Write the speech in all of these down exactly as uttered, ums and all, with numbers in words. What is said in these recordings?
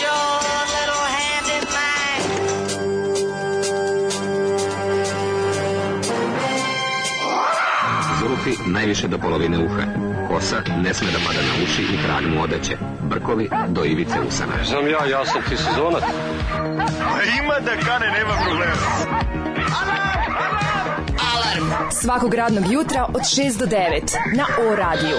your little hand in mine. Zulufi najviše do polovine uha. Kosa ne sme da pada na uši i trag mu odeće. Brkovi do ivice usana. Znam ja, ja sam ti sezonac. A ima da kane, nema problema. Alarm svakog radnog jutra od šest do devet na O radiju.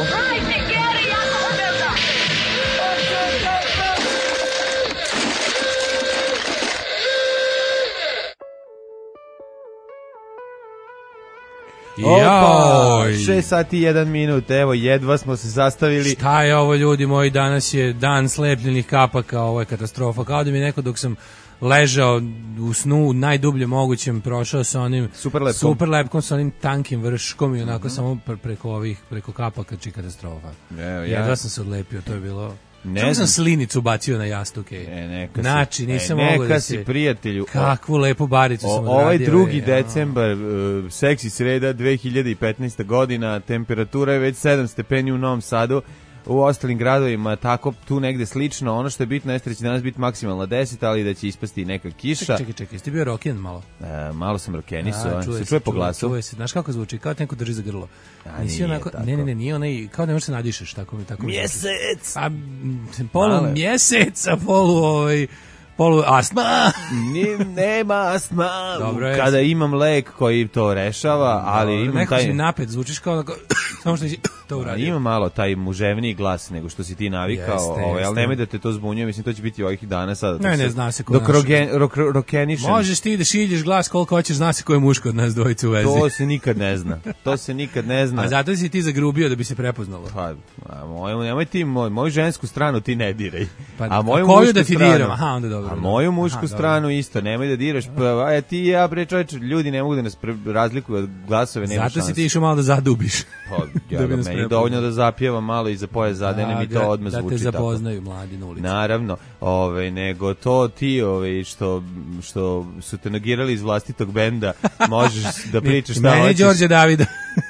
Opa, šest sati i jedan minut, evo jedva smo se sastavili. Šta je ovo, ljudi moji, danas je dan slepljenih kapaka, ovo je katastrofa, kao da mi neko dok sam ležao u snu najdublje mogućem prošao sa onim super lepkom, super lepkom sa onim tankim vrškom i onako mm-hmm. samo pre, preko ovih, preko kapaka, či katastrofa. Evo, ja. Jedva sam se odlepio, to je bilo... Ne Čemu sam slinicu bacio na jastuke? E, neka znači, si, nisam e, mogao da si, se... prijatelju. Kakvu lepu baricu o, sam odradio. Ovaj drugi je, decembar, uh, seksi sreda dve hiljade petnaesta godina, temperatura je već sedam stepeni u Novom Sadu, u ostalim gradovima tako tu negde slično. Ono što je bitno jeste da će danas biti maksimalno deset, ali da će ispasti neka kiša. Čekaj, čekaj, čekaj, jesi ti bio roken malo? E, malo sam rokenisao, se čuje, se, po glasu. Čuje se, znaš kako zvuči, kao neko drži za grlo. A, Nisi nije onako, tako. ne, ne, ne, nije onaj, kao ne možeš se nadišeš, tako mi, tako mi. Mjesec! A, polu Male. Mjesec, a polu, ovaj, polu astma. Ni, nema astma. Dobro je. Kada imam lek koji to rešava, ali Dobro, imam neko taj... si napet, zvučiš kao onako, samo što si to uradio. Ima malo taj muževniji glas nego što si ti navikao, jeste, ovaj, jeste. ali nemoj da te to zbunjuje, mislim to će biti ovih dana sada. Ne, se, ne, zna se ko dok naš. rogen, rok, rokenišem. Možeš ti da šilješ glas koliko hoćeš, zna se ko je muško od nas dvojice u vezi. To se nikad ne zna. To se nikad ne zna. A zato si ti zagrubio da bi se prepoznalo. Pa, a moj, nemoj ti, moj, moju žensku stranu ti ne diraj. Pa, a moju koju mušku da ti stranu, diram? Aha, onda dobro. A moju mušku Aha, stranu isto, nemoj da diraš. Pa, a ti i ja, bre, čovječ, ljudi ne mogu da nas pre, razlikuju od glasove, nema šanse. Zato si ti išao malo da zadubiš. Pa, ja, da meni je dovoljno da zapjevam malo i za pojas zadene, mi to odmah da zvuči te tako. zapoznaju mladi na ulici. Naravno, ove, nego to ti ove, što, što su te nogirali iz vlastitog benda, možeš da pričaš šta hoćeš. Mene Đorđe Davida.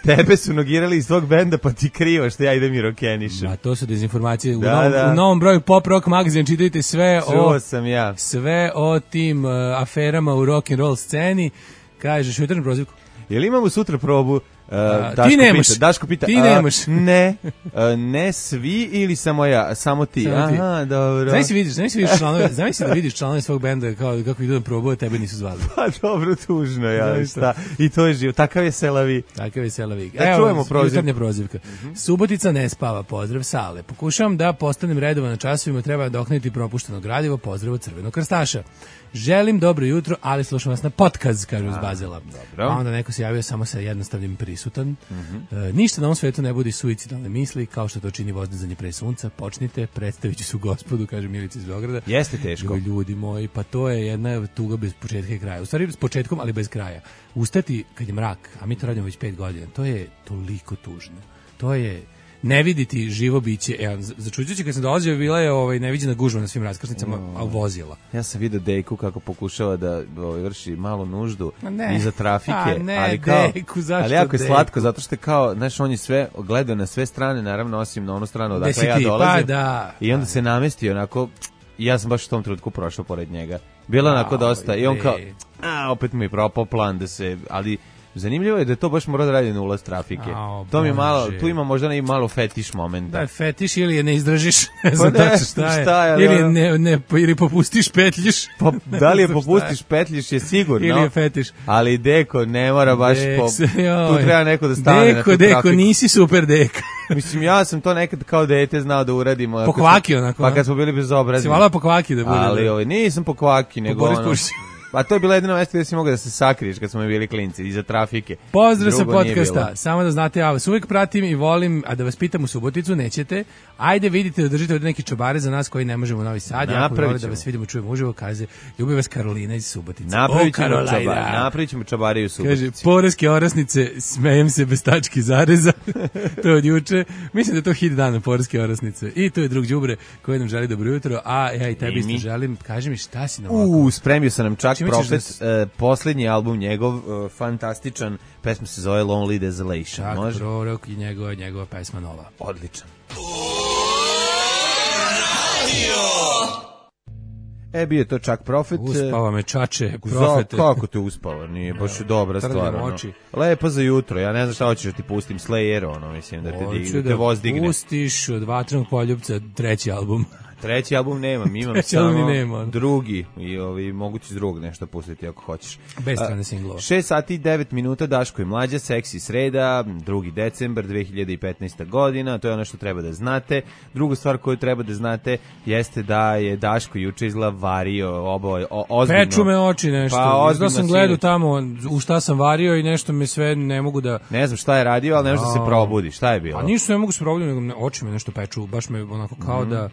Tebe su nogirali iz tvog benda, pa ti krivo što ja idem i rokenišem. A to su dezinformacije. U, da, novom, da. u novom broju Pop Rock magazin čitajte sve Čuo o sam ja. sve o tim uh, aferama u rock and roll sceni. Kažeš jutarnju prozivku. Jel imamo sutra probu? Uh, A, Daško ti nemaš. Pita, Daško pita. Ti a, nemaš. Ne. Uh, ne svi ili samo ja, samo ti. Samo ti. Aha, dobro. Znaš si vidiš, znaš si vidiš članove, znaš si da vidiš članove svog benda kao kako idu na probu, a tebe nisu zvali. Pa dobro, tužno, ja, šta. I to je živo. Takav je Selavi. Takav je Selavi. Da Evo, čujemo prozivku. Jutarnja prozivka. Mm-hmm. Subotica ne spava, pozdrav Sale. Pokušavam da postanem redovan na časovima, treba dokniti propušteno gradivo, pozdrav od Crvenog krstaša. Želim dobro jutro, ali slušam vas na podcast, kažu iz Bazela. Dobro. A onda neko se javio samo sa jednostavnim prisutan. Mm-hmm. E, ništa na ovom svetu ne budi suicidalne misli, kao što to čini vozdizanje pre sunca. Počnite, predstavit ću se u gospodu, kaže Milica iz Beograda. Jeste teško. Ljudi moji, pa to je jedna tuga bez početka i kraja. U stvari s početkom, ali bez kraja. Ustati kad je mrak, a mi to radimo već pet godina, to je toliko tužno. To je ne viditi živo biće. E, začuđujući kad sam dolazio, bila je ovaj, neviđena gužva na svim raskrsnicama, oh. a vozila. Ja sam vidio Dejku kako pokušava da ovaj, vrši malu nuždu ne. iza trafike. A ne, ali kao, Dejku, zašto ali jako je Dejku? slatko, zato što je kao, znaš, on je sve gledao na sve strane, naravno osim na onu stranu odakle Desi ja ti, dolazim. pa da. I onda se namestio onako, i ja sam baš u tom trenutku prošao pored njega. Bilo onako dosta. I on kao, a, opet mi je propao plan da se, ali zanimljivo je da to baš mora da radi na ulaz trafike. A, to mi je malo, Bože. tu ima možda i malo fetiš momenta. Da, fetiš ili je ne izdražiš, ne znam Pa ne, tačno šta je. šta je, ali ili ono- ne, ne, ili popustiš, petljiš. Pa, da li je Ne znam šta popustiš, petljiš je sigurno. Ili je fetiš. Ali Deko ne mora baš Dek, po... se- joj. Tu treba neko da stane Deko, na tu Deko, trafiku. nisi super Deka. Mislim, ja sam to nekad kao dete znao da uradim. ako Pokvaki sam- onako, Pa a? kad smo bili bezobrazni. Si volao pokvaki da bude. Ali da? ovaj, nisam pokvaki, nego Boris ono... Pušić. Pa to je bila jedino mjesto gdje si mogao da se sakriješ kad smo mi bili klinci, iza trafike. Pozdrav sa Drugo nije podcasta. bilo. Samo da znate, ja vas uvijek pratim i volim, a da vas pitam u Suboticu, nećete. Ajde vidite da držite ovdje neki čobare za nas koji ne možemo u Novi Sad. Jako Napravit vole da ćemo. vas vidimo, čujemo uživo, kaže, ljubi vas Karolina iz Subotice. Napravit O, ćemo, Karolina. čoba, napravit ćemo čobare u Subotici. Kaže, poreske orasnice, smejem se bez tački zareza. To je od juče. Mislim da je to hit dana, poreske orasnice. I to je drug đubre koji nam želi dobro jutro, a ja i tebi I isto mi. želim. Kaži mi šta si nam ovako? U, spremio sam nam čak Čime ćeš Profet, da e, posljednji album njegov, e, fantastičan, pesma se zove Lonely Desolation. Čak Može? prorok i njegova, njegova pesma nova. Odličan. E, bio je to čak Profet. Uspava me čače, Profete. Za, kako te uspava? Nije baš dobra stvar. Ono. Lepo za jutro, ja ne znam šta hoćeš da ti pustim, Slayer, ono, mislim, da te, dig, da te voz digne. Hoću da pustiš od Vatrenog poljupca treći album. Treći album nemam, imam Treći samo nema. drugi i ovi, mogu ti iz drugog nešto pustiti ako hoćeš. Bez strane singlova. šest sati i devet minuta, Daško i Mlađa, Seksi sreda, drugi decembar dve hiljade petnaeste. godina, to je ono što treba da znate. Druga stvar koju treba da znate jeste da je Daško juče izgleda vario obo, o, ozbiljno. Peču me oči nešto, pa, izgleda sam gledao tamo u šta sam vario i nešto me sve ne mogu da... Ne znam šta je radio, ali ne može da se probudi, šta je bilo? A ništa ne mogu se probuditi, nego oči me nešto peču, baš me onako kao mm. da...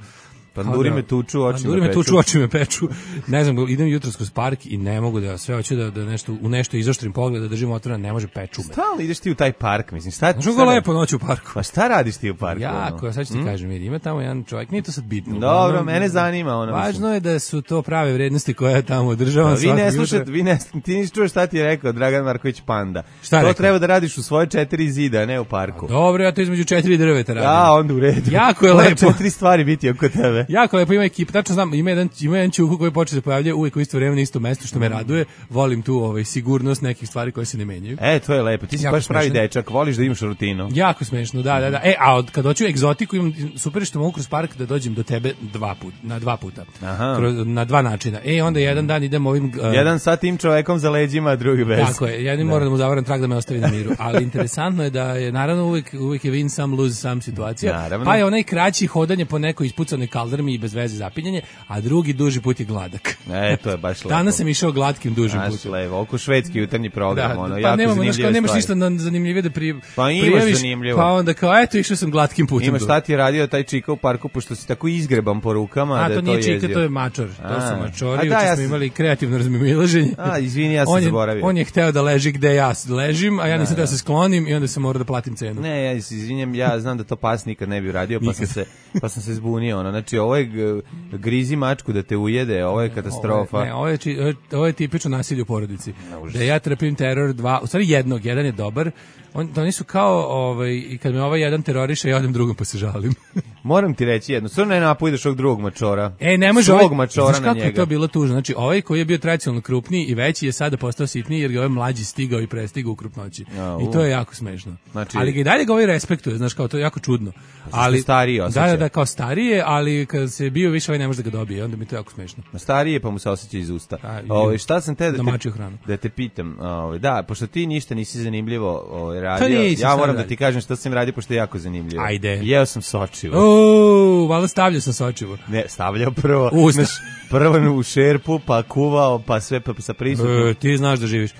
Panduri da, me tuču, oči panduri me peču. tuču, oči me peču. Ne znam, idem jutros kroz park i ne mogu da sve hoću da, da nešto, u nešto izoštrim pogled, da držim otvoren, ne može peču me. Stalno ideš ti u taj park, mislim. Šta, Znaš kako lepo noć u parku? Pa šta radiš ti u parku? Jako, ono? Sad ću ti mm? kažem, vidi, ima tamo jedan čovjek, nije to sad bitno. Dobro, ono, mene zanima. Ono, važno mislim. je da su to prave vrednosti koje ja tamo održavam. Vi ne slušate, vi ne, ti nisi čuo šta ti je rekao Dragan Marković Panda. Šta to rekao? Treba da radiš u svoje četiri zida, ne u parku. A dobro, ja to između četiri drveta radim. Ja, onda u redu. Jako je lepo. četiri stvari biti oko tebe. Jako lepo, ima ekipa, tačno znam, ima jedan, ima jedan čuku koji počne se pojavljuje uvijek u isto vreme na isto mesto, što me raduje. Volim tu ovaj, sigurnost nekih stvari koje se ne menjaju. E, to je lepo, ti si jako baš pravi smešno. Dečak, voliš da imaš rutinu. Jako smešno, da, da, da. E, a od, kad hoću egzotiku, imam super što mogu kroz park da dođem do tebe dva puta, na dva puta. Aha. Kroz, na dva načina. E, onda jedan dan idem ovim... Uh, jedan sa tim čovekom za leđima, drugi bez. Tako je, jedan mora da mu zavaram trag da me ostavi na miru. Ali interesantno je da je, naravno, uvijek, uvijek je win some, lose some situacija. Naravno. Pa je onaj kraći hodanje po nekoj ispucanoj kaldrmi i bez veze zapinjanje, a drugi duži put je gladak. E, to je baš lepo. Danas sam išao glatkim dužim putem. Baš lepo, oko švedski jutarnji program, da, ono, pa jako nemamo, zanimljive nemaš stvari. Nemaš ništa zanimljivije da pri, pa prijaviš, zanimljivo. Pa onda kao, eto, išao sam glatkim putem. Imaš šta ti je radio taj čika u parku, pošto si tako izgreban po rukama, a, da to, je to to nije čika, to je mačor. A, to su mačori, da, uče ja smo imali kreativno razmimoilaženje. A, izvini, ja sam on je, zaboravio. On je hteo da leži gde ja ležim, a ja nisam da, da se sklonim i onda sam morao da platim cenu. Ne, ja izvinjam, ja znam da to pas nikad ne bi uradio, pa sam se pa sam se zbunio, ono. Znači, ovo je grizi mačku da te ujede, ovo je katastrofa. Ovo je, ne, ovo je, či, ovo je tipično nasilje u porodici. Da ja trpim teror dva, u stvari jednog, jedan je dobar. On, oni su kao, ovaj, i kad me ovaj jedan teroriše, ja odem drugom pa se žalim. Moram ti reći jedno, sve ne napojdeš ovog drugog mačora. E, ne može svog ovaj, mačora znaš na kako njega. Je to bilo tužno. Znači, ovaj koji je bio tradicionalno krupniji i veći je sada postao sitniji jer ga ovaj mlađi stigao i prestigao u krupnoći. Ja, I to je jako smešno. Znači, ali ga i dalje ga ovaj respektuje, znaš, kao to je jako čudno. Ali stariji osjeća. Da, da, da, kao starije, ali kad se bio više, ovaj ne može da ga dobije, onda mi to jako smešno. Starije pa mu se osjeća iz usta. Ovaj šta sam te da te, da te pitam, ovaj da, pošto ti ništa nisi zanimljivo ovaj radio. Ja moram da ti kažem šta sam radio pošto je jako zanimljivo. Ajde. Jeo sam sočivo. O, valjda stavljao sam sočivo. Ne, stavljao prvo. Znaš, prvo u šerpu, pa kuvao, pa sve pa sa prisutno. E, ti znaš da živiš.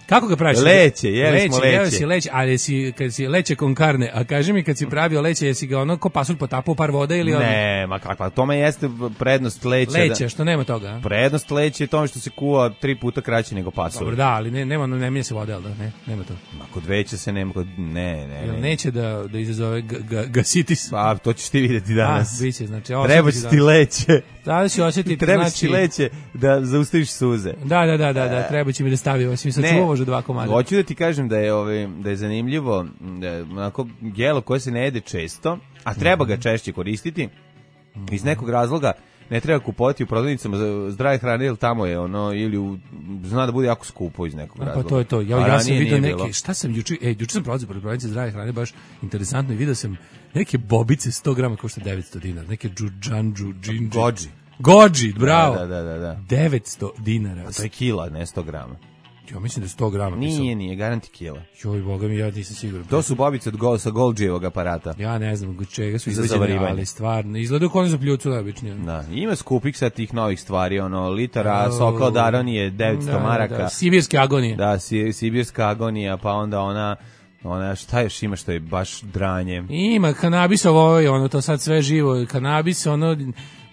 Kako ga praviš? Leće, jeli smo leće. Jeli si leće, ali si, kad si leće con carne, a kaži mi kad si pravio leće, jesi ga ono ko pasulj potapao par vode ili... Ne, ma kakva, tome jeste prednost leće. Leće, da, što nema toga. A? Prednost leće je tome što se kuva tri puta kraće nego pasulj. Dobro, da, ali ne, nema, ne mijenja se vode, da, ne, nema to. Ma kod veće se nema, kod, ne, ne, ne. Neće da, da izazove gasitis. Pa, to ćeš ti vidjeti danas. A, biće, znači... Treba će ti leće. Da će osjetiti, treba znači... ti leće da zaustaviš suze. Da, da, da, da, da treba će mi da stavi, osim sad čuvo može dva komada. Hoću da ti kažem da je ovaj da je zanimljivo, da je onako jelo koje se ne jede često, a treba ga češće koristiti. Iz nekog razloga ne treba kupovati u prodavnicama zdrave hrane, jer tamo je ono, ili u, zna da bude jako skupo iz nekog razloga. Pa to je to, ja, ja sam vidio neke, šta sam juče, ej, juče sam prolazio pored prodavnice zdrave hrane, baš interesantno, i vidio sam neke bobice sto grama košta devetsto dinara, neke džudžanđu, džinđi. Gođi. Gođi, bravo. Da, da, da, da. devetsto dinara. A to je kila, ne sto grama. Ja mislim da je sto grama. Nije, pisao. nije, garanti kila. Joj, boga mi, ja nisam siguran. To su bobice od go, sa Golđijevog aparata. Ja ne znam od čega su izvađene, ali stvarno, izgledaju kao za pljucu najobičnije. Da, ima skupih sa tih novih stvari, ono, litara, oh, soka od aronije, devetsto da, maraka. Da, sibirske agonije. Da, si, sibirska agonija, pa onda ona... Ona, šta još ima što je baš dranje? Ima, kanabis ovo, ono, to sad sve živo, kanabis, ono...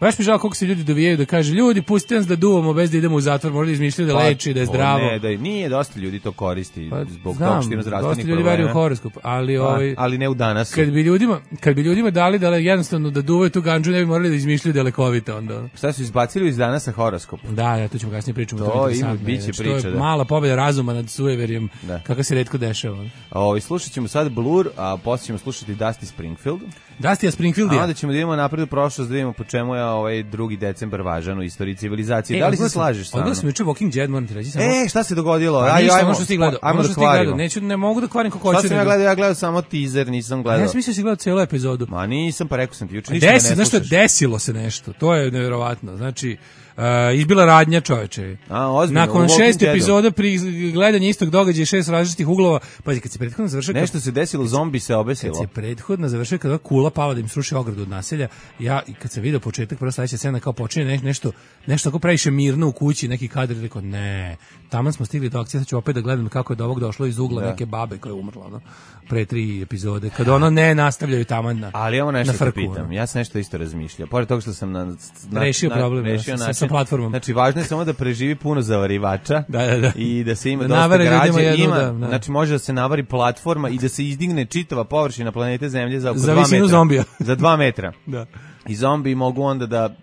Baš mi žao koliko se ljudi dovijaju da kaže, ljudi, pustite nas da duvamo bez da idemo u zatvor, možda izmišljaju da pa, leči, da je zdravo. Ne, da je, nije, dosta ljudi to koristi pa, zbog znam, toga što ima zdravstvenih dosta ljudi veruju u horoskop, ali, pa, ovaj, ali ne u danas. Kad bi ljudima, kad bi ljudima dali da jednostavno da duvaju tu gandžu, ne bi morali da izmišljaju da je lekovita onda. Šta su izbacili iz danasa horoskop? Da, ja, tu ćemo kasnije pričati. To, to ima, biće znači, priča. To je da. mala pobjeda razuma nad sujeverjem, kako se retko dešava. O, slušat ćemo sad Blur, a poslije ćemo slušati Dusty Springfield. Dusty Springfield, a onda ćemo da idemo napred u prošlost, da vidimo po čemu je ovaj drugi decembar važan u istoriji civilizacije. E, da li se slažeš sa mnom? Odgledao sam juče Walking Dead, moram ti reći. Samo... E, šta se dogodilo? Pa, Aj, ništa, ajmo, ono što si gledao. Ajmo ono da što kvarimo. Neću, ne mogu da kvarim kako hoću. Šta sam ja gledao? Ja gledao samo teaser, nisam gledao. Ja sam mislio da si gledao cijelu epizodu. Ma nisam, pa rekao sam ti juče, ništa Desi, ne znaš što, slušaš. desilo se nešto. To je nevjerovatno. Znači, Uh, izbila radnja, čoveče. A, ozbiljno, nakon u Walking šest Deadu. epizoda pri gledanju istog događaja, šest različitih uglova, pazi, kad se prethodno završio... Nešto se desilo, zombi se obesilo. Kad se prethodno završio, kada kula pala da im sruši ogradu od naselja, ja, i kad sam video početak, prva sledeća scena, kao počinje ne, nešto, nešto tako previše mirno u kući, neki kadar, rekao, ne, taman smo stigli do akcije, sad ću opet da gledam kako je do ovog došlo iz ugla da. neke babe koja je umrla, no, pre tri epizode, kad ono ne nastavljaju taman na Ali evo nešto na te frku, pitam, ja sam nešto isto razmišljao, pored toga što sam na, na, rešio na, problem rešio sa, način, sa platformom. Znači, važno je samo da preživi puno zavarivača Da, da, da. i da se ima Da dosta navare ljudima građe, jednu, ima, da, da. znači može da se navari platforma i da se izdigne čitava površina planete Zemlje za oko Za dva visinu metra. zombija. Za dva metra. Da. I zombi mogu onda da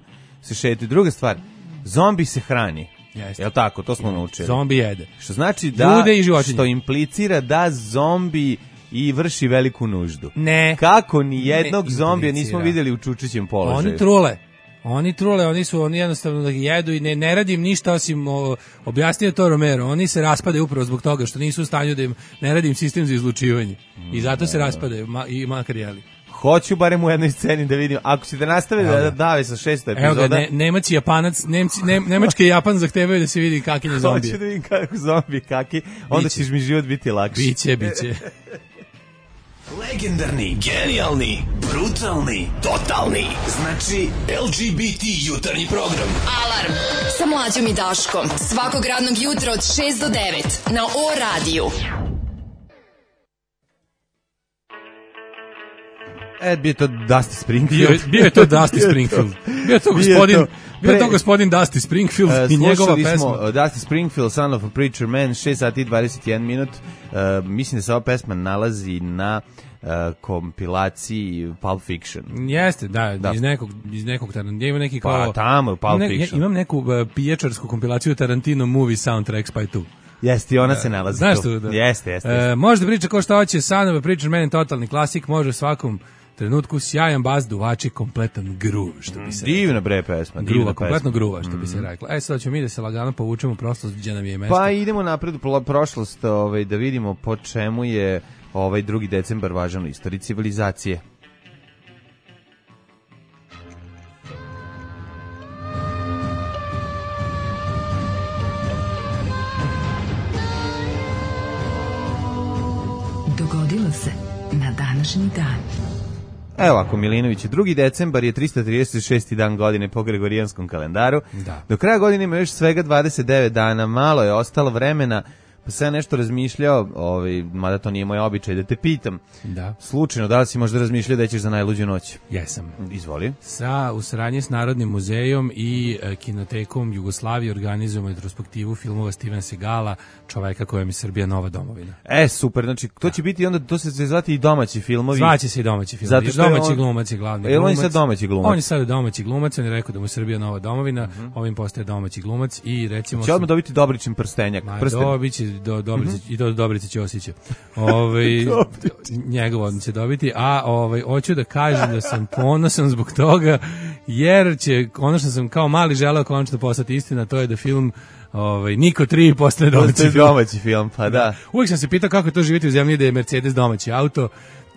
se šetaju. Druga stvar, zombi se hrani. Jeste. Jel tako, to smo naučili. Zombi jede. Što znači da, Ljude i životinje. što implicira da zombi i vrši veliku nuždu. Ne. Kako ni jednog Ne zombija nismo implicira. vidjeli u čučićem položaju. Oni trule. Oni trule, oni su oni jednostavno da jedu i ne, ne radim ništa osim o, objasnio to Romero. Oni se raspadaju upravo zbog toga što nisu u stanju da im ne radim sistem za izlučivanje. I zato se raspadaju ma, i makar jeli. Hoću barem u jednoj sceni da vidim. Ako ćete nastaviti da dave sa šesta epizoda... Evo ga, ne, Nemac i Japanac, Nemci, ne, Nemački i Japan zahtevaju da se vidi kakinje zombije. Hoću da vidim kako zombi kaki, onda Biće. ćeš mi život biti lakši. Biće, biće. Legendarni, genijalni, brutalni, totalni. Znači, L G B T jutarnji program. Alarm sa mlađom i Daškom. Svakog radnog jutra od šest do devet na O radiju. E, bio je to Dusty Springfield. Bio, je- bio je to Dusty Springfield. Bio je to Bio je gospodin, to. bio je to Pre- gospodin Dusty Springfield Uh, i njegova slušali pesma. smo uh, Dusty Springfield, Son of a Preacher Man, šest sati i dvadeset jedan minut. Uh, mislim da se ova pesma nalazi na uh, kompilaciji Pulp Fiction. Jeste, da, Da. iz nekog iz nekog Tarantino, ima neki Pa kao tamo, Pulp ne, ja Fiction. imam neku uh, pijačarsku kompilaciju Tarantino Movie Soundtracks pa je tu. Jeste, i ona se nalazi Znaš tu. tu, da. Jeste, jeste. E, jeste. može da priča ko šta hoće, Son of a Preacher Man, totalni klasik, može u svakom trenutku sjajan bas, duvači, kompletan groove, što bi se Divna bre pesma. divna gruva, pesma. kompletno gruva, što bi se reklo. E, sad ćemo mi da se lagano povučemo prosto gdje nam je mesto. Pa idemo napred u pro- prošlost, ovaj, da vidimo po čemu je ovaj drugi decembar važan u istoriji civilizacije. Dogodilo se na današnji dan. Evo ako Milinović, drugi decembar je tristo trideset šesti dan godine po gregorijanskom kalendaru. Da. Do kraja godine ima još svega dvadeset devet dana, malo je ostalo vremena, pa sam ja nešto razmišljao, ovaj, mada to nije moj običaj, da te pitam. Da. Slučajno, da li si možda razmišljao da ćeš za najluđu noć? Jesam. Izvoli. Sa u saradnji s Narodnim muzejom i e, Kinotekom Jugoslavije organizujemo retrospektivu filmova Stevena Segala, čoveka kojem je Srbija nova domovina. E, super, znači to će biti onda, to se će zvati i domaći filmovi. Zvaće se i domaći film. Zato što je domaći on- glumac je glavni Jel on je glumac. sad domaći glumac? On je sad domaći glumac, on je rekao da mu je Srbija nova domovina, ovim postaje domaći glumac i recimo... Će odmah dobiti Dobričin prstenjak. Ma, Prsten. dobiće do Dobrice i do Dobrice Ćosića. Ovaj njegov on će dobiti, a ovaj hoću da kažem da sam ponosan zbog toga jer će ono što sam kao mali želeo konačno postati istina, to je da film ovaj Niko tri postane To je domaći film. domaći film, pa da. Uvijek sam se pitao kako je to živjeti u zemlji gde je Mercedes domaći auto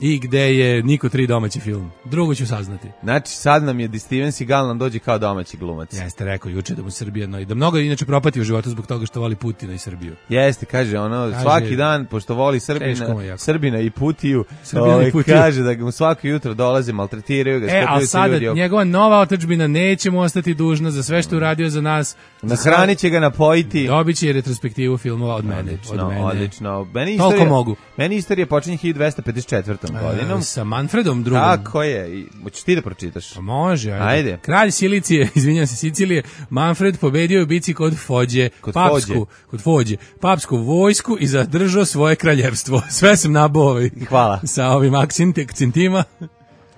i gde je Niko tri domaći film. Drugo ću saznati. Znači sad nam je da Steven Seagal nam dođe kao domaći glumac. Jeste rekao juče da mu Srbija no, i da mnogo inače propati u životu zbog toga što voli Putina i Srbiju. Jeste, kaže ono, Kaže- svaki dan, pošto voli Teško Srbina, mu je jako. Srbina i Putiju, Srbina i ovaj, Putiju. kaže da mu svako jutro dolaze, maltretiraju ga, E, skupljaju ali se sada ljudi oko. njegova nova otadžbina neće mu ostati dužna za sve što je uradio za nas. Nahranit će ga, napojiti. Dobit će retrospektivu filmova od mene. Odlično, od mene. odlično. Meni Toliko istorija, mogu. Meni istorija počinje hiljadu dvesta pedeset četvrtom godinom. E, sa Manfredom drugom. Tako je. I, hoćeš ti da pročitaš? Pa može, ajde. Ajde. Kralj Silicije, izvinjam se, Sicilije, Manfred pobedio u bici kod Fođe, Kod papsku, Fođe. kod Fođe, papsku vojsku i zadržao svoje kraljevstvo. Sve sam nabao ovaj, Hvala. sa ovim akcentima.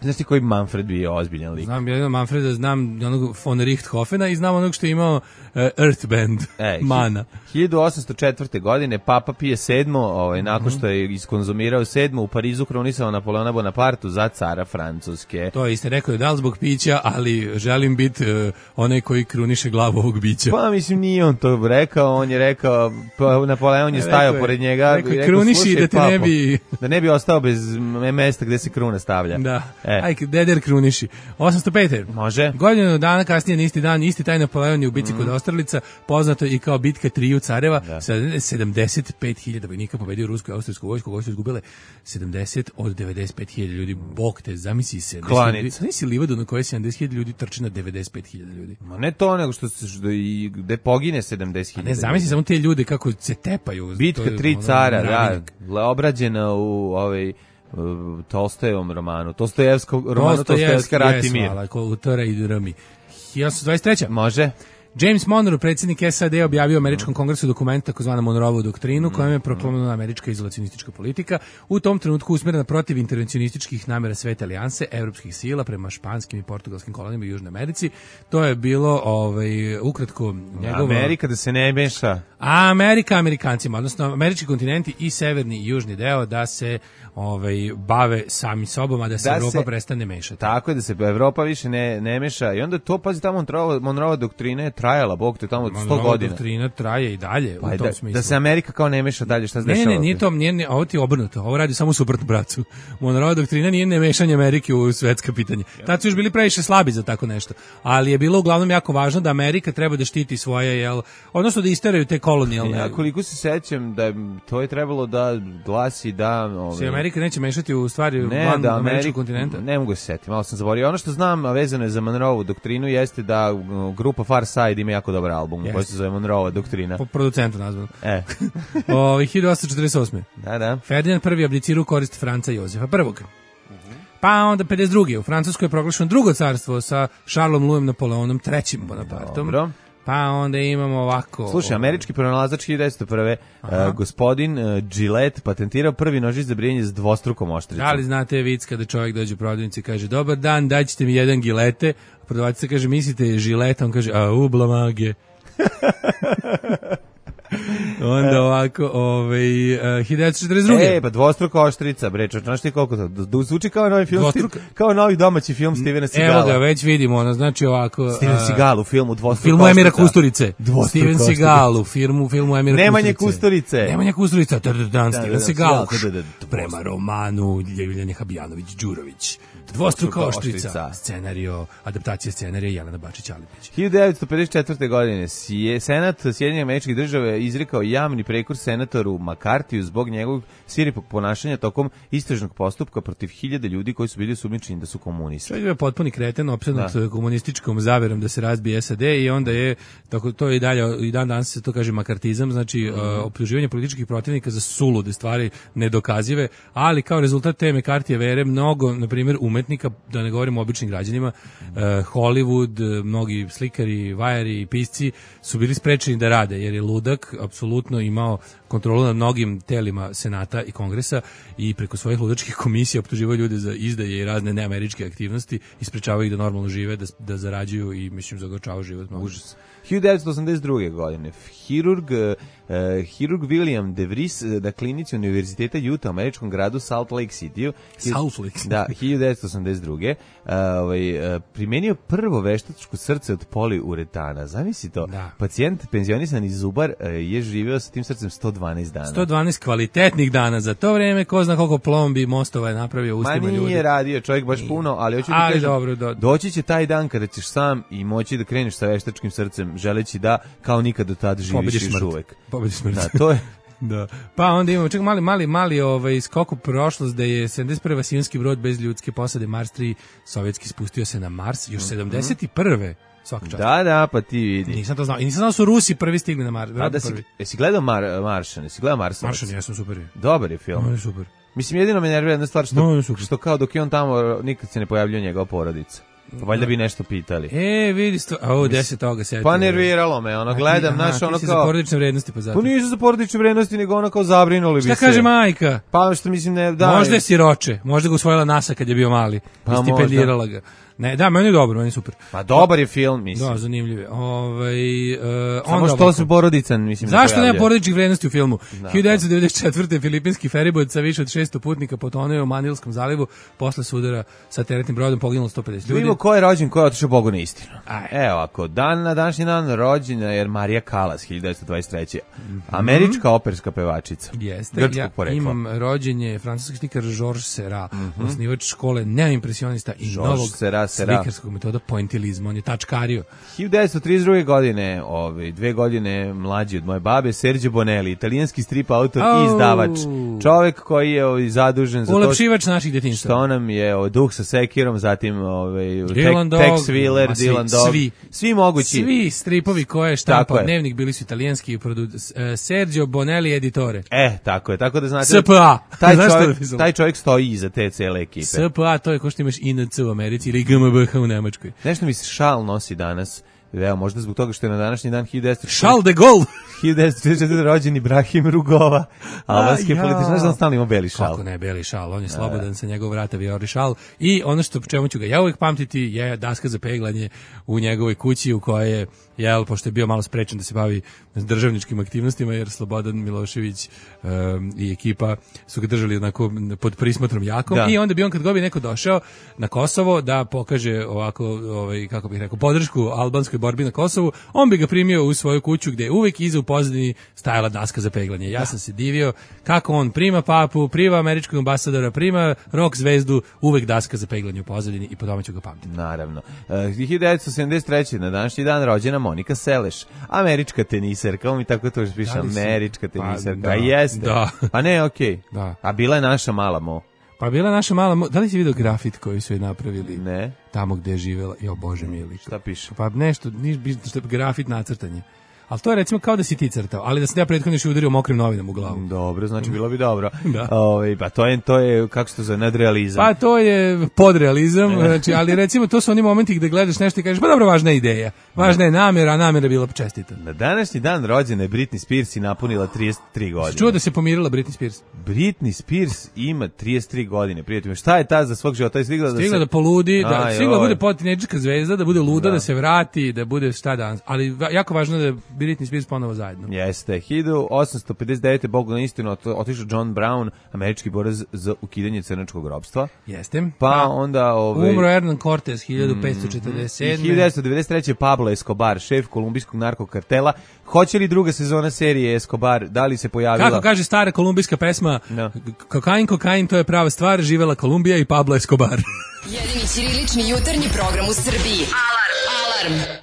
Znaš ti koji Manfred bio ozbiljan lik? Znam jednog Manfreda, znam onog von Richthofena i znam onog što je imao uh, Earth Band, e, Mana. hiljadu osamsto četvrte. godine Papa Pije sedmo, ovaj, nakon što je iskonzumirao sedmo, u Parizu krunisao Napoleona Bonapartu za cara Francuske. To je isto rekao, da li zbog pića, ali želim biti uh, onaj koji kruniše glavu ovog bića. Pa mislim nije on to rekao, on je rekao, pa Napoleon je stajao pored njega. Rekao, rekao kruniši da te papo, ne bi... da ne bi ostao bez mesta gde se kruna stavlja. Da, e. aj, deder kruniši. osamsto pete. Može. Godinu dana kasnije, na isti dan, isti taj Napoleon je u bici mm. kod Austerlica, poznato i kao bitka triju careva, da. sedamdeset pet hiljada vojnika pobedio rusku i austrijsku vojsku, koji su izgubile sedamdeset od devedeset pet hiljada ljudi. Bog te, zamisli se. Zamisli livadu na kojoj sedamdeset hiljada ljudi trči na devedeset pet hiljada ljudi. Ma ne to, nego što se što i gde pogine sedamdeset hiljada. Ne, zamisli samo te ljude kako se tepaju. Bitka tri cara, da, obrađena u ovaj Tolstojevom romanu, Tolstojevskom romanu, Tolstojevska Rat i mir. Kultura i drami. hiljadu dvadeset treća. Može. James Monroe, predsjednik S A D, objavio u američkom kongresu dokument takozvanu Monroevu doktrinu, kojom je proklamovana američka izolacionistička politika, u tom trenutku usmjerena protiv intervencionističkih namjera Svete alijanse, evropskih sila prema španskim i portugalskim kolonijama u Južnoj Americi. To je bilo ovaj ukratko njegovo... Amerika da se ne meša. A Amerika Amerikancima, odnosno američki kontinenti i severni i južni deo da se ovaj bave sami sobom, a da se da Evropa se, prestane mešati. Tako je, da se Evropa više ne, ne meša. I onda to, pazi, tamo Monroe, Monroeva doktrina je trajala, Bog te tamo sto godina. Monroeva doktrina traje i dalje pa u tom da, smislu. Da se Amerika kao ne meša dalje, šta se dešava? Ne, ne, nije to, nije, nije, ovo ti je obrnuto. Ovo radi samo suprotno bracu. Monroeva doktrina nije nemešanje Amerike u svetska pitanja. Tad su još bili previše slabi za tako nešto. Ali je bilo uglavnom jako važno da Amerika treba da štiti svoje, jel, odnosno da isteraju te kolonijalne. Ja koliko se sećam da to je trebalo da glasi da se Amerika neće mešati u stvari ne, van da američkog kontinenta. Ne mogu se setiti, malo sam zaboravio. Ono što znam, a vezano je za Monroevu doktrinu, jeste da grupa Far Side ima jako dobar album yes. koji se zove Monroeva doktrina. Po producentu nazvan. E. o, hiljadu osamsto četrdeset osme. Da, da. Ferdinand prvi abdicirao u korist Franca Jozefa prvog. Uh-huh. Pa onda pedeset druge. U Francuskoj je proglašeno drugo carstvo sa Charlesom Louisom Napoleonom trećim Bonapartom. Dobro. Pa onda imamo ovako... Slušaj, američki pronalazač hiljadu devetsto prve. Uh, gospodin uh, Gillette patentirao prvi nožić za brijanje s dvostrukom oštricom. Da li znate vic kada čovjek dođe u prodavnicu i kaže dobar dan, daćete mi jedan Gillette, a prodavačica kaže mislite je Gillette, on kaže a u blamage. Onda ovako, ovaj, uh, hiljadu devetsto četrdeset druge. E, pa dvostruka oštrica, bre, znaš ti koliko to, da zvuči kao novi film, Dvostruka... kao novi domaći film Stevena Seagala. Evo ga, već vidimo, ono, znači ovako... Steven uh, Seagal u filmu Dvostruka filmu oštrica. Emira Kusturice. Steven Seagal u filmu, filmu Emira Nemanje Kusturice. Kusturice. Nemanje Kusturice, dan Steven Seagal. Prema romanu Ljeviljane Habijanović-Đurović. Dvostruka oštrica. Scenario, adaptacija scenarija Jelena Bačić-Alipić. hiljadu devetsto pedeset četvrte. godine je Senat Sjedinjenih Američkih Država izrekao javni prekor senatoru McCarthyju zbog njegovog svirepog ponašanja tokom istražnog postupka protiv hiljade ljudi koji su bili osumnjičeni da su komunisti. To je potpuni kreten, opsednut da. komunističkom zaverom da se razbije S A D i onda je, tako to je i dalje, i dan danas se to kaže makartizam, znači mm. uh, optuživanje političkih protivnika za sulude stvari nedokazive, ali kao rezultat te McCarthyje vere mnogo, na primjer, umetnika, da ne govorimo o običnim građanima, uh, Hollywood, mnogi slikari, vajari i pisci su bili sprečeni da rade, jer je ludak apsolutno imao kontrolu nad mnogim telima Senata i Kongresa i preko svojih ludačkih komisija optuživaju ljude za izdaje i razne neameričke aktivnosti i sprečavaju ih da normalno žive, da, da zarađuju i, mislim, zagorčavaju život. Užas. hiljadu devetsto osamdeset druge. godine hirurg, uh, hirurg William De Vries na klinici Univerziteta Utah u američkom gradu Salt Lake City Salt Lake da, hiljadu devetsto osamdeset druge. Uh, ovaj, uh, primenio prvo veštačko srce od poliuretana. Zamisli to. Da. Pacijent penzionisan iz Zubar uh, je živeo sa tim srcem sto dvanaest dana. sto dvanaest kvalitetnih dana. Za to vreme ko zna koliko plombi mostova je napravio ustima ljudi. Ma nije ljudi. radio čovjek baš puno, ali hoću ti kažem, dobro, do... doći će taj dan kada ćeš sam i moći da kreneš sa veštačkim srcem, želeći da kao nikad do tada živiš još uvek. Pobediš smrt. Da, to je. Da. Pa onda imamo čak mali mali mali ovaj skok u prošlost da je sedamdeset prve svjetski brod bez ljudske posade Mars tri sovjetski spustio se na Mars još sedamdeset prve svaka čast. Da, da, pa ti vidi. Nisam to znao. I nisam znao su Rusi prvi stigli na Mars. A da si, jesi gledao Mar, Maršan? Jesi gledao Marsovac? Maršan, ja sam super. Dobar je film. No, je super. Mislim, jedino me nervira jedna stvar što, no, što kao dok je on tamo nikad se ne pojavljuje njegova porodica. Valjda bi nešto pitali. E, vidi sto... A ovo, deset toga setio. Pa nerviralo me, ono, gledam, znaš, ono kao... Ti si kao... za porodične vrednosti, pa zato. Pa nisu za porodične vrednosti, nego ono kao zabrinuli bi se. Šta kaže majka? Pa što mislim, ne, da... Možda je siroče, možda ga usvojila NASA kad je bio mali. Pa i stipendirala ga. Ne, da, meni je dobro, meni je super. Pa dobar je film, mislim. Da, zanimljiv je. Ovaj uh, samo što se porodican, mislim. Zašto nema porodičnih vrednosti u filmu? Da, hiljadu devetsto devedeset četvrte. filipinski feribot sa više od šesto putnika potonuo u Manilskom zalivu posle sudara sa teretnim brodom, poginulo sto pedeset ljudi. Vidimo ko je rođen, ko je otišao Bogu na istinu. Aj. Evo, ako dan na današnji dan rođena je Marija Kalas, hiljadu devetsto dvadeset treće. Američka operska pevačica. Jeste, grčkog ja porekla. Imam rođenje francuski slikar Georges Seurat, mm-hmm. osnivač škole neoimpresionista i Georges novog Seurat, Seurat. slikarskog metoda pointilizma. On je tačkario. hiljadu devetsto trideset druge. godine, ovaj, dve godine mlađi od moje babe, Sergio Bonelli, italijanski strip autor oh. i izdavač. Čovek koji je ovaj, zadužen za ulepšivač naših detinjstva. Što nam je ovaj, Duh sa sekirom, zatim ovaj, Tex Willer, Dylan Dog, svi, svi mogući. Svi stripovi koje je štampao Dnevnik bili su italijanski, produ- uh, Sergio Bonelli editore. E, tako je, tako da znate. S P A. Taj čovjek, taj čovjek stoji iza te cele ekipe. S P A, to je ko što imaš I N C u Americi ili G M B H u Nemačkoj. Nešto mi se šal nosi danas. Evo, možda zbog toga što je na današnji dan hiljadu devetsto Charles de Gaulle. hiljadu devetsto trideset četvrte. rođen Ibrahim Rugova, albanski političar. Znaš da on stalno ima beli šal? Kako ne, beli šal, on je slobodan sa njegovog vrata vijori šal. I ono što čemu ću ga ja uvijek pamtiti je daska za peglanje u njegovoj kući u kojoj je, jel, pošto je bio malo sprečen da se bavi državničkim aktivnostima, jer Slobodan Milošević um, i ekipa su ga držali onako pod prismotrom jakom. Da. I onda bi on kad god bi neko došao na Kosovo da pokaže ovako, ovaj, kako bih rekao, podršku albanskoj borbi na Kosovu, on bi ga primio u svoju kuću gde je uvek iza u pozadini stajala daska za peglanje. Ja sam se divio kako on prima papu, prima američkog ambasadora, prima rock zvezdu, uvek daska za peglanje u pozadini i po tome ću ga pamtiti. Naravno. Uh, hiljadu devetsto sedamdeset treće. na današnji dan rođena Monika Seleš, američka teniserka, on mi tako to još piše, američka teniserka. Pa, da, jeste. Da. Pa ne, okej. Okay. Da. A bila je naša mala Mo. Pa bila je naša mala Mo. Da li si vidio grafit koji su je napravili? Ne. Tamo gde je živela. Jo, Bože mili. Šta piše? Pa nešto, niš, što je grafit nacrtanje. Ali to je recimo kao da si ti crtao, ali da se ja prethodno još udario mokrim novinama u glavu. Dobro, znači bilo bi dobro. Da. Ove, pa to je, to je, kako se to zove, nadrealizam. Pa to je podrealizam, znači, ali recimo to su oni momenti gde gledaš nešto i kažeš, pa dobro, važna je ideja, važna je namjera, a namjera je bila čestita. Na današnji dan rođena je Britney Spears i napunila trideset tri godine. Čuo da se pomirila Britney Spears? Britney Spears ima trideset tri godine, prijateljima. Šta je ta za svog života? Je stigla da stigla se... da poludi, da, Aj, stigla da oj. bude potinejdžerska zvezda, da bude luda, da. Da se vrati, da bude šta danas. Ali jako važno da je Britney Spears ponovo zajedno. Jeste. hiljadu osamsto pedeset devete. Bogu na istinu otišao John Brown, američki borac za ukidanje crnačkog ropstva. Jeste. Pa, pa onda... Ove, umro Hernan Cortez hiljadu petsto četrdeset sedme. I hiljadu devetsto devedeset treće. Pablo Escobar, šef kolumbijskog narkokartela. Hoće li druga sezona serije Escobar, da li se pojavila? Kako kaže stara kolumbijska pesma, no. Kokain, kokain, to je prava stvar, živela Kolumbija i Pablo Escobar. Jedini ćirilični jutarnji program u Srbiji. Alarm! Alarm!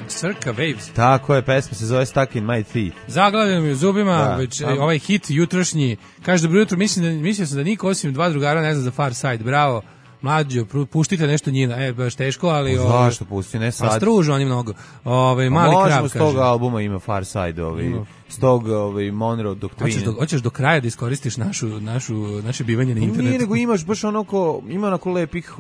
Circa Waves. Tako je, pesma se zove Stuck in My Teeth. Zaglavljam mi u zubima, da, već pa... ovaj hit jutrošnji. Kaže, dobro jutro, mislim da, mislio sam da niko osim dva drugara ne zna za Far Side. Bravo, mlađo, puštite nešto njina. E, baš teško, ali... Zašto pusti, ne sad? Pa stružu, oni mnogo. Ove, mali možemo krab, s tog kaže. Albuma ima Far Side, ovi, s tog ovi, Monroe Doctrine. Hoćeš do, hoćeš do kraja da iskoristiš našu, našu, naše bivanje na internetu? Nije, nego imaš baš onako, ima onako lepih,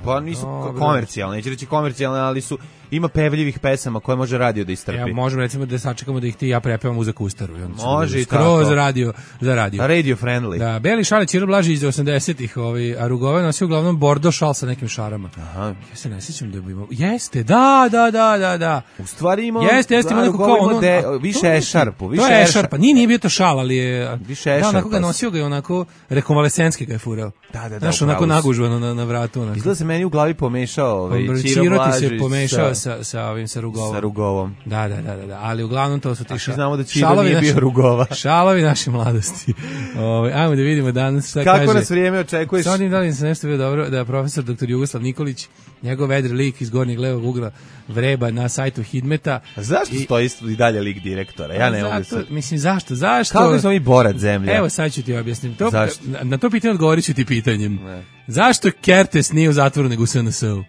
pa nisu no, komercijalne, neće reći komercijalne, ali su, ima pevljivih pesama koje može radio da istrpi. Ja, možemo recimo da sačekamo da ih ti ja prepevam uz akustaru. Može i tako. Skroz radio, za radio. Radio friendly. Da, beli šal je Ćiro Blaži iz osamdesetih, ovaj, a Rugove nosio uglavnom bordo šal sa nekim šarama. Aha. Ja se ne sjećam da bi imao... Jeste, da, da, da, da, da. U stvari imao... Jeste, jeste, ima neko kao ono... De, više ešarpu, više to je ešarpa, nije, nije bio to šal, ali je... Više ešarpa. Da, onako ga nosio ga je onako, rekonvalescenski ga je furao. Da, da, da. Znaš, onako nagužvano na, na vratu. Onako. Izgleda se meni u glavi pomešao ovaj, Ćiro Blaži se pomešao sa, sa, sa ovim, sa Rugovom. Sa Rugovom. Da, da, da, da, ali uglavnom to su ti ša... znamo da Ćiro nije bio Rugova. Šalovi naše mladosti. Ovaj, ajmo da vidimo danas šta kako kaže. Kako nas vrijeme očekuješ? Sa onim da li se nešto bio dobro, da profesor doktor Jugoslav Nikolić, njegov vedri lik iz gornjeg levog ugla vreba na sajtu Hidmeta. A zašto i, stoji i dalje lik direktora? Ja ne mogu se... Mislim, zašto? Zašto? Kako smo mi borac zemlje? Evo, sad ću ti objasnim. To, na, na to pitanje odgovorit ću ti pitanjem. Ne. Zašto Kertes nije u zatvoru nego u S N S-u?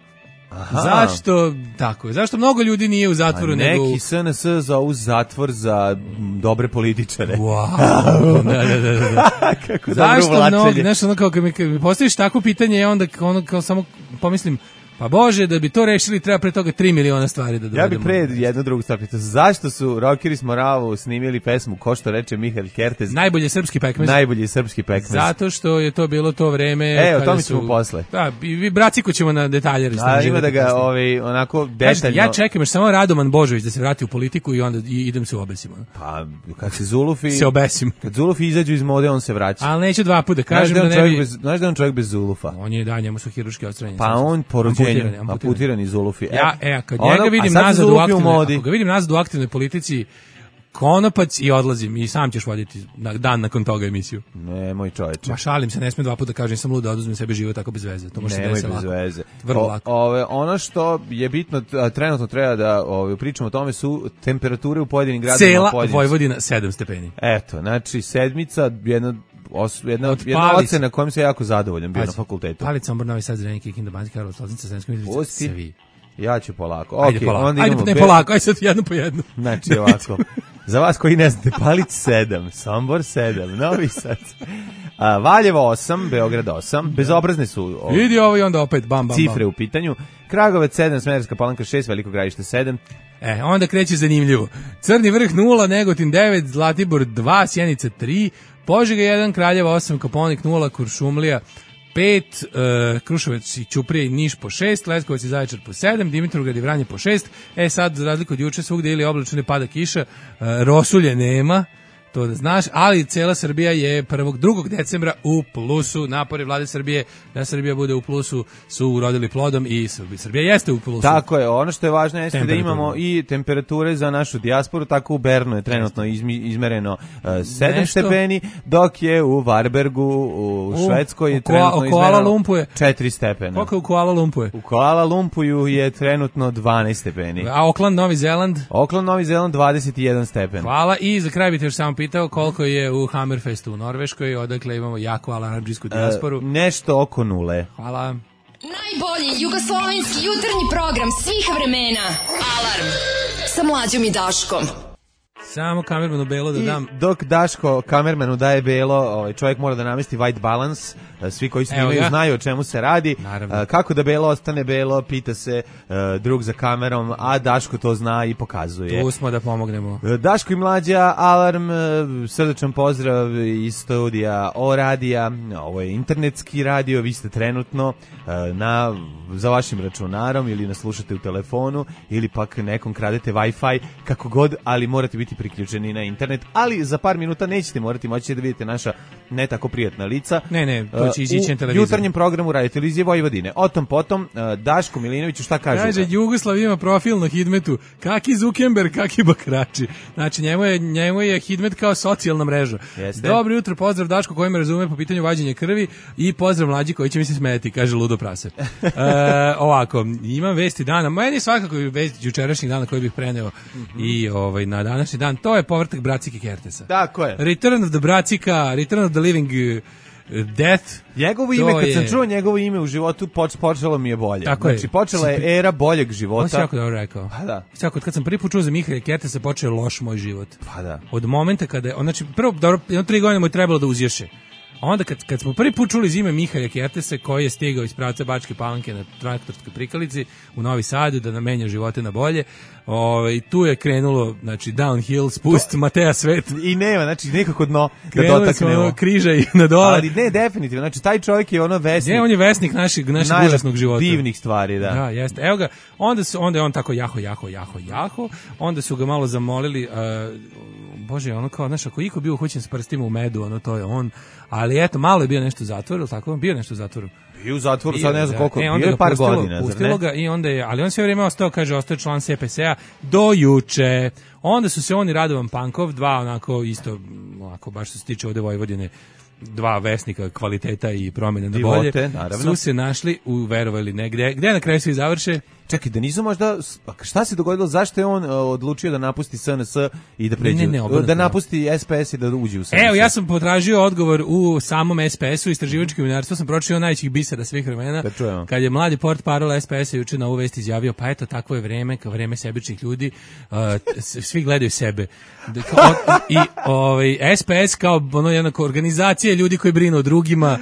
Aha. Zašto, tako, zašto mnogo ljudi nije u zatvoru A nego... neki S N S zovu zatvor za dobre političare. Wow. da, da, da, da. Kako zašto dobro mnogo, vlačenje. znaš, ono kao kad mi, kad mi postaviš takvo pitanje, ja onda ono kao samo pomislim, pa Bože, da bi to rešili treba pre toga tri miliona stvari da dovedemo. Ja bih pre jednu drugu stvar pitao. Zašto su Rockeri s Moravu snimili pesmu Ko što reče Mihael Kertez? Najbolji srpski pekmez. Najbolji srpski pekmez. Zato što je to bilo to vreme. E, o kada tome su- ćemo posle. Da, i vi braciko ćemo na detalje. A ima da ga ovaj, onako Kažete, detaljno... ja čekam još samo Radoman Božović da se vrati u politiku i onda i idem se obesim. ono. Pa, kad se Zulufi... Se obesim. Kad Zulufi izađu iz mode, on se vraća. Ali neću dva puta da Znaš kažem da, da on ne čovjek bi... bez, znaš da je on čovjek bez Zulufa? On je, da, njemu su hiruški odstranjeni. Pa on po rođenju, Amputirani, amputirani. amputirani Zulufi. E, Ja, e, a kad ono- njega a vidim sad su nazad u Zulufi u aktivnoj, modi. ako ga vidim nazad u aktivnoj politici, konopac i odlazim i sam ćeš voditi na, dan nakon toga emisiju. Nemoj čoveče. Ma šalim se, ne smijem dva puta da kažem, sam lud da oduzmem sebe život tako bez veze. To može se Nemoj desiti bez lako. veze. Vrlo O- lako. Ove, ono što je bitno, a, trenutno treba da ove, pričamo o tome su temperature u pojedinim gradovima. Cela pojedinim- Vojvodina sedam stepeni. Eto, znači sedmica, jedna, os, jedna, Od jedna Palice. ocena kojom se jako zadovoljan bio na Pazi, fakultetu. Palica, Sombor, Novi Sad, Zrenjanin, Kikinda, Banjska Karlovac, Loznica, Sremska Mitrovica, Pusti. svi. Ja ću polako. Ajde Okej, polako, onda ajde idemo ne be- polako, ajde sad jedno po jedno. Znači ovako, za vas koji ne znate, Palić sedam, Sombor sedam, Novi Sad, a, Valjevo osam, Beograd osam, bezobrazne su o, Vidi ovo i onda opet bam, bam, cifre bam. u pitanju, Kragovec sedam, Smederevska Palanka šest, Veliko Gradište sedam, E, onda kreće zanimljivo. Crni vrh nula, Negotin devet, Zlatibor dva, Sjenica tri, Požega jedan, Kraljeva osam, Koponik nula, Kuršumlija pet, uh, Kruševac i Ćuprija i Niš po šest, Leskovac i Zaječar po sedam, Dimitrovgrad i Vranje po šest. E sad, za razliku od juče, svugde ili oblačno ili pada kiša, uh, rosulje nema, to da znaš, ali cela Srbija je prvog, drugog decembra u plusu. Napori vlade Srbije da Srbija bude u plusu su urodili plodom i Srbija, Srbija jeste u plusu. Tako je, ono što je važno jeste da Temperaturno. imamo i temperature za našu dijasporu, tako u Bernu je trenutno izmi, izmereno uh, sedam Nešto. stepeni, dok je u Varbergu, u, U- Švedskoj je u Koa- trenutno u Kuala izmereno Lumpu je- četiri stepena. Koliko je u Kuala Lumpuru? U Kuala Lumpuju je trenutno dvanaest stepeni. A Auckland, Novi Zeland? Auckland, Novi Zeland dvadeset jedan stepen. Hvala. I za kraj bih te još samo pitao koliko je u Hammerfestu u Norveškoj, odakle imamo jako alarmdžijsku dijasporu. E, nešto oko nule. Hvala. Najbolji jugoslovenski jutarnji program svih vremena. Alarm sa Mlađom i Daškom. Samo kamermanu Belo da I dam. dok Daško kamermanu daje belo, ovaj čovjek mora da namesti white balance. Svi koji Evo snimaju ga. znaju o čemu se radi. Naravno. A, kako da belo ostane belo, pita se uh, drug za kamerom, a Daško to zna i pokazuje. Tu smo da pomognemo. Daško i Mlađa, Alarm, e, srdačan pozdrav iz studija O radija, ovo je internetski radio, vi ste trenutno e, na, za vašim računarom ili nas slušate u telefonu ili pak nekom kradete Wi-Fi, kako god, ali morate biti priključeni na internet, ali za par minuta nećete morati moći da vidite naša ne tako prijatna lica. Ne, ne, to će E, izići na u televizor. jutarnjem programu Radio Televizije Vojvodine. O tom potom, e, Daško Milinoviću šta kaže? Kaže, Jugoslav ima profil na Hidmetu. Kaki Zukenberg, kaki bakrači. Znači, njemu je, njemu je Hidmet kao socijalna mreža. Jeste. Dobro jutro, pozdrav Daško koji me razume po pitanju vađenja krvi i pozdrav Mlađi koji će mi se smeti, kaže Ludo Prase. E, ovako, imam vesti dana. Meni svakako je vesti jučerašnjih dana koji bih preneo Mhm. i ovaj, na današnji dan. To je povratak Bracike Kertesa. Tako je. Return of the Bracika, Return of the Living uh, Death. Njegovo To ime, kad sam je- čuo njegovo ime u životu, poč, počelo mi je bolje. Tako je. Znači, počela je era boljeg Ovo si života. jako dobro rekao. Pa da. Svako, kad sam prvi put čuo za Mihaela Kertesa, počeo je loš moj život. Pa da. Od momenta kada je, on, znači, prvo, dobro, jedno tri godine mu je trebalo da uzješe. A onda kad, kad smo prvi put čuli za ime Mihaela Kertesa, koji je stigao iz pravca Bačke Palanke na traktorskoj prikalici u Novi Sadu da nam menja živote na bolje, ovaj, tu je krenulo, znači, downhill, spust, Mateja Svet. I nema, znači, nekako dno da Krenuli dotaknemo. smo ono križa i na dole. Ali ne, definitivno. Znači, taj čovjek je ono vesnik. Ne, on je vesnik našeg, našeg najlep- užasnog života. divnih stvari, da. Da, jeste. Evo ga, onda, su, onda je on tako jaho, jaho, jaho, jaho, onda su ga malo zamolili, uh, bože, ono kao, znaš, ako iko bio uhoćen s prstima u medu, ono, to je on, ali eto, malo je bio nešto u zatvoru, tako, bio je nešto u zatvoru. I u zatvoru sad ne znam koliko, E, bio onda je ga par pustilo, godina, zar pustilo ne? ga i onda je, ali on sve vrijeme ostao, kaže, ostao je član S P S-a do juče. Onda su se on i Radovan Pankov, dva onako isto, onako baš što se tiče ovde Vojvodine, dva vesnika kvaliteta i promjene na bolje, Divote, naravno. su se našli u, verovali ne, gde, gde na kraju svi završe? Čekaj, da nisu možda, šta se dogodilo, zašto je on uh, odlučio da napusti S N S i da pređe, ne, ne, da napusti S P S i da uđe u S N S? Evo, ja sam potražio odgovor u samom S P S-u, istraživačkom novinarstvu, sam pročitao najvećih bisera svih vremena. Kad je mladi portparol S P S-a juče na ovu vest izjavio, pa eto, takvo je vreme, kao vreme sebičnih ljudi, uh, svi gledaju sebe. I ovaj, S P S kao ono jedna organizacija ljudi koji brinu o drugima.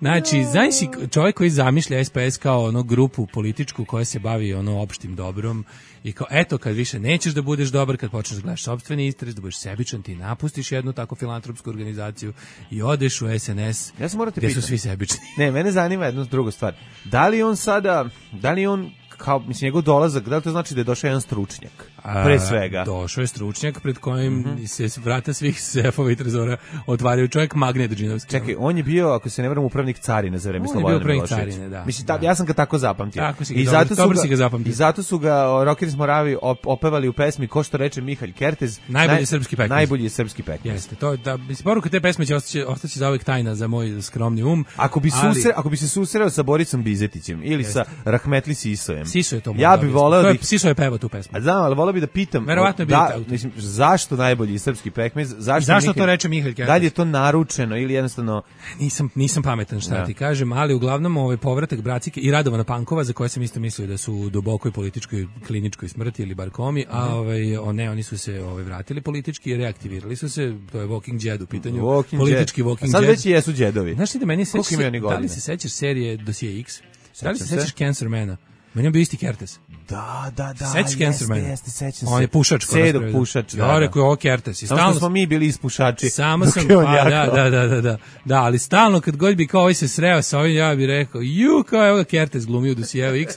Znači, znaš si čovjek koji zamišlja S P S kao ono grupu političku koja se bavi ono opštim dobrom i kao eto kad više nećeš da budeš dobar, kad počneš da gledaš sopstveni interes, da budeš sebičan, ti napustiš jednu tako filantropsku organizaciju i odeš u S N S. Ja sam morate gdje pitam. Su svi sebični. Ne, mene zanima jedna druga stvar. Da li on sada, da li on kao, mislim, njegov dolazak, da li to znači da je došao jedan stručnjak? Pre svega. A, došao je stručnjak pred kojim mm-hmm. se vrata svih sefova i trezora otvaraju, čovjek Magnet Džinovski. Čekaj, on je bio, ako se ne varam, upravnik carine za vreme Slobodana Miloševića. On je bio upravnik carine, da. Mislim, ta, da. Ja sam ga tako zapamtio. Tako si ga, I dobro, zato dobro ga, si ga zapamtio. I zato su ga Rockeri iz Moravi op, opevali u pesmi Ko što reče Mihalj Kertez. Najbolji naj, srpski pekmez. Najbolji srpski pekmez. Jeste, to da poruka te pesme će ostati, ostati za uvek tajna za moj skromni um. Ako bi, ali, susre, ako bi se susreo sa Borisom Bizetićem ili jeste. Sa Rahmetli Sisojem. Siso je to. Ja bih voleo da Siso je pevao tu pesmu. Znam, ali voleo bih da pitam. Verovatno je da, mislim, zašto najbolji srpski pekmez? Zašto, zašto Mihalj, to reče Mihalj Kertez? Da li je to naručeno ili jednostavno nisam nisam pametan šta da. Ti kažem, ali uglavnom ovaj povratak Bracike i Radovana Pankova za koje sam isto mislio da su u dubokoj političkoj kliničkoj smrti ili bar komi, a mm-hmm. ovaj o ne, oni su se ovaj vratili politički i reaktivirali su se, to je Walking Dead u pitanju. Walking politički Dead. Walking Dead. Sad već jesu Deadovi. Znaš ti da meni se da li se sećaš serije Dosije X? Da li se sećaš Cancermana? Meni je bio isti Kertes. Da, da, da. Sećaš Cancermana? Jeste, sećam se. On je pušač. Sedok pušač. Ja, rekao je ovo Kertes. I stalno smo mi bili ispušači. Samo sam, pa, da, da, da, da, da. Da, ali stalno kad god bi kao ovaj se sreo sa ovim, ja bih rekao, ju, kao je ovo Kertes glumio u Dosijeva X.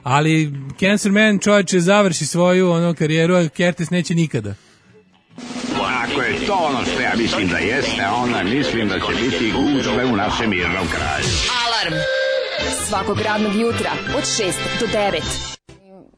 Ali Cancerman čovječe završi svoju ono karijeru, a Kertes neće nikada. Ako je to ono što ja mislim da jeste, onda mislim da će biti gužve u našem mirnom kraju. Alarm svakog radnog jutra od šest do devet.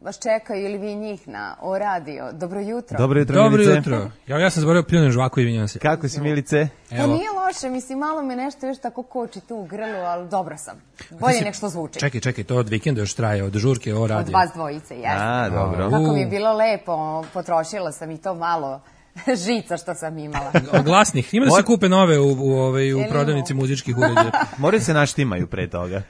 Vas čekaju ili vi njih na O radio. Dobro jutro. Dobro jutro, Dobro Milice. jutro. Ja, ja sam zaboravio pljunem žvaku i vinjam se. Kako si, Milice? Pa nije loše, mislim, malo me nešto još tako koči tu u grlu, ali dobro sam. Bolje nek što zvuči. Čekaj, čekaj, to od vikenda još traje, od žurke O radio. Od vas dvojice, jeste. A, dobro. Kako mi je bilo lepo, potrošila sam i to malo žica što sam imala. Glasnih. Ima da se kupe nove u, u, ovaj, u prodavnici muzičkih uređaja. Moraju se naštimaju pre toga.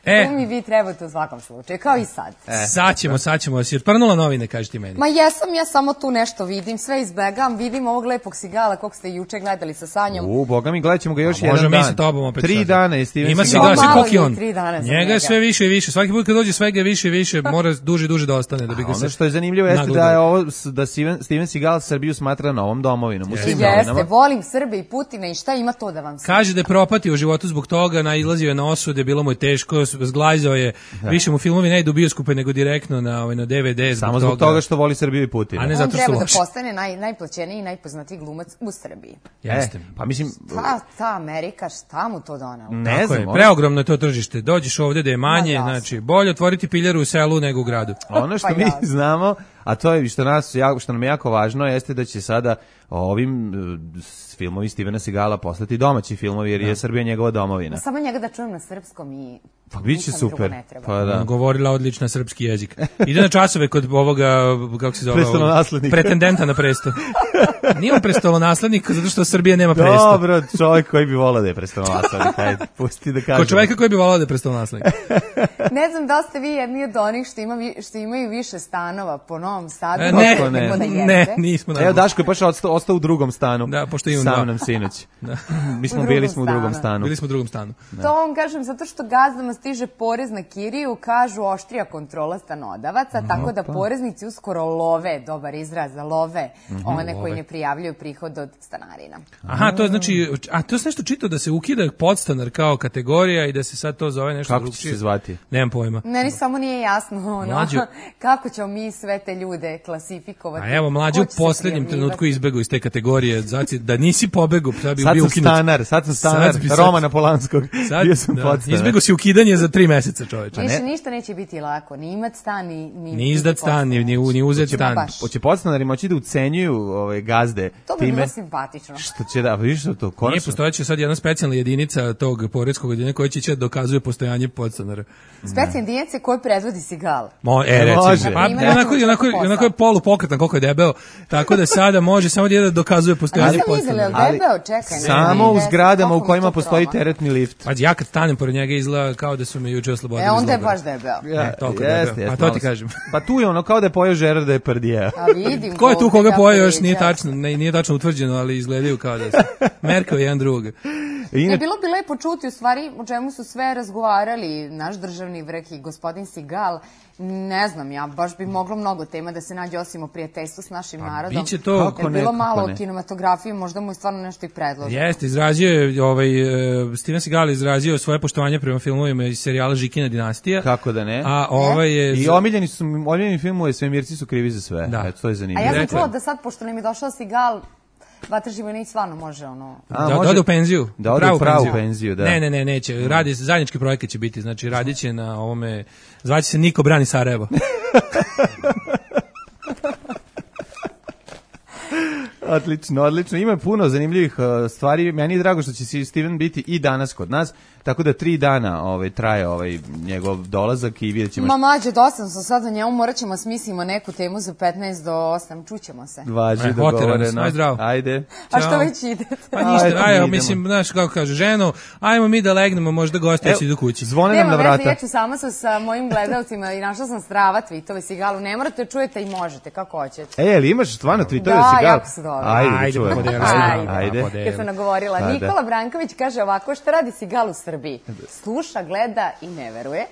E, tu mi vi trebate u svakom slučaju, kao i sad. E. Sad ćemo, sad ćemo. Si otprnula novine, kaži ti meni. Ma jesam, ja samo tu nešto vidim, sve izbegam, vidim ovog lepog sigala kog ste juče gledali sa Sanjom. U, boga mi, gledat ćemo ga još jedan dan. Možemo mi sa tobom opet. Tri dana je Steven Ima Seagal. Ima Seagal, koliko je on? Tri dana za njega je sve više i više. Svaki put kad dođe svega više i više, mora duže i duže da ostane. Da bi ga ono se što je zanimljivo jeste da je ovo, da Steven, Steven Seagal Srbiju smatra novom domovinom. U svim jeste, novinama. volim Srbe i Putina i šta ima to da vam se... Kaže da je propatio u životu zbog toga, nailazio je na osude, bilo mu je teško, zglajzao je. Da. Više mu filmovi ne idu u bioskope nego direktno na ovaj na D V D zbog samo zbog toga, toga što voli Srbiju i Putina. A ne zato što on treba da postane naj najplaćeniji i najpoznatiji glumac u Srbiji. Jeste. E, pa mislim ta, ta Amerika šta mu to donelo? Ne Tako znam. Je, preogromno je to tržište. Dođeš ovde da je manje, znači bolje otvoriti piljaru u selu nego u gradu. Ono što pa mi jasno. znamo, a to je što nas što nam je jako važno, jeste da će sada ovim uh, filmovi Stevena Seagala postati domaći filmovi jer da. je Srbija njegova domovina. Samo njega da čujem na srpskom i pa biće super. Pa da. Govorila odlično srpski jezik. Ide na časove kod ovoga, kako se zove, prestolonaslednika. Pretendenta na presto. Nije on prestolonaslednik zato što Srbija nema presto. Dobro, čovjek koji bi volao da je prestolonaslednik. Ajde, pusti da kažem. Ko čovjeka koji bi volao da je prestolonaslednik. Ne znam da ste vi jedni od onih što, ima, što imaju više stanova po Novom Sadu. E, ne, ne, da ne, nismo. Evo, Daško je baš ostao, ostao u drugom stanu. Da, pošto imam Sam nam sinoć. Da. Mi smo bili smo u drugom stanu. Bili smo u drugom stanu. Da. To vam kažem, zato što gazdama stiže porez na kiriju, kažu oštrija kontrola stanodavaca, mm, tako da pa. poreznici uskoro love, dobar izraz, love mm-hmm, one love. koji ne prijavljuju prihod od stanarina. Aha, to znači, a to je nešto čitao da se ukida podstanar kao kategorija i da se sad to zove nešto kako drugčije. Kako će se zvati? Nemam pojma. Meni samo nije jasno ono, kako ćemo mi sve te ljude klasifikovati. A evo, mlađe u posljednjem trenutku izbegao iz te kategorije, znači da nisi pobegao, sad bi sad bio sam ukinut. stanar, sad sam stanar Sad bi sad- Romana Polanskog, Sad, bio sam da, podstanar. izbjegao si ukidanje za tri meseca, čoveče. Više ništa neće biti lako, ni imat stan, ni... Ni, Ni izdat stan, ni, ni, ni uzet Hoće stan. baš. Hoće podstanari moći da ucenjuju ove gazde To bi time bilo simpatično. što će da, vidiš što to Nije konačno. postojeće sad jedna specijalna jedinica tog poreskog odjeljenja koja će će da dokazuje postojanje podstanara. Specijalne jedinice koje predvodi Sigal. Mo, e, Ne recimo, može. pa, Ima onako, neko onako, posao. onako je polupokretan koliko je debeo, tako da sada može samo da dokazuje A postojanje nisam vidjela, je podstanara. li debeo? Čekaj. ne, Samo ne, u ne, zgradama koliko u mi kojima to postoji troma. teretni lift. Pa ja kad stanem pored njega izgleda kao da su me juče oslobodili E, iz onda je logora. baš debeo. E, toliko je Jeste, debeo. jeste, A to malo ti se- kažem. Pa tu je ono kao da je pojeo Žerar da je prdija. A vidim. Ko je tu ovde koga kako poje još viđa. nije tačno, ne, nije tačno utvrđeno, ali izgledaju kao da su merkao jedan drugog. Ne, bilo bi lepo čuti u stvari o čemu su sve razgovarali naš državni vrh i gospodin Sigal. Ne znam, ja baš bi moglo mnogo tema da se nađe osim o prijateljstvu s našim narodom. biće to- Kako Jer ne, bilo kako malo ne. o kinematografiji, možda mu je stvarno nešto i predloženo. Jeste, izrazio je, ovaj, e, Steven Seagal izrazio svoje poštovanje prema filmovima iz serijala Žikina dinastija. Kako da ne? A ovaj je... I omiljeni su, omiljeni filmove Svemirci su krivi za sve. Da. Eto, to je A zanimljivo. ja sam Rekla. čula da sad, pošto nam je došao Sigal, Vatra Živojinić stvarno može ono... A, da, može- da ode u penziju. Da ode u pravu penziju, da. Ne, ne, ne, neće. Radi, zajednički projekat će biti, znači radit će na ovome, zvaće se Niko brani Sarajevo. Odlično, odlično. Ima puno zanimljivih uh, stvari. Meni je drago što će si Steven biti i danas kod nas, tako da tri dana ovaj, traje ovaj, njegov dolazak i vidjet ćemo Ma mađe, dosta sam sad o njemu, morat ćemo smislimo neku temu za petnaest do osam, čućemo se. važi E, oterano dogovoreno. se. Aj, zdravo. Ajde. A što Ćao. već idete? Pa ništa, Ajde, mi ajde, idemo. mislim, znaš kako kaže, ženo, ajmo mi da legnemo, možda gosti Evo, će idu kući. Zvone nam Nema na veze, vrata. ja ću sama sa, sa mojim gledalcima i našla sam strava tweetove Sigalu. Ne morate čujete i možete, kako hoćete. E, ali imaš stvarno tweetove Da, Sigal? jako su dobri. Ajde, da Ajde, čujemo. podeli, Ajde, ajde. ajde. Podeli. Kad sam nagovorila, Pa, da. Nikola Branković kaže ovako, šta radi Sigal u Srbiji? Sluša, gleda i ne veruje.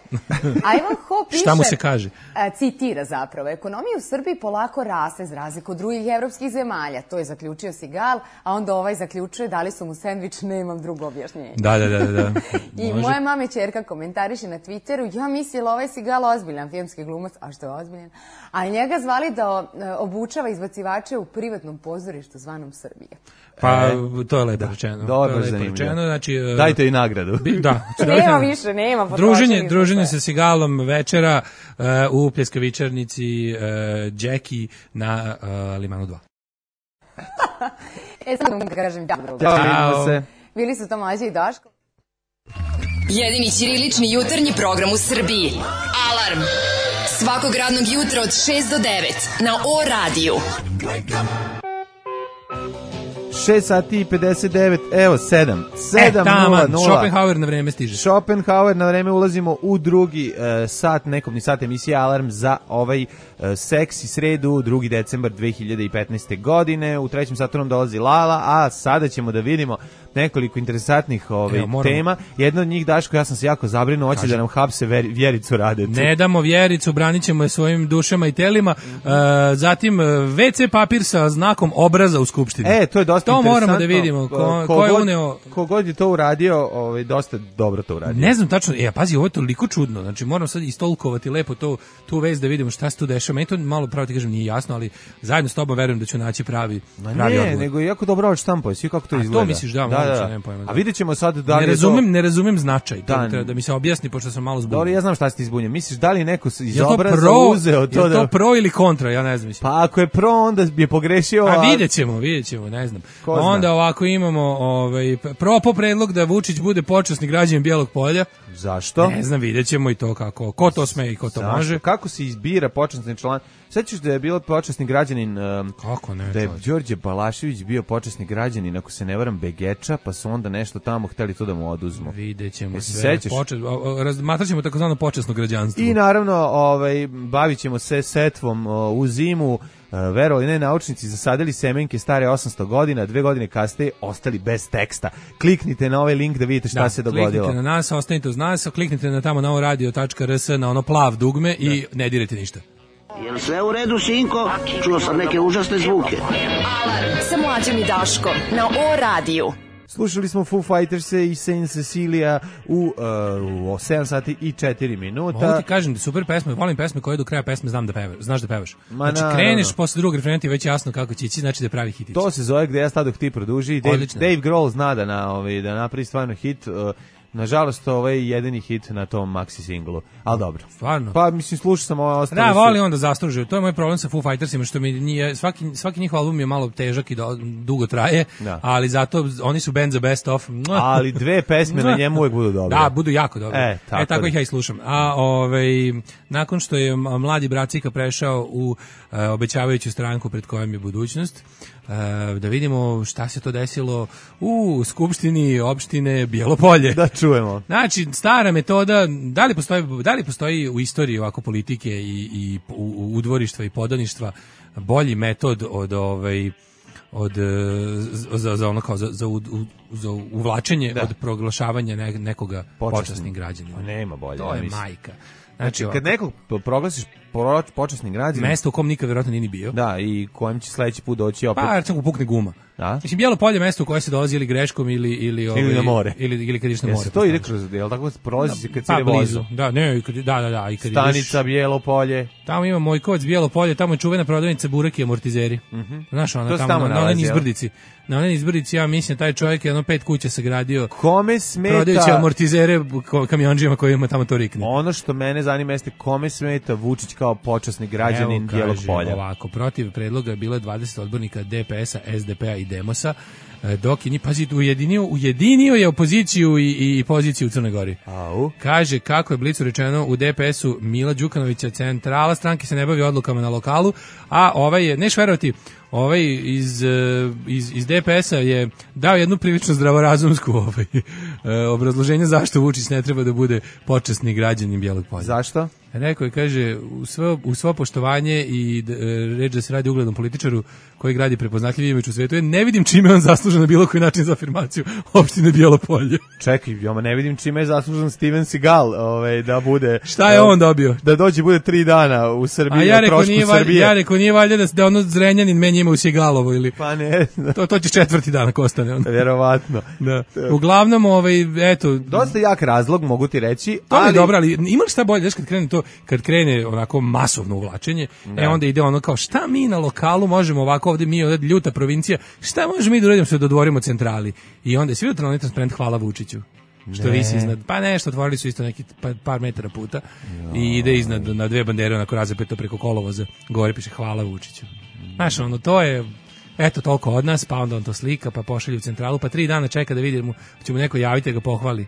A Ivan Ho piše... Šta mu se kaže? a, citira zapravo, ekonomija u Srbiji polako raste za razliku od drugih evropskih zemalja. To je zaključio Sigal, a onda ovaj zaključuje dali su mu sendvič, nemam drugo objašnjenje. Da, da, da, da. da. I Može. moja mama i ćerka komentariše na Twitteru, ja mislila ovaj Sigal ozbiljan filmski glumac, a što je ozbiljan, a njega zvali da e, obučava izbacivače u privatnom pozorištu zvanom Srbije. Pa, to je lepo rečeno. Dobro, to je lepo zanimljivo. rečeno, znači... e, Dajte i nagradu. bi- Da. znači, Nema dajte- više, nema. Druženje, potrošili smo druženje sve. sa Sigalom večera uh, u pljeskavičarnici uh, Jackie na uh, Limanu dva. E, sad vam da kažem da drugo. Ćao, Ćao. vidimo se. Bili su to Mlađa i Daško. Jedini ćirilični jutarnji program u Srbiji. Alarm! Svakog radnog jutra od šest do devet na O radiju. šest sati i pedeset devet, evo sedam. sedam e, nula taman, nula. Schopenhauer na vreme stiže. Schopenhauer, na vreme ulazimo u drugi uh, sat, nekobni sat emisije Alarm za ovaj uh, seksi sredu, drugi decembar dve hiljade petnaeste. godine. U trećem satu nam dolazi Lala, a sada ćemo da vidimo nekoliko interesantnih ovaj, Evo, moramo. tema. Jedna od njih, Daško, ja sam se jako zabrinuo, hoće da nam hapse ver, Vjericu Radetu. Ne damo Vjericu, branit ćemo je svojim dušama i telima. Uh, zatim, uh, ve ce papir sa znakom obraza u Skupštini. E, to je dosta To interesantno. moramo da vidimo. Ko, Ko ko je god- uneo... Kogod je to uradio, ovaj, dosta dobro to uradio. Ne znam tačno, e, pazi, ovo je toliko čudno, znači moram sad istolkovati lepo to, tu vez da vidimo šta se tu dešava, meni to malo pravo ti kažem nije jasno, ali zajedno s tobom verujem da ću naći pravi, Ma pravi ne, odgovor. nego je jako dobro štampao, svi kako to A, to izgleda. misliš, da, moguće, nemam pojma, da. A vidjet ćemo sad da li Ne je razumem, to... ne razumem značaj, to Da, treba da mi se objasni, pošto sam malo Dobro, zbunjen. ja znam šta si ti zbunjen. Misliš, da li neko iz Je to obraza pro, uzeo to je da... to pro ili kontra, ja ne znam. Mislim. Pa ako je pro, onda je pogrešio... A vidjet ćemo, vidjet ćemo, ne znam. Ko zna? Onda ovako imamo ovaj, propo predlog da Vučić bude počasni građanin Bijelog polja. Zašto? Ne znam, vidjet ćemo i to kako, ko to sme i ko to Zašto? može. Kako se izbira počasni član? Sećaš da je bilo počasni građanin... Um, Kako ne, da je čovječe? Đorđe Balašević bio počasni građanin, ako se ne varam, Begeča, pa su onda nešto tamo hteli to da mu oduzmu. Vidjet ćemo Jesi sve. sećaš? Počet, razmatrat ćemo takozvano počasno građanstvo. I naravno, ovaj, bavit ćemo se setvom o, u zimu. E, verovali ne, naučnici zasadili semenke stare osamsto godina, dve godine kasnije ostali bez teksta. Kliknite na ovaj link da vidite šta Da, se dogodilo. Kliknite na nas, ostanite uz nas, kliknite na tamo na ovo radio tačka r s na ono plav dugme i ne dirajte ništa. Jel sve u redu, sinko? Čuo sam neke užasne zvuke. Alarm sa Mlađom i Daškom na O radiju. Slušali smo Foo Fighters-e i Saint Cecilia u, uh, u sedam sati i četiri minuta. Mogu ti kažem da super pesme, volim pesme koje do kraja pesme znam da pevaš, znaš da pevaš. Ma znači na, kreneš no, no. posle drugog refrena ti već jasno kako će ići, znači da je pravi hitić. To se zove Gde ja stadoh ti produži. Dave, Dave Grohl zna da, na, ovaj, da napravi stvarno hit. Uh, Nažalost, ovo je jedini hit na tom maxi singlu, ali dobro. Stvarno? Pa, mislim, slušao sam ovo ostalo. Da, voli onda zaslužio. To je moj problem sa Foo Fightersima, što mi nije, svaki, svaki njihov album je malo težak i do, dugo traje, da. Ali zato oni su band za best of. Ali dve pesme na njemu uvek budu dobre. Da, budu jako dobre. E, tako, e, tako ih ja i slušam. A ovaj, nakon što je mladi Bracika prešao u uh, obećavajuću stranku pred kojom je budućnost, uh, da vidimo šta se to desilo u Skupštini opštine Bjelopolje. Da čujemo. Znači, stara metoda, da li postoji, da li postoji u istoriji ovako politike i, i udvorištva i podaništva bolji metod od ovaj od za za ono kao za za, za uvlačenje da. Od proglašavanja ne, nekoga počasnim građanima. Nema bolje. To je mislim. majka. Znači, kad nekog proglasiš počasnim građaninom, mesto u kom nikad verovatno nije ni bio. Da, i kojem će sledeći put doći opet. Pa, recimo pukne guma. Da? Mislim, Bjelopolje je mesto u koje se dolazi ili greškom ili ili ovaj, ili na more. Ili ili kad ideš na more. Jesi to ide kroz, jel tako prolazi se kad se pa, vozi. Da, ne, kad, da, da, da, i kad Stanica ideš, Bjelopolje. Tamo ima Mojkovac Bjelopolje, tamo je čuvena prodavnica burek i amortizeri. Mhm. Mm Znaš, ona tamo, tamo na onoj izbrdici. Na onoj izbrdici, ja mislim, taj čovjek je jedno pet kuća sagradio. Kome smeta? Prodajući amortizere kamionđima koji ima tamo to rikne. Ono što mene zanima jeste kome smeta Vučić kao počasni građanin Bjelopolja. Ovako, protiv predloga je bilo dvadeset odbornika D P S-a, S D P-a i Demosa, dok je ni pazite ujedinio, ujedinio je opoziciju i, i, i poziciju u Crnoj Gori. Au. Kaže kako je Blicu rečeno u D P S-u Mila Đukanovića, centrala stranke se ne bavi odlukama na lokalu, a ovaj je, neš verovati, ovaj iz, iz, iz D P S-a je dao jednu prilično zdravorazumsku ovaj, obrazloženje zašto Vučić ne treba da bude počasni građanin Bijelog Polja. Zašto? Rekao je, kaže, u svo, u svo poštovanje i d, reč da se radi uglednom političaru koji gradi prepoznatljiv imidž u svetu, ja ne vidim čime on zaslužen na bilo koji način za afirmaciju opštine Bjelopolje. Čekaj, ja ne vidim čime je zaslužen Steven Seagal ovaj, da bude... Šta je on dobio? Da dođe bude tri dana u Srbiji, a ja o trošku nije, Srbije. Ja rekao, nije valjda da, da ono Zrenjanin meni ima u Sjegalovo ili... Pa ne. To, to će četvrti dan ako ostane. On. Vjerovatno. Da. Uglavnom, ovaj, eto... Dosta jak razlog, mogu ti reći. To ali... je dobro, ali ima li šta bolje, znaš, kad krene to, kad krene onako masovno uvlačenje, da. E onda ide ono kao, šta mi na lokalu možemo ovako, ovde mi ovde ljuta provincija, šta možemo mi da uradimo se dodvorimo centrali? I onda je svi utrano transparent hvala Vučiću. Što visi iznad, pa nešto, otvorili su isto neki par, par metara puta jo. I ide iznad na dve bandere, onako razapeto preko kolovoza, gore piše hvala Vučiću. Znaš, ono, to je, eto, toliko od nas, pa onda on to slika, pa pošalju u centralu, pa tri dana čeka da vidimo, će mu neko javiti da ga pohvali,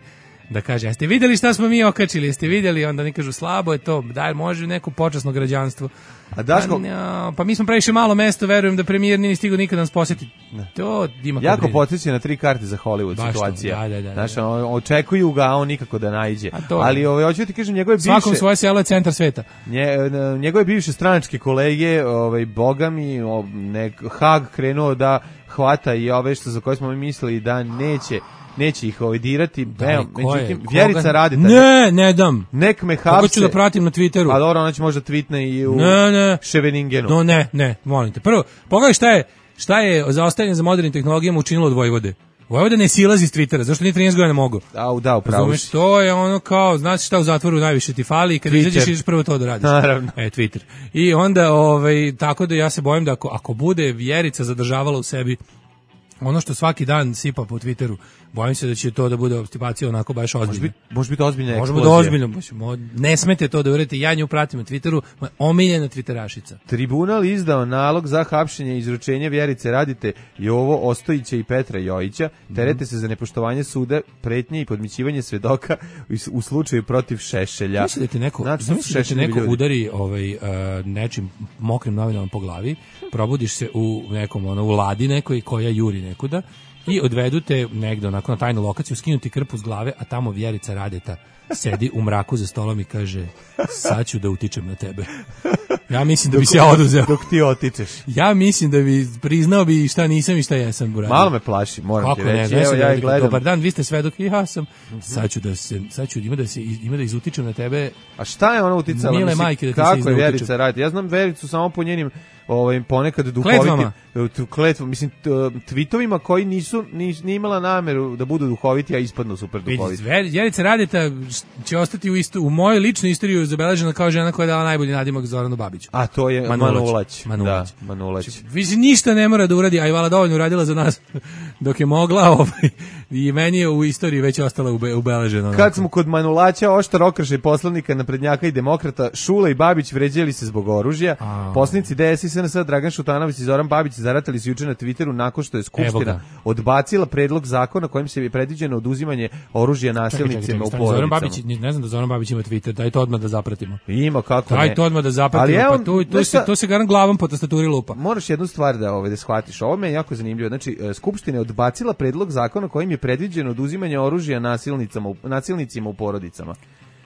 da kaže, jeste vidjeli šta smo mi okačili, jeste vidjeli, onda oni kažu, slabo je to, daj, može neko počasno građanstvo. A Daško... Pa, ja, pa mi smo previše malo mesto, verujem da premijer nije stigao nikada nas posjetiti. To ima jako podsjeća na tri karte za Hollywood baš situacija. To, da, da, da, znaš, da. očekuju ga, a on nikako da naiđe. Ali ovaj, hoću ti kažem, njegove bivše... Svakom svoje selo je centar sveta. Nje, njegove bivše stranačke kolege, ovaj, boga mi, nek, Hag krenuo da hvata i ove što za koje smo mi mislili da neće neće ih ovaj dirati. Da, evo, međutim, Vjerica Radeta. Ne, ne dam. Nek me hapse. Kako ću da pratim na Twitteru? A dobro, ona će možda tweetne i u ne, ne. Ševeningenu. No, ne, ne, molim te. Prvo, pogledaj šta je, šta je zaostajanje za modernim tehnologijama učinilo od Vojvode. Vojvoda ne silazi iz Twittera, zašto nije trinaest godina mogu? Da, da, upravo si. To je ono kao, znaš šta u zatvoru najviše ti fali i kad Twitter. Izađeš ideš prvo to da radiš. Naravno. E, Twitter. I onda, ovaj, tako da ja se bojim da ako, ako bude Vjerica zadržavala u sebi ono što svaki dan sipa po Twitteru, bojim se da će to da bude obstipacija onako baš ozbiljna. Može biti, može biti ozbiljna eksplozija. Može biti ozbiljno. Ne smete to da uradite, ja nju pratim na Twitteru, omiljena Twitterašica. Tribunal izdao nalog za hapšenje i izručenje Vjerice Radete, Jovo Ostojića i Petra Jojića, terete mm-hmm. se za nepoštovanje suda, pretnje i podmićivanje svedoka u slučaju protiv Šešelja. Misli da ti neko, znači, da ti neko udari ovaj, uh, nečim mokrim novinama po glavi, probudiš se u nekom, ono, u ladi nekoj koja juri nekuda i odvedu te negde onako na tajnu lokaciju, skinuti krpu s glave, a tamo Vjerica Radeta sedi u mraku za stolom i kaže, sad ću da utičem na tebe. Ja mislim da bi se ja oduzeo. Dok ti otičeš. Ja mislim da bi priznao bi šta nisam i šta jesam. Uradio. Malo me plaši, moram kako ti reći. Ne, Evo, ja i gledam. Dobar dan, vi ste svedok i ja sam. Mm-hmm. Sad ću da se, sad ću ima da se, ima da izutičem na tebe. A šta je ona uticala? Mile majke da ti kako se je Vjerica Radeta? Ja znam Vericu samo po njenim ovaj, ponekad duhoviti... Kletvama. Kletvom, mislim, t- tweetovima koji nisu, nis, nije imala nameru da budu duhoviti, a ispadnu super duhoviti. Jelica Radeta će ostati u, isto, u mojoj ličnoj istoriji zabeležena kao žena koja je dala najbolji nadimak Zoranu Babiću. A to je Manulać. Manulać. Da, Manulać. Više ništa ne mora da uradi, a i vala dovoljno uradila za nas dok je mogla, ovaj, i meni je u istoriji već ostala ube, ubeležena. Kad smo kod Manulaća, oštar okršaj poslanika naprednjaka i demokrata, Šula i Babić vređali se zbog oružja. A... Poslanici D S I S N S Dragan Šutanović i Zoran Babić zaratali se juče na Twitteru nakon što je Skupština odbacila predlog zakona kojim se je predviđeno oduzimanje oružja nasilnicima u porodicama. Zoran Babić, ne znam da Zoran Babić ima Twitter, daj to odmah da zapratimo. Ima, kako daj ne. Daj to odmah da zapratimo, evo, pa tu, tu, se, to se garan glavom po tastaturi lupa. Moraš jednu stvar da, ovaj, da shvatiš, ovo me je jako zanimljivo. Znači, Skupština je odbacila predlog zakona kojim je predviđeno oduzimanje oružja nasilnicama, nasilnicima u porodicama.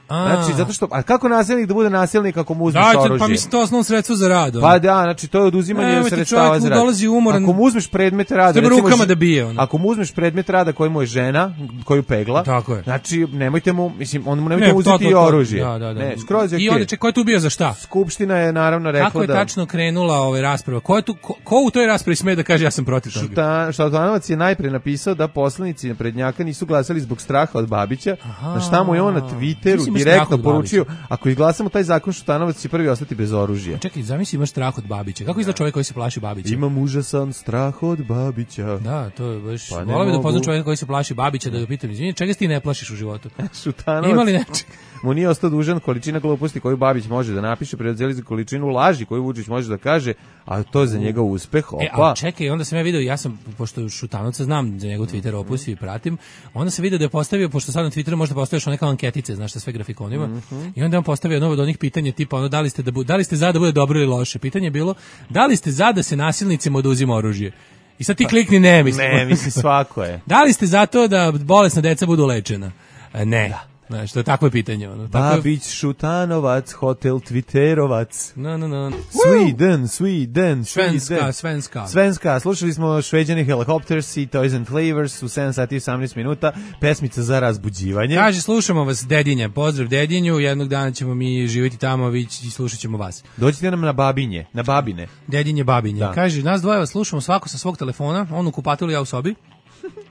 A. Znači, zato što, a kako nasilnik da bude nasilnik ako mu uzmeš da, oružje? Pa mislim, to je osnovno sredstvo za rad. Pa da, znači, to je oduzimanje sredstava za rad. Dolazi umoran, ako mu uzmeš predmet rada, recimo, rukama da bije, ono. Ako mu uzmeš predmet rada koji mu je žena, koju pegla, tako je. Znači, nemojte mu, mislim, on mu nemojte ne, uzeti to, to, to. oružje. Da, da, da. Ne, skroz je I onda, ko je tu bio za šta? Skupština je naravno rekla da... Kako je tačno krenula ova rasprava? Ko, je tu, ko, ko u toj raspravi sme da kaže ja sam protiv toga? Šuta, Šutanovac je najpre napisao da poslanici naprednjaka nisu glasali zbog straha od Babića, na šta mu je on na Twitteru direktno poručio, ako izglasamo taj zakon, Šutanovac će prvi ostati bez oružja. Čekaj, zamisli, imaš strah od Babića. Kako izgleda čovjek koji se plaši Babića? Imam užasan strah od Babića. Da, to je baš... Pa volio bi da poznam čovjeka koji se plaši Babića, da ga pitam, izvini, čega se ti ne plašiš u životu? Šutanovac... Ima li nečeg? Mu nije ostao dužan količina gluposti koju Babić može da napiše, preodzeli za količinu laži koju Vučić može da kaže, a to je za njega uspeh. Opa. E, a čekaj, onda sam ja video, ja sam, pošto Šutanovca znam za njegov Twitter opus i pratim, onda sam video da je postavio, pošto sad na Twitteru možda postaviš neka anketice, znaš šta sve grafikonima, mm-hmm. i onda on postavio jedno od onih pitanja tipa, ono, da li ste, da, bu, da li ste za da bude dobro ili loše? Pitanje je bilo, da li ste za da se nasilnicima oduzima oružje? I sad ti klikni ne, mislim. Ne, mislim, svako je. Da li ste za to da bolesna deca budu lečena? Ne. Da. Znaš, to je takvo pitanje. Ono. Babić, Šutanovac, hotel Twitterovac. No, no, no. Sweden, Sweden, Svenska, Svenska. Svenska. Slušali smo Šveđani Helicopters i Toys and Flavors u sedam sati i osamnaest minuta. Pesmica za razbuđivanje. Kaže, slušamo vas, Dedinja. Pozdrav Dedinju. Jednog dana ćemo mi živjeti tamo, vi i slušat ćemo vas. Dođite nam na Babinje, na Babine. Dedinje, Babinje. Da. Kaže, nas dvoje vas slušamo svako sa svog telefona, on u kupatilu, ja u sobi.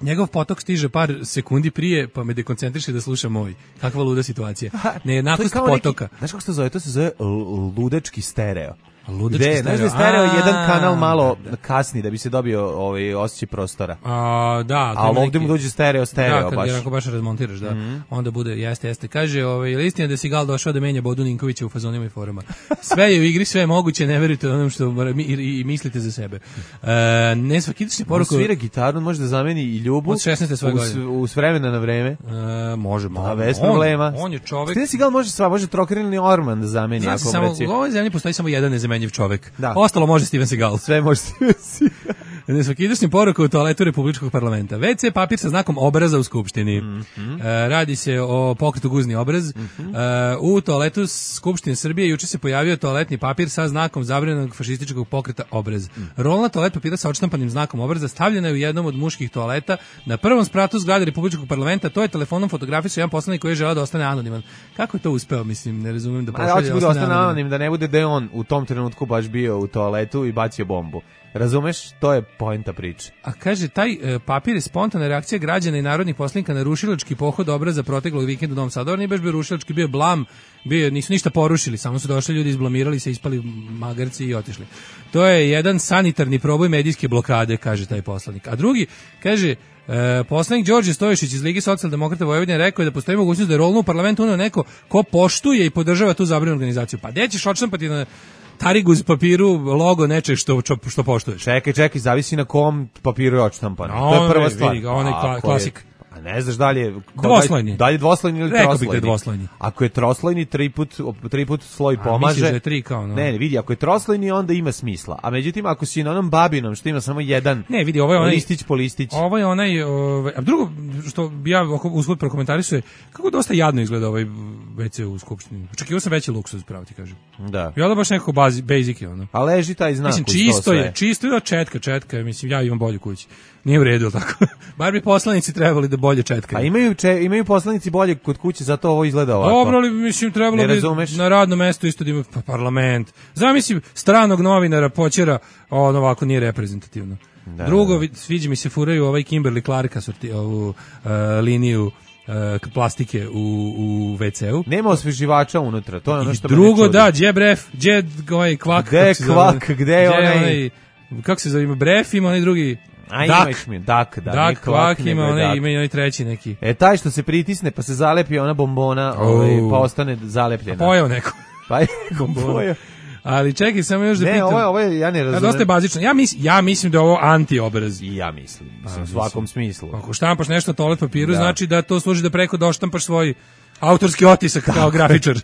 Njegov potok stiže par sekundi prije, pa me dekoncentriše da slušam moj. Kakva luda situacija. Nejednakost potoka. Neki, znaš kako se to zove? To se zove ludečki stereo. Ludečki stereo. Znaš da je stereo a, jedan kanal malo da, da. kasni da bi se dobio ovaj osjećaj prostora. A, da. A ovdje neki, mu dođe stereo, stereo da, kad baš. Da, kad baš razmontiraš, da. Mm-hmm. Onda bude, jeste, jeste. Kaže, ovaj, listina da si Gal došao da menja Bodu Ninkovića u fazonima i forama. Sve je u igri, sve je moguće, ne verujte onom što i, i, i mislite za sebe. E, ne svakitični poruku. On svira gitaru, može da zameni i Ljubu. Od šesnaeste svoje godine. U, u vremena na vreme. E, može, može. A bez problema. On je čovjek. Stine si Gal može sva, može trokerilni orman da zameni. Znači, ako samo, reci. u ovoj zemlji postoji samo jedan nezamenjiv čovjek. Da. Ostalo može Steven Seagal. Sve može Steven Seagal. Nesvakidašnja poruka u toaletu Republičkog parlamenta. ve ce papir sa znakom obraza u Skupštini. Mm-hmm. E, radi se o pokretu guzni obraz. Mm-hmm. E, u toaletu Skupštine Srbije juče se pojavio toaletni papir sa znakom zabranjenog fašističkog pokreta obraz. Mm. Rolna toalet papira sa odštampanim znakom obraza stavljena je u jednom od muških toaleta na prvom spratu zgrade Republičkog parlamenta. To je telefonom fotografisao jedan poslanik koji je želeo da ostane anoniman. Kako je to uspeo? Mislim, ne razumem da pošalje. Da, hoće da ostane anonim, da ne bude da je on u tom trenutku baš bio u toaletu i bacio bombu. Razumeš? To je poenta priče. A kaže, taj e, papir je spontana reakcija građana i narodnih poslanika na rušilački pohod obraza proteklog vikenda u Novom Sadu. Nije baš bio rušilački, bio blam, bio, nisu ništa porušili, samo su došli ljudi, izblamirali se, ispali magarci i otišli. To je jedan sanitarni proboj medijske blokade, kaže taj poslanik. A drugi, kaže, e, poslanik Đorđe Stoješić iz Lige socijaldemokrata Vojvodine rekao je da postoji mogućnost da je rolno u parlamentu uneo neko ko poštuje i podržava tu zabranjenu organizaciju. Pa gde ćeš odštampati na tarigu uz papiru logo nečeg što, što poštuješ? Čekaj, čekaj, zavisi na kom papiru je odštampano. No, to je prva stvar. Vidi ga, onaj kla, klasik. A ne znaš da li je... Dvoslojni. Da li je dvoslojni ili Rekao troslojni? Rekao bih da je dvoslojni. Ako je troslojni, tri put, tri put sloj a, pomaže. Misliš da je tri kao, no? Ne, ne, vidi, ako je troslojni, onda ima smisla. A međutim, ako si na onom babinom, što ima samo jedan ne, vidi, ovo je onaj, listić po listić. Ovo je onaj... Ovaj, a drugo, što bi ja usput prokomentarisuje, kako dosta jadno izgleda ovaj ve ce u skupštini. Očekivao sam veći luksuz, pravo ti kažem. Da. I onda baš nekako bazi, basic je ono. A leži taj znak. Mislim, čisto je, čisto je, četka, četka, mislim, ja imam bolju kuću. Nije u redu, tako. Bar bi poslanici trebali da bolje četkaju. A imaju, če, imaju poslanici bolje kod kuće, zato ovo izgleda ovako. Dobro, ali mislim, trebalo bi na radno mesto isto da ima pa, parlament. Zamislim, stranog novinara počera, on ovako nije reprezentativno. Da, drugo, sviđa mi se furaju ovaj Kimberly Clarka sorti, ovu uh, liniju uh, plastike u, u ve ce u. Nema osveživača unutra, to je ono što me drugo, da, gdje bref, gdje ovaj kvak. Gdje kvak, gdje je onaj... onaj... Kako se zove, ima bref, ima onaj drugi... A dak, ima dak, da, dak, kvak, ima onaj, ima i onaj treći neki. E, taj što se pritisne, pa se zalepi ona bombona, oh. ovaj, pa ostane zalepljena. A pojao neko. Pa je bombona. Ali čekaj, samo još da ne, pitam. Ne, ovo je, ovo je, ja ne razumem. Dosta je bazično. Ja, mis, ja mislim da je ovo anti-obraz. I ja mislim, mislim, u svakom smislu. Ako štampaš nešto na toalet papiru, da. Znači da to služi da preko doštampaš svoj autorski otisak tako, kao grafičar.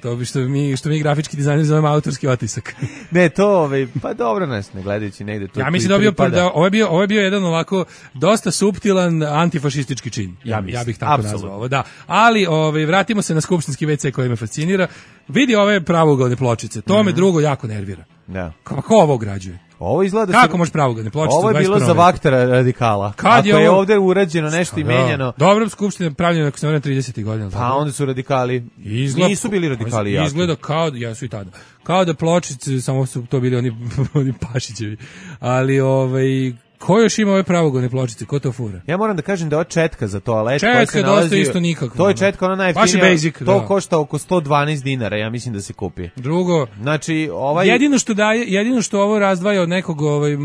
To bi što mi, što mi grafički dizajner zovemo autorski otisak. Ne, to, ovaj, pa dobro nas ne gledajući negde. To ja mislim da, bio, da ovo, je bio, ovo je bio jedan ovako dosta suptilan antifašistički čin. Ja, mislim, ja bih tako absolutno nazvao ovo, da. Ali ovaj, vratimo se na skupštinski ve ce koji me fascinira. Vidi ove pravougalne pločice, to mm-hmm. me drugo jako nervira. Da. Kako ovo građuje? Ovo izgleda kako se... može pravougalne pločice? Ovo je bilo za vaktera radikala. Kad ako je, ovo... je ovde urađeno nešto i menjano. Dobro, skupština je pravljena ako se ne tridesetih godina. Pa tako? Onda su radikali. Izgleda, nisu bili radikali jako. Izgleda kao da ja su i tada. Kao da pločice samo su to bili oni oni Pašićevi. Ali ovaj ko još ima ove pravougalne pločice, ko to fura? Ja moram da kažem da je četka za toalet. Četka je dosta isto nikako. To je četka, ona najjeftinija. Basic, to da. Košta oko sto dvanaest dinara, ja mislim da se kupi. Drugo, znači, ovaj... jedino što daje, jedino što ovo razdvaja od nekog, ovaj,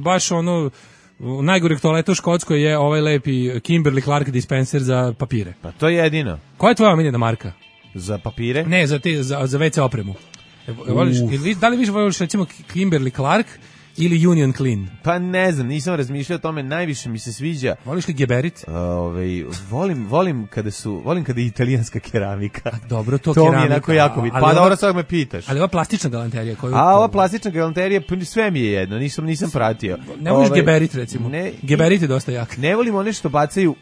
baš ono, najgoreg toaleta u Škotskoj je ovaj lepi Kimberly Clark dispenser za papire. Pa to je jedino. Koja je tvoja omiljena marka? Za papire? Ne, za, te, za, za ve ce opremu. Voliš, da li više voliš recimo Kimberly Clark ili Union Clean? Pa ne znam, nisam razmišljao o tome, najviše mi se sviđa. Voliš li Geberit? Ovaj volim, volim kada su, volim kada je italijanska keramika. A dobro, to, to keramika. Mi je onako jako bit. Pa dobro, sad me pitaš. Ali ova plastična galanterija koju... A ova plastična galanterija, sve mi je jedno, nisam, nisam pratio. Ne voliš ovaj, Geberit recimo? Ne, Geberit je dosta jak. Ne volim one što bacaju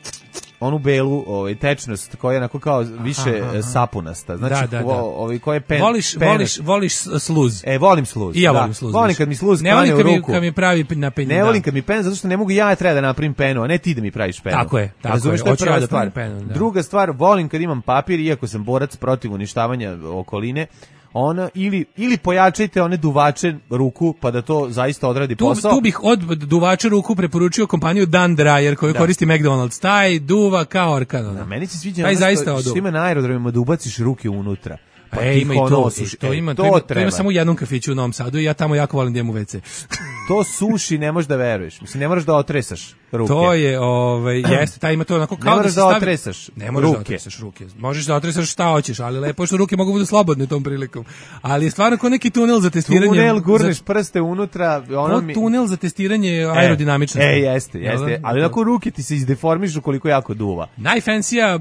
onu belu ovaj tečnost koja je onako kao više aha, aha. sapunasta. Znači da, da, da. Ovaj koji je pen. Voliš pen, voliš voliš sluz. E volim sluz. I ja da. volim sluz. Volim kad mi sluz ne pane u ruku. Ne volim kad mi pravi na penu. Ne volim kad mi pen zato što ne mogu ja treba da napravim penu, a ne ti da mi praviš penu. Tako je, tako razumeš, je. Hoću ja da pravim penu, da. Druga stvar, volim kad imam papir iako sam borac protiv uništavanja okoline. Ona ili ili pojačajte one duvače ruku pa da to zaista odradi tu, posao. Tu bih od duvača ruku preporučio kompaniju Dan Dryer koju da. Koristi McDonald's. Taj duva kao orkan. Da, meni se sviđa taj zaista što, što ima na aerodromima da ubaciš ruke unutra. Pa e, ima i to, osuši, to, ima, to, ima, to ima samo u jednom kafiću u Novom Sadu i ja tamo jako volim da imam u ve ce. To suši, ne možeš da veruješ. Mislim, ne moraš da otresaš ruke. To je, ovaj, jeste, taj ima to onako kao ne da se da stavi... otresaš ne možeš ruke. Da otresaš ruke. Možeš da otresaš šta hoćeš, ali lepo što ruke mogu budu slobodne tom prilikom. Ali je stvarno kao neki tunel za testiranje. Tunel, gurneš za... prste unutra. Ono mi... tunel za testiranje aerodinamičnosti. E, e jeste, jeste. Ali onako ruke ti se izdeformišu koliko jako duva. Najfancija,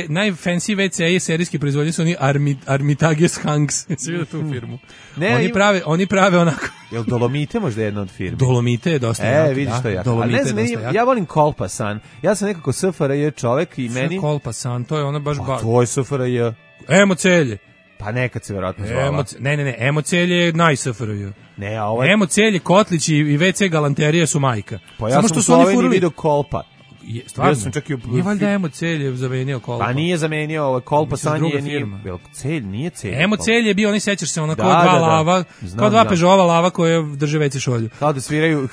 najfancy ve ce je serijski proizvodnje su oni Armit, Armitages Hanks. Svi vidio tu firmu. Ne, oni prave, oni prave onako. Jel Dolomite možda jedna od firmi? Dolomite je dosta e, jak. E, vidiš što je jak. Ali ne znam, ja, ja volim Kolpasan. Ja sam nekako es ef er je čovek i meni... Kolpasan, to je ona baš... Pa to je es ef er je. Emocelje. Pa nekad se verovatno zvala. Emoc... Ne, ne, ne, Emocelje je naj-es ef er je. Ne, a ovaj... Emocelje, Kotlić i ve ce galanterije su majka. Pa ja Samo sam u Sloveniji vidio Kolpa. Je, stvarno, sam čak i u... nije valjda Emocelj je zamenio Kolpa. Pa nije zamenio, ovo Kolpasan je nije, Celj, nije Celj. Emocelj je bio, oni sećaš se, ona kao da, dva da, da. lava, znam, kao dva Peugeotova lava koje drže ve ce šolju. Kao da sviraju,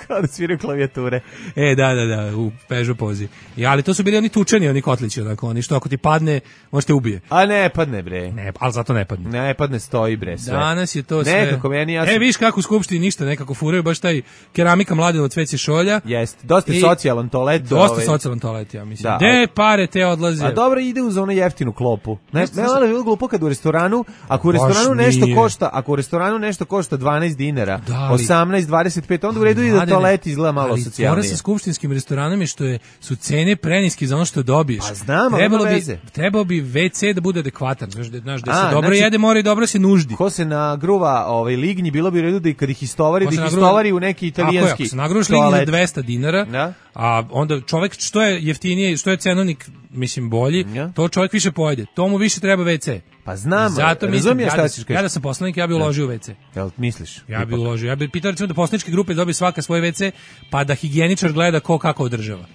kao da sviraju klavijature. E, da, da, da, u Peugeot pozi. I, ali to su bili oni tučeni, oni kotlići, onako, oni što ako ti padne, možete ubije. A ne padne, bre. Ne, ali zato ne padne. Ne padne, stoji, bre, sve. Danas je to sve. Nekako, meni ja sam... E, viš kako u skupštini ništa, nekako furaju, baš taj keramika Mladenovac ve ce šolja. Jeste, dosta I, socijalan toalet. Dosta ovaj... socijalan toalet, ja mislim. Da, gde pare te odlaze? A dobro, ide uz onu jeftinu klopu. Ne, ne, ali je bilo glupo kad u restoranu, ako u restoranu nešto košta, ako u restoranu nešto košta dvanaest dinara, da, osamnaest, dvadeset pet, onda u redu ide toalet izgleda malo socijalnije. Ali fora sa skupštinskim restoranom je što je, su cene preniske za ono što dobiješ. Pa znam, trebalo bi, trebalo bi ve ce da bude adekvatan, znaš, znaš da se A, dobro znači, jede, mora i dobro se nuždi. Ko se nagruva ovaj, lignji, bilo bi u redu da i kad ih istovari, da ih istovari u neki italijanski toalet. Ako se nagruvaš lignji za dvesta dinara, da? A onda čovjek što je jeftinije, što je cenovnik mislim bolji, ja. to čovjek više pojede. To mu više treba ve ce. Pa znam, zato mislim, ja, šta da, ćeš ja da sam poslanik, ja bih uložio u ve ce. Jel misliš? Ja bih uložio. Ja bih pitao recimo da poslaničke grupe dobiju svaka svoj ve ce, pa da higijeničar gleda ko kako održava.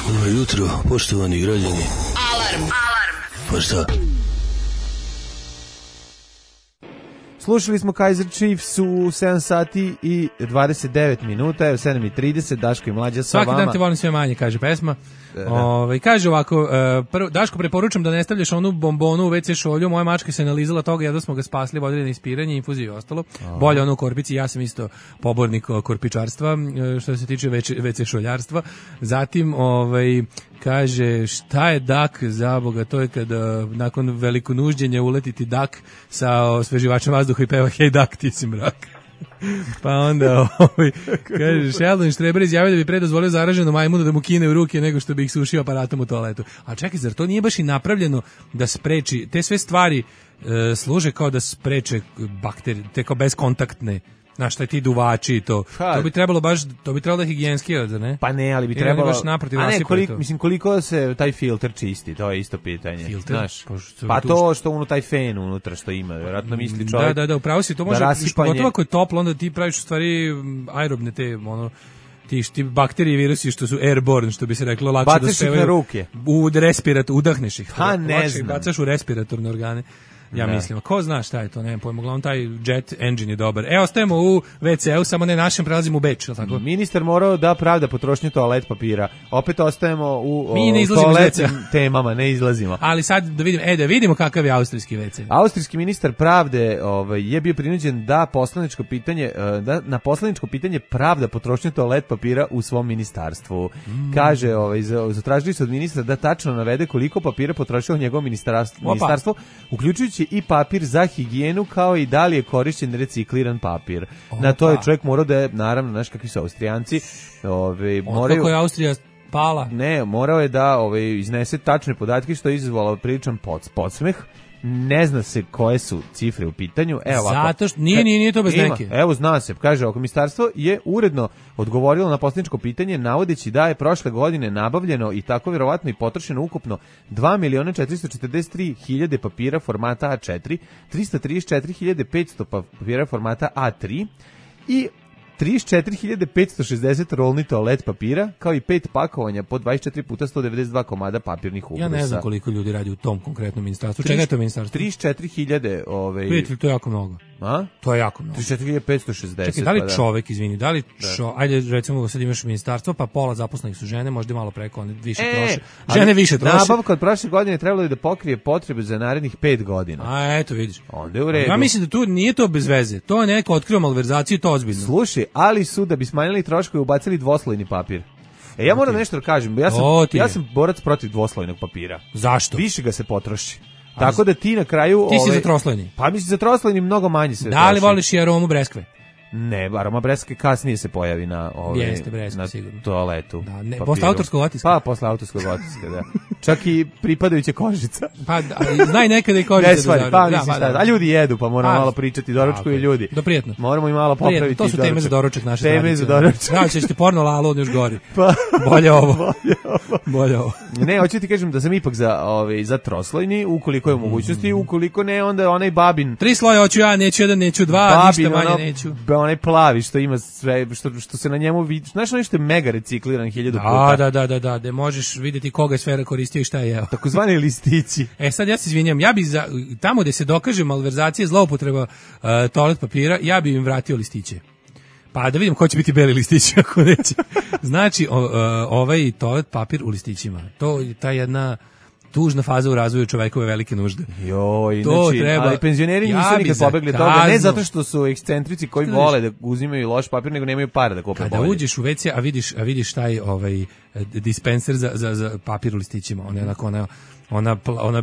Dobro jutro, poštovani građani. Alarm, alarm. Pa šta? Slušali smo Kaiser Chiefs u sedam sati i dvadeset devet minuta, evo sedam i trideset, Daško i Mlađa sa Svaki vama. Svaki dan te volim sve manje, kaže pesma. Da. Ove, kaže ovako, uh, prvo, Daško, preporučam da ne stavljaš onu bombonu u ve ce šolju, moja mačka se nalizala toga, jedno smo ga spasli, vodili na ispiranje, infuziju i ostalo. Aha. Bolje ono u korpici, ja sam isto pobornik korpičarstva, što se tiče ve ce šoljarstva. Zatim, ovaj, kaže, šta je dak za Boga, to je kada nakon veliko nužđenja uletiti dak sa osveživačem vazduha i peva hej dak, ti si mrak. Pa onda, ovaj, kaže, Sheldon Štreber izjavio da bi pre dozvolio zaraženom majmunu da mu kine u ruke nego što bi ih sušio aparatom u toaletu. A čekaj, zar to nije baš i napravljeno da spreči, te sve stvari e, služe kao da spreče bakterije, te kao bezkontaktne, znaš, šta ti duvači i to. Ha. To bi trebalo baš, to bi trebalo da higijenski, da ne? Pa ne, ali bi trebalo... Baš naprotiv, a ne, koliko, mislim, koliko se taj filter čisti, to je isto pitanje. Filter? Znaš, pa, pa to što uno taj fen unutra što ima, vjerojatno misli čovjek... Da, da, da, upravo si, to može, da pogotovo ako je toplo, onda ti praviš u stvari aerobne te, ono, ti, ti bakterije i virusi što su airborne, što bi se reklo, lakše bacaš da spevaju... na ruke. U respirat, udahneš ih. Ha, ne lakše znam. Bacaš u respiratorne organe. Ja da. mislim, ko zna šta je to, nemam pojma, uglavnom taj jet engine je dobar. E, ostajemo u ve ce u, samo ne našem, prelazimo u Beč, tako? Ministar morao da pravda potrošnju toalet papira. Opet ostajemo u toaletnim temama, ne izlazimo. Ali sad da vidimo, e, da vidimo kakav je austrijski ve ce. Austrijski ministar pravde ovaj, je bio prinuđen da poslaničko pitanje, da na poslaničko pitanje pravda potrošnju toalet papira u svom ministarstvu. Mm. Kaže, ovaj, zatražili su od ministra da tačno navede koliko papira potrošilo njegovo ministarstvo, ministarstvo uključujući i papir za higijenu, kao i da li je korišćen recikliran papir. Opa. Na to je čovjek morao da je, naravno, znaš kakvi su Austrijanci, ove, moraju... Kako je Austrija pala? Ne, morao je da ove, iznese tačne podatke, što je izazvalo priličan pod, podsmeh. Ne zna se koje su cifre u pitanju. Evo, zato što nije, nije, nije to bez ima, neke. Evo, zna se, kaže, oko ministarstvo je uredno odgovorilo na poslaničko pitanje, navodeći da je prošle godine nabavljeno i tako vjerovatno i potrošeno ukupno dva miliona četiristo četrdeset tri hiljade papira formata a četiri, trista trideset četiri hiljade petsto papira formata a tri i trideset četiri hiljade petsto šezdeset rolni toalet papira, kao i pet pakovanja po dvadeset četiri puta sto devedeset dva komada papirnih ubrusa. Ja ne znam koliko ljudi radi u tom konkretnom ministarstvu. Čega je to ministarstvo? trideset četiri hiljade. Ovaj... Vidite, to je jako mnogo. A? To je jako mnogo. trideset četiri hiljade petsto šezdeset. Čekaj, da li čovek, izvini, da li čo, ajde recimo sad imaš ministarstvo, pa pola zaposlenih su žene, možda malo preko, one više e, troše. Žene više troše. Nabavka od prošle godine trebalo je da pokrije potrebe za narednih pet godina. A eto, vidiš. Onda je u redu. Ja mislim da tu nije to bez veze. To je neko otkrio malverzaciju, to ozbiljno. Slušaj, ali su da bi smanjili troškove ubacili dvoslojni papir. E, ja moram nešto da kažem, ja sam, ja sam borac protiv dvoslojnog papira. Zašto? Više ga se potroši. Tako da ti na kraju... Ti si ove, za troslojni. Pa mislim za troslojni mnogo manje se Da li voliš i aromu breskve? Ne, aroma breskve kasnije se pojavi na, ove, Jeste, breskve, na sigurno. toaletu. Da, ne, posle autorskog otiska. Pa, posle autorskog otiska, da. Čak i pripadajuća kožica. Pa, znaj nekada i kožica. Ne stvari, da, pa, da, mislim, da, da. A ljudi jedu, pa moramo a, malo pričati doručku i ljudi. Do prijetno. Moramo i malo popraviti prijetno. To su doručak. Teme za doručak naše Teme tradicije. za doručak. Da, ćeš ti porno lalo, on još gori. Pa, bolje ovo. Bolje ovo. Bolje ovo. Ne, hoću ti kažem da sam ipak za, ove, za troslojni, ukoliko je u mogućnosti, ukoliko ne, onda onaj babin... Tri sloja hoću ja, neću jedan, neću dva, babin, ništa manje ono, neću. Onaj plavi što ima sve, što, što se na njemu vidi, znaš ono što je mega recikliran hiljadu puta. Da, da, da, da, da, možeš vidjeti koga je sfera koristio i šta je jeo. Takozvani listići. E sad ja se izvinjam, ja bi za, tamo gde se dokaže malverzacija, zloupotreba uh, toalet papira, ja bi im vratio listiće. Pa da vidim ko će biti beli listići ako neće. Znači, o, uh, ovaj toalet papir u listićima. To je ta jedna tužna faza u razvoju čovekove velike nužde. Joj, to znači, treba, ali penzioneri nisu ja nikad pobegli toga, ne zato što su ekscentrici koji Šta vole da uzimaju loš papir, nego nemaju para da kupe bolje. Kada uđeš u ve ce, a vidiš, a vidiš taj ovaj dispenser za, za, za papir u listićima, on je onako, ona, ona, ona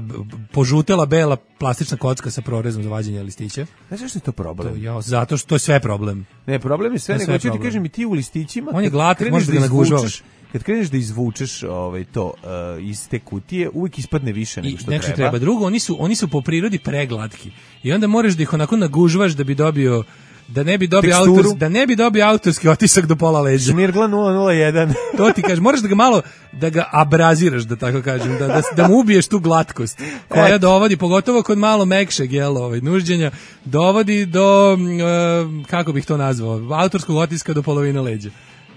požutela bela plastična kocka sa prorezom za vađenje listića. Znaš što je to problem? To, ja, zato što to je sve problem. Ne, problem je sve, to nego ću ti kažem i ti u listićima. On je glatak, možeš da ga nagužavaš. Kad kreneš da izvučeš ovaj to uh, iz te kutije, uvijek ispadne više nego što I, treba. treba. Drugo, oni su oni su po prirodi preglatki. I onda moraš da ih onako nagužvaš da bi dobio da ne bi dobio Teksturu. autorski, da ne bi dobio autorski otisak do pola leđa. Šmirgla nula nula jedan. To ti kažeš, moraš da ga malo da ga abraziraš, da tako kažem, da da, da mu ubiješ tu glatkost koja dovodi pogotovo kod malo mekšeg jela, ovaj nužđenja, dovodi do uh, kako bih to nazvao, autorskog otiska do polovine leđa.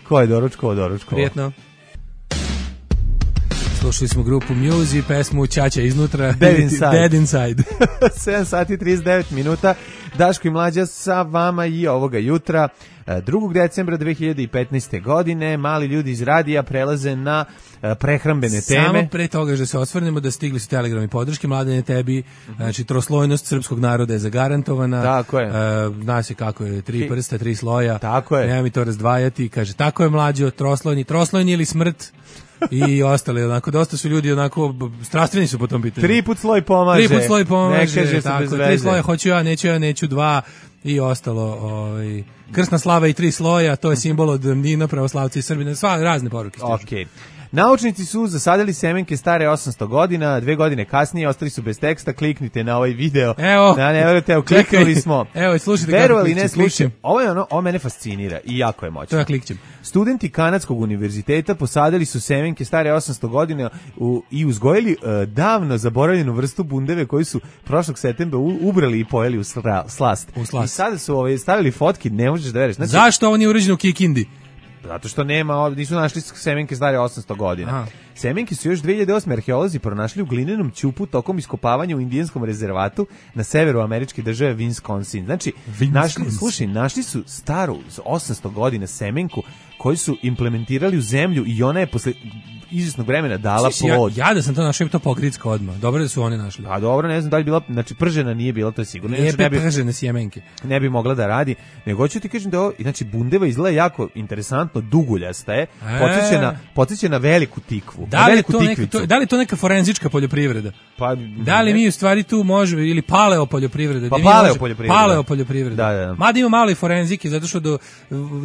Ko je doručkovo, doručkovo? Prijetno. Slušali smo grupu Muse i pesmu Ćaća iznutra. Dead Inside. Dead Inside. sedam sati i trideset devet minuta. Daško i Mlađa sa vama i ovoga jutra. drugog decembra dve hiljade petnaeste. godine mali ljudi iz radija prelaze na prehrambene teme. Samo pre toga da se osvrnemo da stigli su telegrami podrške Mladene tebi, mm-hmm. znači troslojnost srpskog naroda je zagarantovana. Tako je. Uh, zna se kako je, tri prsta, tri sloja. Tako je. Nema mi to razdvajati. Kaže, tako je Mlađo, troslojni, troslojni ili smrt. I ostali, onako, dosta su ljudi onako, strastveni su po tom pitanju. Tri put sloj pomaže. Tri put sloj pomaže, ne kaže tako, bez tri veze. sloja, hoću ja, neću ja, neću dva i ostalo. Ovaj, krsna slava i tri sloja, to je simbol od Nina, pravoslavci i Srbina, sva razne poruke. Okej. Naučnici su zasadili semenke stare osamsto godina, dve godine kasnije ostali su bez teksta, kliknite na ovaj video. Evo. Da, ne verujete, evo, kliknuli smo. Evo, slušajte kako Verovali ne klikćem. slušajte. Ovo je ono, ovo mene fascinira i jako je moćno. To ja klikćem. Studenti Kanadskog univerziteta posadili su semenke stare osamsto godina u, i uzgojili uh, davno zaboravljenu vrstu bundeve koju su prošlog septembra u, ubrali i pojeli u sra, slast. U slast. I sada su ovaj, stavili fotki, ne možeš da veriš. Znači, zašto ovo nije urađeno u Kikindi? Zato što nema, nisu našli semenke stare osamsto godina. Aha. Semenke su još dve hiljade osme. arheolozi pronašli u glinenom ćupu tokom iskopavanja u indijanskom rezervatu na severu američke države Wisconsin. Znači, Wisconsin. Našli, slušaj, našli su staru osamsto godina semenku koju su implementirali u zemlju i ona je posle izvjesnog vremena dala plod. Ja, ja da sam to našao, bi to pogritska odmah. Dobro da su oni našli. A dobro, ne znam da li bila, znači pržena nije bila, to je sigurno. Nije ne bi, pržene sjemenke. Ne bi mogla da radi. Nego hoću ti kažem da ovo, znači bundeva izgleda jako interesantno, duguljasta je, podsjeća na, podsjeća na veliku tikvu. Da li, je veliku to neka, to, da li je to neka forenzička poljoprivreda? Pa, da li mi u stvari tu možemo, ili paleo poljoprivreda? Pa paleo poljoprivreda. Paleo poljoprivreda. Da, da. Mada ima malo i forenzike, zato što do,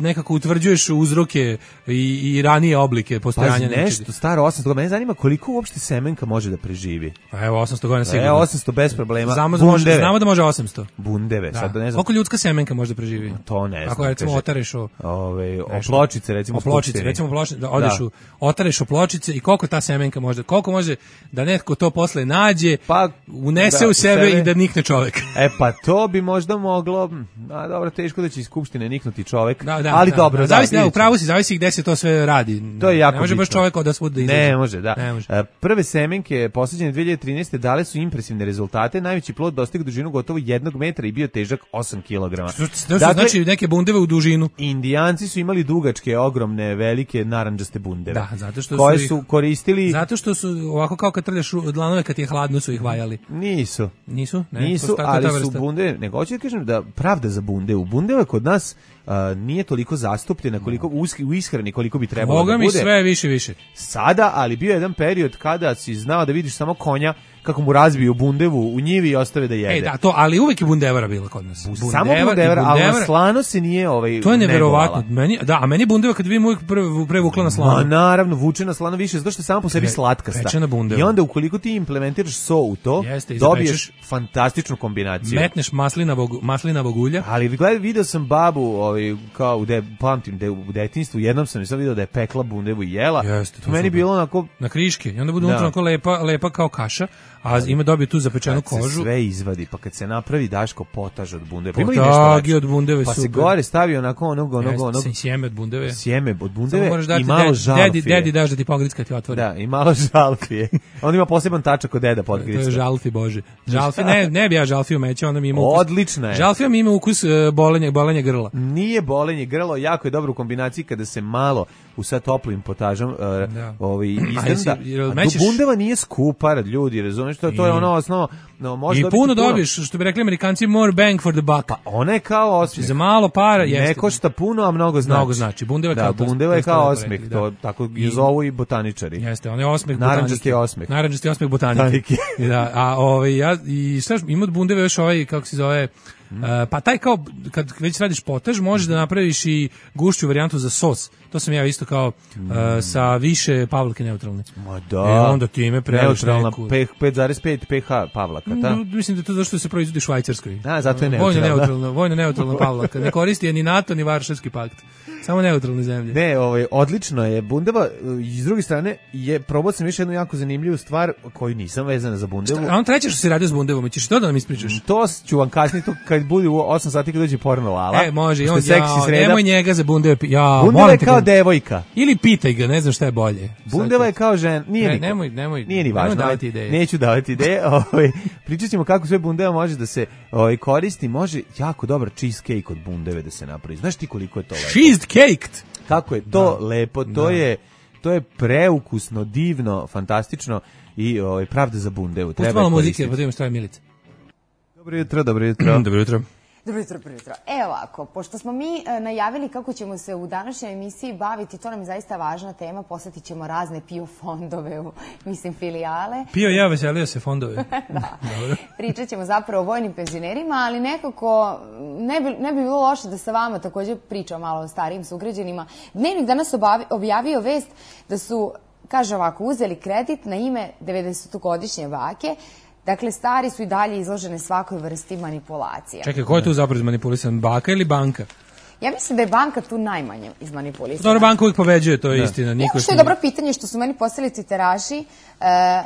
nekako utvrđuješ uzroke i, i ranije oblike postojanja nečega. Nešto staro osamsto godina, mene zanima koliko uopšte semenka može da preživi. Pa evo osamsto godina sigurno. Evo osamsto bez problema. Znamo da, može, znamo da može osamsto. Bundeve, da. sad ne znam. Koliko ljudska semenka može da preživi? To ne znam. Ako recimo kaže, otareš o... Ove, o pločice, recimo. O pločice, recimo pločice, da odeš da. u, otareš o pločice i koliko ta semenka može, koliko može da netko to posle nađe, pa, unese da, u sebe, sebe i da nikne čovek. E pa to bi možda moglo, a dobro, teško da će iz skupštine niknuti čovek, da, da, ali da, dobro. Da, zavisi, da, upravo si, zavisi gde se to sve radi. To je jako ne može baš čovek od da svud da izađe. Ne može, da. Ne može. Prve semenke posađene dve hiljade trinaeste. dale su impresivne rezultate. Najveći plod dostigao dužinu gotovo jednog metra i bio težak osam kilograma. To dakle, znači neke bundeve u dužinu. Indijanci su imali dugačke, ogromne, velike narandžaste bundeve. Da, zato što koje su, ih, su koristili. Zato što su ovako kao kad trljaš dlanove kad je hladno su ih vajali. Nisu. Nisu? Ne, Nisu, ali su bundeve, nego hoću da kažem da pravda za bundevu. Bundeva kod nas Uh, nije toliko zastupljena koliko u, u ishrani koliko bi trebalo Boga da bude. mi sve više više. Sada, ali bio jedan period kada si znao da vidiš samo konja kako mu razbiju bundevu u njivi i ostave da jede. E da, to, ali uvek je bundevara bila kod nas. Bundeva, samo bundevara, ali na slano se nije ovaj to je neverovatno. Meni, da, a meni bundeva kad vidim uvijek prevukla na slano. Ma naravno, vuče na slano više, zato što je samo po sebi slatkasta. I onda ukoliko ti implementiraš so u to, Jeste, dobiješ fantastičnu kombinaciju. Metneš maslinavog, maslinavog ulja. Ali gledaj, video sam babu, ovaj, kao u, de, pamtim, de, u detinjstvu, jednom sam sam video da je pekla bundevu i jela. Jeste, to meni bilo onako... Na kriške. I onda bude unutra onako lepa, lepa kao kaša. A ima dobije tu zapečenu kad kožu. Se sve izvadi, pa kad se napravi Daško potaž od bundeve. Potagi od bundeve, pa super. Pa se gore stavi onako onog, onog, Jeste, onog. Sjeme od bundeve. Sjeme od bundeve i malo dedi, žalfije. Dedi, dedi daš da ti pogritska ti otvori. Da, i malo žalfije. On ima poseban tačak od deda podgritska. To je žalfi, bože. Žalfi, ne, ne bi ja žalfiju mećao, ona mi ima ukus. Odlična je. Žalfija mi ima ukus uh, bolenja, bolenja grla. Nije bolenje grlo, jako je dobro u kombinaciji kada se malo u sad toplim potažom uh, da. ovaj, izdanda. A mećeš... bundeva nije skupa, ljudi, razumiješ, to, to je ono osnovno. No, i puno dobiješ, što bi rekli Amerikanci, more bang for the buck. Pa ona je kao osmeh. Za malo para jeste. Ne košta puno, a mnogo znači. Mnogo znači. Bundeva, da, kao bundeva je kao osmeh, rekli, to tako i zovu i botaničari. Jeste, on je osmeh botanike. Naranđasti osmeh. Naranđasti osmeh botanike. da, a ovaj ja i šta ima od bundeve još ovaj kako se zove Uh, pa taj kao kad već radiš potaž možeš da napraviš i gušću varijantu za sos. to sam ja isto kao uh, sa više pavlake neutralne. Ma da. E, onda ti ime preliš neutralna neku... pet zarez pet pH pavlaka, ta? Mm, mislim da je to zato što se proizvodi u Švajcarskoj. A, zato je neutralna. Vojno neutralna, vojno neutralna pavlaka. Ne koristi je ni NATO, ni Varšavski pakt. Samo neutralne zemlje. Ne, ovaj, odlično je. Bundeva, s druge strane, je, probao sam još jednu jako zanimljivu stvar koju nisam vezana za Bundevu. A on treće što se radio s Bundevom, ćeš to da nam ispričaš? To ću vam kasnije, to kad bude u osam sati kad dođe porno Lala. E, može, on, seksi ja, sreda. Nemoj njega za Bundeve. Ja, Bundeva je kao devojka. Ili pitaj ga, ne znam šta je bolje. Bundeva je kao žena, nije ne, niko. Nemoj, nemoj, nije ni važno. Nemoj davati ideje. Neću davati ideje. Ovaj, pričat ćemo kako sve Bundeva može da se ovaj, koristi. Može jako dobar cheesecake od Bundeve da se napravi. Znaš ti koliko je to lepo? Cheesecake! Kako je to da. lepo, to da. je to je preukusno, divno, fantastično i ovaj pravda za Bundevu. Treba malo muzike, pa da imamo šta je Milica. Dobro jutro, dobro jutro. Dobro jutro. Dobro jutro, prvo jutro. E ovako, pošto smo mi e, najavili kako ćemo se u današnjoj emisiji baviti, to nam je zaista važna tema, posjetit ćemo razne P I O fondove, u, mislim, filijale. P I O ja veselio se fondove. Da. Pričat ćemo zapravo o vojnim penzionerima, ali nekako ne bi, ne bi bilo loše da sa vama također pričam malo o starijim sugrađanima. Dnevnik danas obavi, objavio vest da su, kaže ovako, uzeli kredit na ime devedesetogodišnje bake. Dakle, stari su i dalje izložene svakoj vrsti manipulacija. Čekaj, ko je tu zapravo izmanipulisan? Baka ili banka? Ja mislim da je banka tu najmanje izmanipulisana. Dobro, banka uvijek pobeđuje, to je da. istina. Niko što je dobro pitanje što su meni postavili citeraši, e,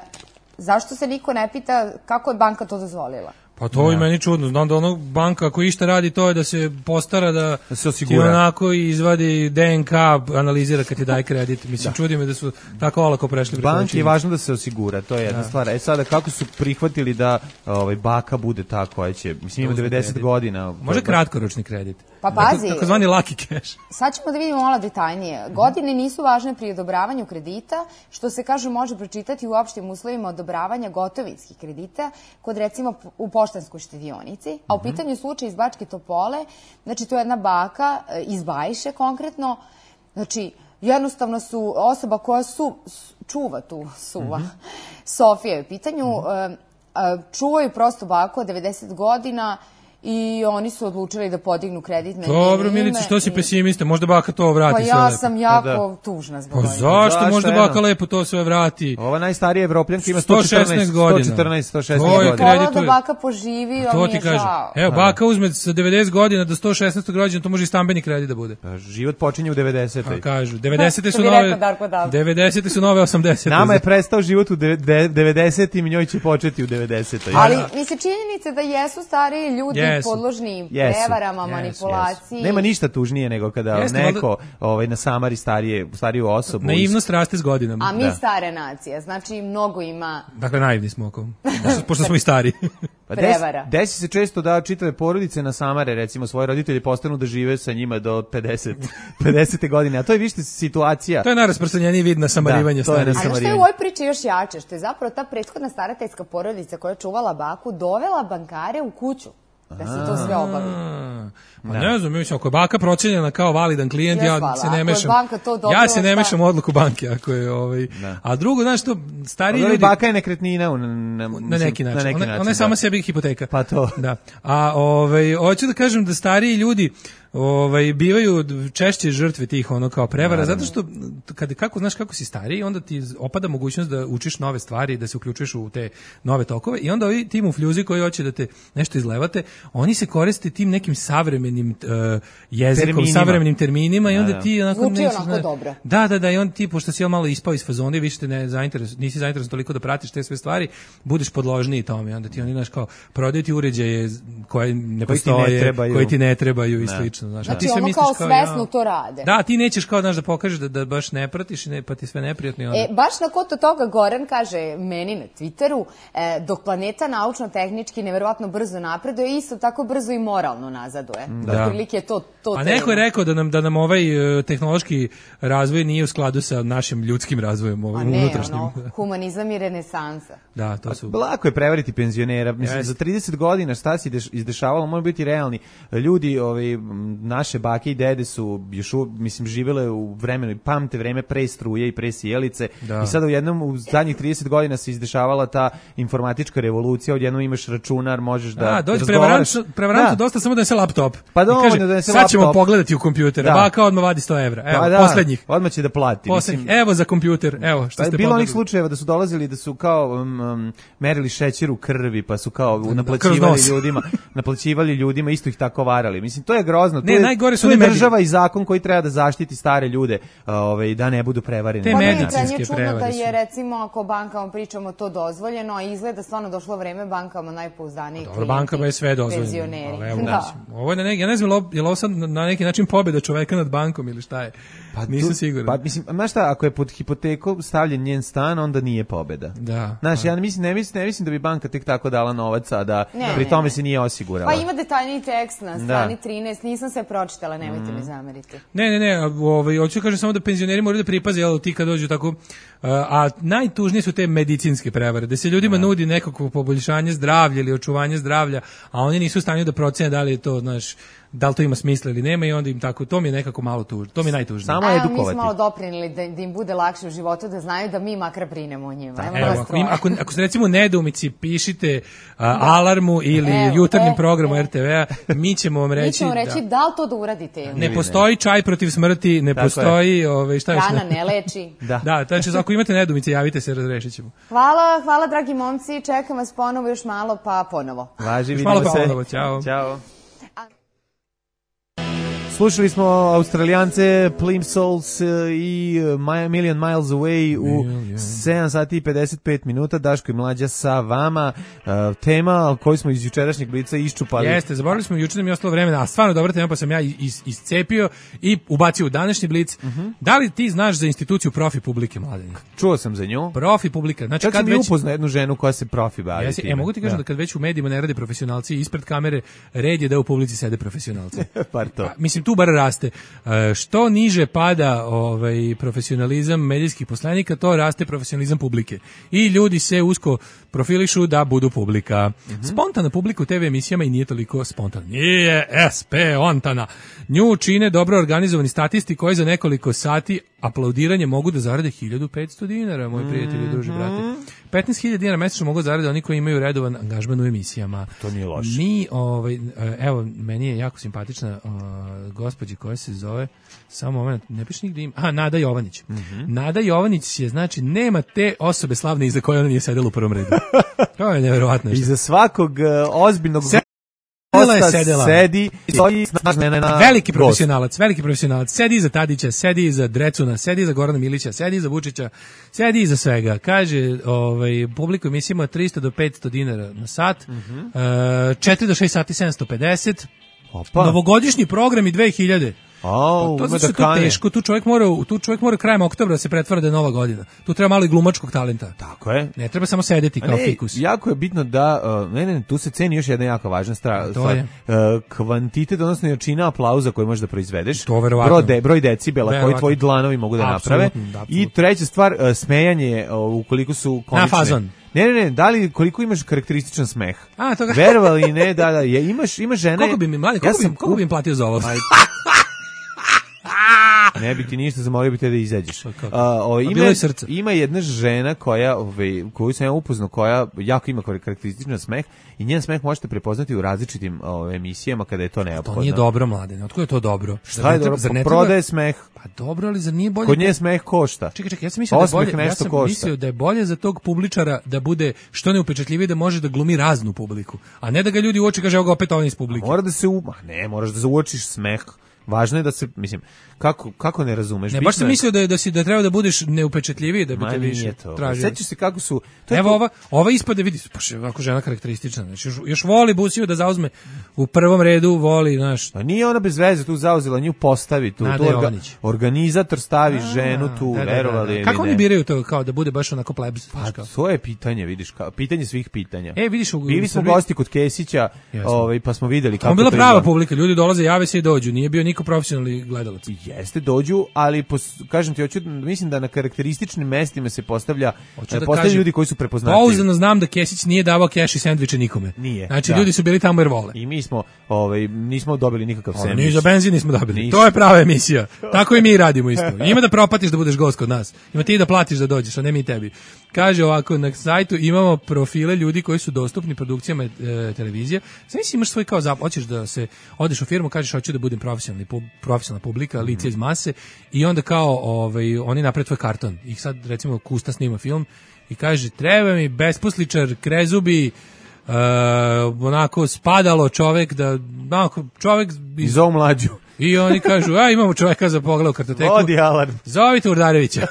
zašto se niko ne pita kako je banka to dozvolila? Pa to je meni čudno. Znam da ono banka ako išta radi to je da se postara da, da se osigura. Ti onako izvadi D N K, analizira kad ti daje kredit. Mislim, da. čudi me da su tako olako prešli. Banki je važno da se osigura, to je jedna da. stvar. E sada, kako su prihvatili da ovaj, baka bude ta koja će, mislim, ima devedeset kredit. godina. Može kratkoročni kredit. Pa pazi. Tako zvani lucky cash. Sad ćemo da vidimo malo detaljnije. Godine nisu važne pri odobravanju kredita, što se kaže može pročitati u opštim uslovima odobravanja gotovinskih kredita, kod recimo u poštanskoj štedionici, a u pitanju slučaj iz Bačke Topole, znači to je jedna baka iz Bajše konkretno, znači jednostavno su osoba koja su, čuva tu suva, mm-hmm. Sofija je u pitanju, mm-hmm. čuvaju prosto baku od devedeset godina, i oni su odlučili da podignu kredit na njeno ime. Dobro, Milice, što si pesimista? Možda baka to vrati pa sve ja lepo. Pa sam jako da. tužna zbog Pa zašto? zašto? Možda eno? baka lepo to sve vrati. Ova najstarija Evropljanka ima sto četrnaest godina. sto četrnaest, sto šesnaest godina. Kredituje... da baka poživi, to mi je ti žao. Evo, baka uzme sa devedeset godina do sto šesnaest godina, to može i stambeni kredit da bude. Pa život počinje u devedesetoj. Pa kažu, devedesete su nove devedesete su nove osamdesete. Nama je prestao život u devedesetim i njoj će početi u devedesetoj. Ali mi se činjenica da jesu stariji ljudi podložni prevarama, manipulaciji. Yes. Nema ništa tužnije nego kada Jeste, neko da... ovaj, nasamari starije, stariju osobu. Naivnost raste s godinama. A mi da. stare nacije, znači mnogo ima... Dakle, naivni smo oko, pošto smo i stari. Pa prevara. Desi, desi se često da čitave porodice nasamare, recimo svoje roditelji postanu da žive sa njima do pedeset, pedesete godine, a to je više situacija. To je najrasprostranjeniji vid nasamarivanja da, starih. A što je u ovoj priči još jače, što je zapravo ta prethodna starateljska porodica koja je čuvala baku dovela bankare u kuću da se to sve obavi. Ma ne znam, mislim, ako je baka procenjena kao validan klijent, ja hvala. se ne mešam. Dobro, ja se ne mešam u odluku banke, ako je ovaj. Da. A drugo, znaš što, stariji ljudi... baka je nekretnina u, na, na, na neki način. Na neki ona, način ona je sama sebi hipoteka. Pa to. Da. A ovaj, hoću da kažem da stariji ljudi ovaj bivaju češće žrtve tih ono kao prevara, zato što kad kako znaš kako si stariji, onda ti opada mogućnost da učiš nove stvari, da se uključuješ u te nove tokove i onda ovi ti mufljuzi koji hoće da te nešto izlevate, oni se koriste tim nekim savremenim uh, jezikom, terminima. savremenim terminima i onda da, da. ti onako nećeš onako dobro. Da, da, da, i on ti pošto si malo ispao iz fazona i više te ne zainteres, nisi zainteresovan toliko da pratiš te sve stvari, budeš podložniji tome, onda ti oni znaš kao prodaju ti uređaje koje ne koji postoje, ti ne koji ti ne trebaju i slično. Znaš, znači ti ono kao svesno to rade. Da, ti nećeš kao znaš da pokažeš da, da baš ne pratiš ne, pa ti sve neprijatno. Onda... E, baš na koto toga Goran kaže meni na Twitteru, e, dok planeta naučno-tehnički neverovatno brzo napreduje, isto tako brzo i moralno nazaduje. Da. Otprilike je to, to pa neko je rekao da nam, da nam ovaj uh, tehnološki razvoj nije u skladu sa našim ljudskim razvojem, ovim unutrašnjim. Ono, humanizam i renesansa. Da, to su... Lako je prevariti penzionera. Mislim, yes. za trideset godina šta se izdešavalo, može biti realni. Ljudi ovaj, naše bake i dede su još u, mislim živele u vremenu i pamte vreme pre struje i pre sjelice Da. i sada u jednom u zadnjih trideset godina se izdešavala ta informatička revolucija, odjednom imaš računar, možeš da A, dođe razgovaraš. prevarantu, prevarantu Da. dosta samo da se laptop. Pa I dovoljno kaže, da donese sad ćemo laptop. pogledati u kompjuter. Da. Baka odmah vadi sto evra. Evo, Pa da, poslednjih. Odmah će da plati. Poslednjih. Mislim, Evo za kompjuter. Evo, što pa ste bilo onih pogledali. slučajeva da su dolazili da su kao um, um, merili šećer u krvi, pa su kao kroz naplaćivali nos. ljudima, naplaćivali ljudima, isto ih tako varali. Mislim, to je grozno. Ne, to je, najgore su to je oni mediji. država i zakon koji treba da zaštiti stare ljude, ovaj, da ne budu prevareni. Te Pa na taj meni način. medicinske je čudno da prevare su. je recimo ako bankama pričamo to dozvoljeno, a izgleda stvarno došlo vreme bankama najpouzdaniji Dobro, klijenti, bankama je sve dozvoljeno. penzioneri. Ali evo, Da. mislim, ovo je na neki, ja ne znam, je li ovo- je li ovo sad na neki način pobjeda čoveka nad bankom ili šta je? Pa Nisam tu- siguran. Pa mislim, znaš šta, ako je pod hipotekom stavljen njen stan, onda nije pobeda. Da. Znaš, ja ne mislim, ne mislim, ne mislim da bi banka tek tako dala novac, a da Ne, pri ne, tome ne. se nije osigurala. Pa ima detaljniji tekst na strani Da. trinaest, nisam sve pročitala, nemojte Mm. mi zameriti. Ne, ne, ne, a, ovaj, hoću da kažem samo da penzioneri moraju da pripaze, jel, ti kad dođu tako, a, a najtužnije su te medicinske prevare, da se ljudima nudi nekako poboljšanje zdravlja ili očuvanje zdravlja, a oni nisu u stanju da procene da li je to, znaš, da li to ima smisla ili nema i onda im tako, to mi je nekako malo tužno, to mi je najtužnije. Samo A evo, mi edukovati. smo malo doprinili da, da im bude lakše u životu, da znaju da mi makar brinemo o njima. Evo, Evo, nas ako, troje. im, ako, ako ste recimo u nedoumici, pišite a, alarmu ili Evo, jutarnjem e, programu e. R T V-a, mi ćemo vam reći, Mi ćemo reći da, li to da uradite ili da ne postoji čaj protiv smrti, ne Tako je. postoji, ove, šta još Hrana ne? ne leči. Da. Da, znači ako imate nedoumice, javite se, razrešit ćemo. Hvala, hvala dragi momci, čekam vas ponovo još malo, pa ponovo. Važi, Još vidimo malo se. ponovo, ćao. Ćao. Slušali smo Australijance Plimsouls i My Million Miles Away u sedam sati i pedeset pet minuta. Daško i Mlađa sa vama. Uh, tema koju smo iz jučerašnjeg blica iščupali. Jeste, zaboravili smo juče da mi je ostalo vremena, a stvarno dobra tema, pa sam ja is, iscepio i ubacio u današnji blic. Mhm. Da li ti znaš za instituciju Profi Publike, Mladenja? Čuo sam za nju. Profi Publika, znači Čak kad sam i već... upoznao jednu ženu koja se profi bavi. Jesi, time. e, mogu ti kažem da. kad već u medijima ne rade profesionalci ispred kamere, red je da u publici sede profesionalci. Par to. A, mislim, tu bar raste. E, što niže pada ovaj, profesionalizam medijskih poslanika, to raste profesionalizam publike. I ljudi se usko profilišu da budu publika. Mhm. Spontana publika u te ve emisijama i nije toliko spontana. Nije es pe ontana. Nju čine dobro organizovani statisti koji za nekoliko sati aplaudiranje mogu da zarade hiljadu petsto dinara, moji prijatelji i druži, brate. petnaest hiljada dinara mesečno mogu zarade oni koji imaju redovan angažman u emisijama. To nije loše. Mi, ovaj, evo, meni je jako simpatična uh, gospođa koja se zove, samo moment, ne piše nigde ima, aha, Nada Jovanić. Mhm. Nada Jovanić je, znači, nema te osobe slavne iza koje ona nije sedela u prvom redu. To je nevjerovatno. I za svakog uh, ozbiljnog Sedela je gosta sedela. sedi i stoji snažna na Veliki gost. profesionalac, veliki profesionalac. Sedi iza Tadića, sedi iza Drecuna, sedi iza Gorana Milića, sedi iza Vučića, sedi iza svega. Kaže, ovaj, publiku emisijama od tristo do petsto dinara na sat, Mhm. e, četiri do šest sati sedamsto pedeset, Opa. novogodišnji program i dve hiljade. Au, Pa to ima zato da što je to kane. teško, tu čovjek mora, tu čovjek mora krajem oktobra da se pretvara da je nova godina. Tu treba malo i glumačkog talenta. Tako je. Ne treba samo sedeti kao Ne, fikus. jako je bitno da, uh, ne, ne, tu se ceni još jedna jako važna stra- To stvar. je. Uh, kvantitet, odnosno jačina aplauza koju možeš da proizvedeš. To verovatno. Broj, de, broj decibela koji Verovatno. tvoji dlanovi mogu da naprave. Apsolutno, da, I apsolutno. treća stvar, uh, smejanje uh, ukoliko su komične. fazon. Ne, ne, ne, da li, koliko imaš karakterističan smeh? A, to ga- Verovali ne, da, da, je, imaš, ima žene... Koliko bi mi, mladi, koliko, sam bi, koliko bi im platio za ovo? Aj, ne bi ti ništa, zamolio bi te da izađeš. Pa kako? A, o, A ima, bilo je srce. ima jedna žena koja, ovaj, koju sam ja upoznao, koja jako ima karakterističan smeh i njen smeh možete prepoznati u različitim ovaj, emisijama kada je to neophodno. To nije dobro, mlade. Otko je to dobro? Zar Šta je ne treba- dobro? zar ne Pa treba- prodaje smeh. Pa dobro, ali zar nije bolje? Kod nje smeh košta. Čekaj, čekaj, ja sam mislio da je Osmeh bolje, ja nešto sam košta. mislio da je bolje za tog publičara da bude što neupečatljiviji, da može da glumi raznu publiku, a ne da ga ljudi uoči kaže evo ga opet on iz publike. Mora da se u... Ma ne, moraš da uočiš smeh. Važno je da se, mislim, kako, kako ne razumeš? Ne, Bitno baš sam je- mislio da je, da si da treba da budeš neupečatljiviji da bi Ma te nije više to. tražio. Sećaš se kako su... To je Evo ko- ova, ova ispade, vidi, pa še, ovako žena karakteristična, znači još, još voli Busiju da zauzme u prvom redu, voli, znaš, Pa nije ona bez veze tu zauzela, nju postavi tu. Nada tu orga- Jovanić. organizator stavi ženu tu, da, da, da, verovali da. ili Kako ne. oni biraju to, kao da bude baš onako plebs? Pa znaš kao? to je pitanje, vidiš, kao, pitanje svih pitanja. E, vidiš, u, Bili u smo Srbiji- gosti kod Kesića, Jesmo. ovaj, pa smo videli kako Tamo bila to prava izgleda. publika, ljudi dolaze, jave se i dođu, nije bio niko niko profesionalni gledalac. Jeste, dođu, ali pos, kažem ti, hoću, mislim da na karakterističnim mestima se postavlja, Hoću da postavljaju kažem, ljudi koji su prepoznatljivi. Pouzdano znam da Kesić nije davao keš i sendviče nikome. Nije. Znači, da. ljudi su bili tamo jer vole. I mi smo, ovaj, nismo dobili nikakav Ono, sendvič. ni za benzin nismo dobili. Ništa. To je prava emisija. Tako i mi radimo isto. Ima da propatiš da budeš gost kod nas. Ima ti da platiš da dođeš, a ne mi tebi. Kaže ovako, na sajtu imamo profile ljudi koji su dostupni produkcijama e, televizije. Znači imaš svoj kao zap, hoćeš da se odeš u firmu, kažeš hoću da budem profesionalni pu, profesionalna publika, lice iz mase i onda kao ovaj oni naprave tvoj karton. I sad recimo Kusta snima film i kaže treba mi besposličar, krezubi, uh, onako spadalo čovek da onako čovek iz Zovu mlađu. I oni kažu, a imamo čoveka za pogled u kartoteku. Vodi alarm. Zovite Urdarevića.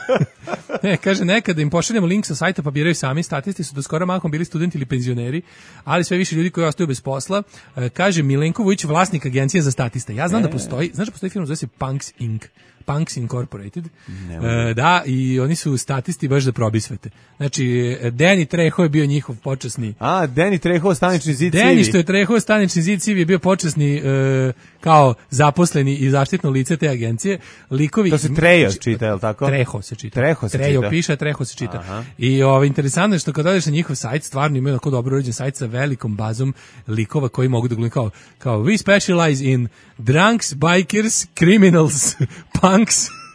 Ne, kaže, nekada im pošaljemo link sa sajta pa biraju sami, statisti su do skoro mahom bili studenti ili penzioneri, ali sve više ljudi koji ostaju bez posla. E, kaže Milenko Vujić, vlasnik agencije za statiste. Ja znam e. da postoji, znaš da postoji firma zove se Punks Incorporated. Punks Incorporated. E, da, i oni su statisti baš da probisvete. Znači, Danny Trejo je bio njihov počasni. A, Danny Trejo, stanični zid civi. Danny što je Trejo, stanični zid civi je bio počasni e, kao zaposleni i zaštitno lice te agencije. Likovi, to se Trejo čita, je li tako? Trejo se čita. Trejo se Trejo čita. piše, Trejo se čita. Aha. I ovo, interesantno je što kad odeš na njihov sajt, stvarno imaju tako dobro uređen sajt sa velikom bazom likova koji mogu da glume kao, kao we specialize in drunks, bikers, criminals, punks.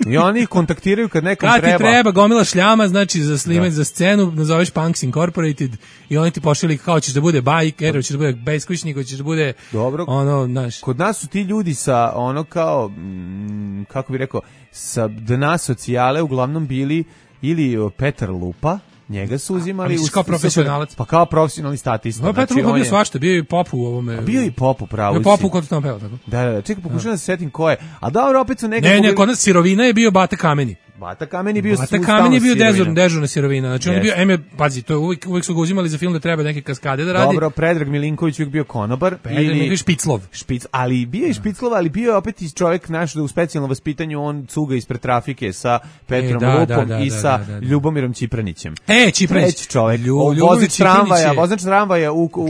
I oni ih kontaktiraju kad nekom kad treba. Kad ti treba gomila šljama, znači za snimati za scenu, nazoveš Punks Incorporated i oni ti pošalju kao ćeš da bude biker, hoćeš da bude beskućnik, hoćeš da bude dobro. Ono, znaš. Kod nas su ti ljudi sa ono kao, mm, kako bi rekao, sa dna socijale uglavnom bili ili Petar Lupa, njega su uzimali u, kao profesionalac. Pa kao profesionalni statista. No, Petar Lupa bio svašta, bio i pop u ovome. A bio i pop u pravu. Bio pop u kod tamo peva, tako? Da, da, čekaj, pokušam da se setim ko je. A dobro, opet su nekako... Ne, ne, kod nas sirovina je bio Bata Kameni. Bata Kamen je bio Bata Kamen je bio dežurna, dežurna sirovina. Znači yes. on je bio, eme, pazi, to je uvijek, uvijek su ga uzimali za film da treba neke kaskade da radi. Dobro, Predrag Milinković uvijek bio konobar. Predrag ili Špiclov. Špic, ali bio je Špiclov, ali bio je opet i čovjek naš da u specijalnom vaspitanju on cuga ispred trafike sa Petrom e, da, Lupom da, da, i da, sa da, da, da. Ljubomirom Čipranićem. E, Čipranić. Treći čovjek. Lju, vozač tramvaja, vozač tramvaja u, u,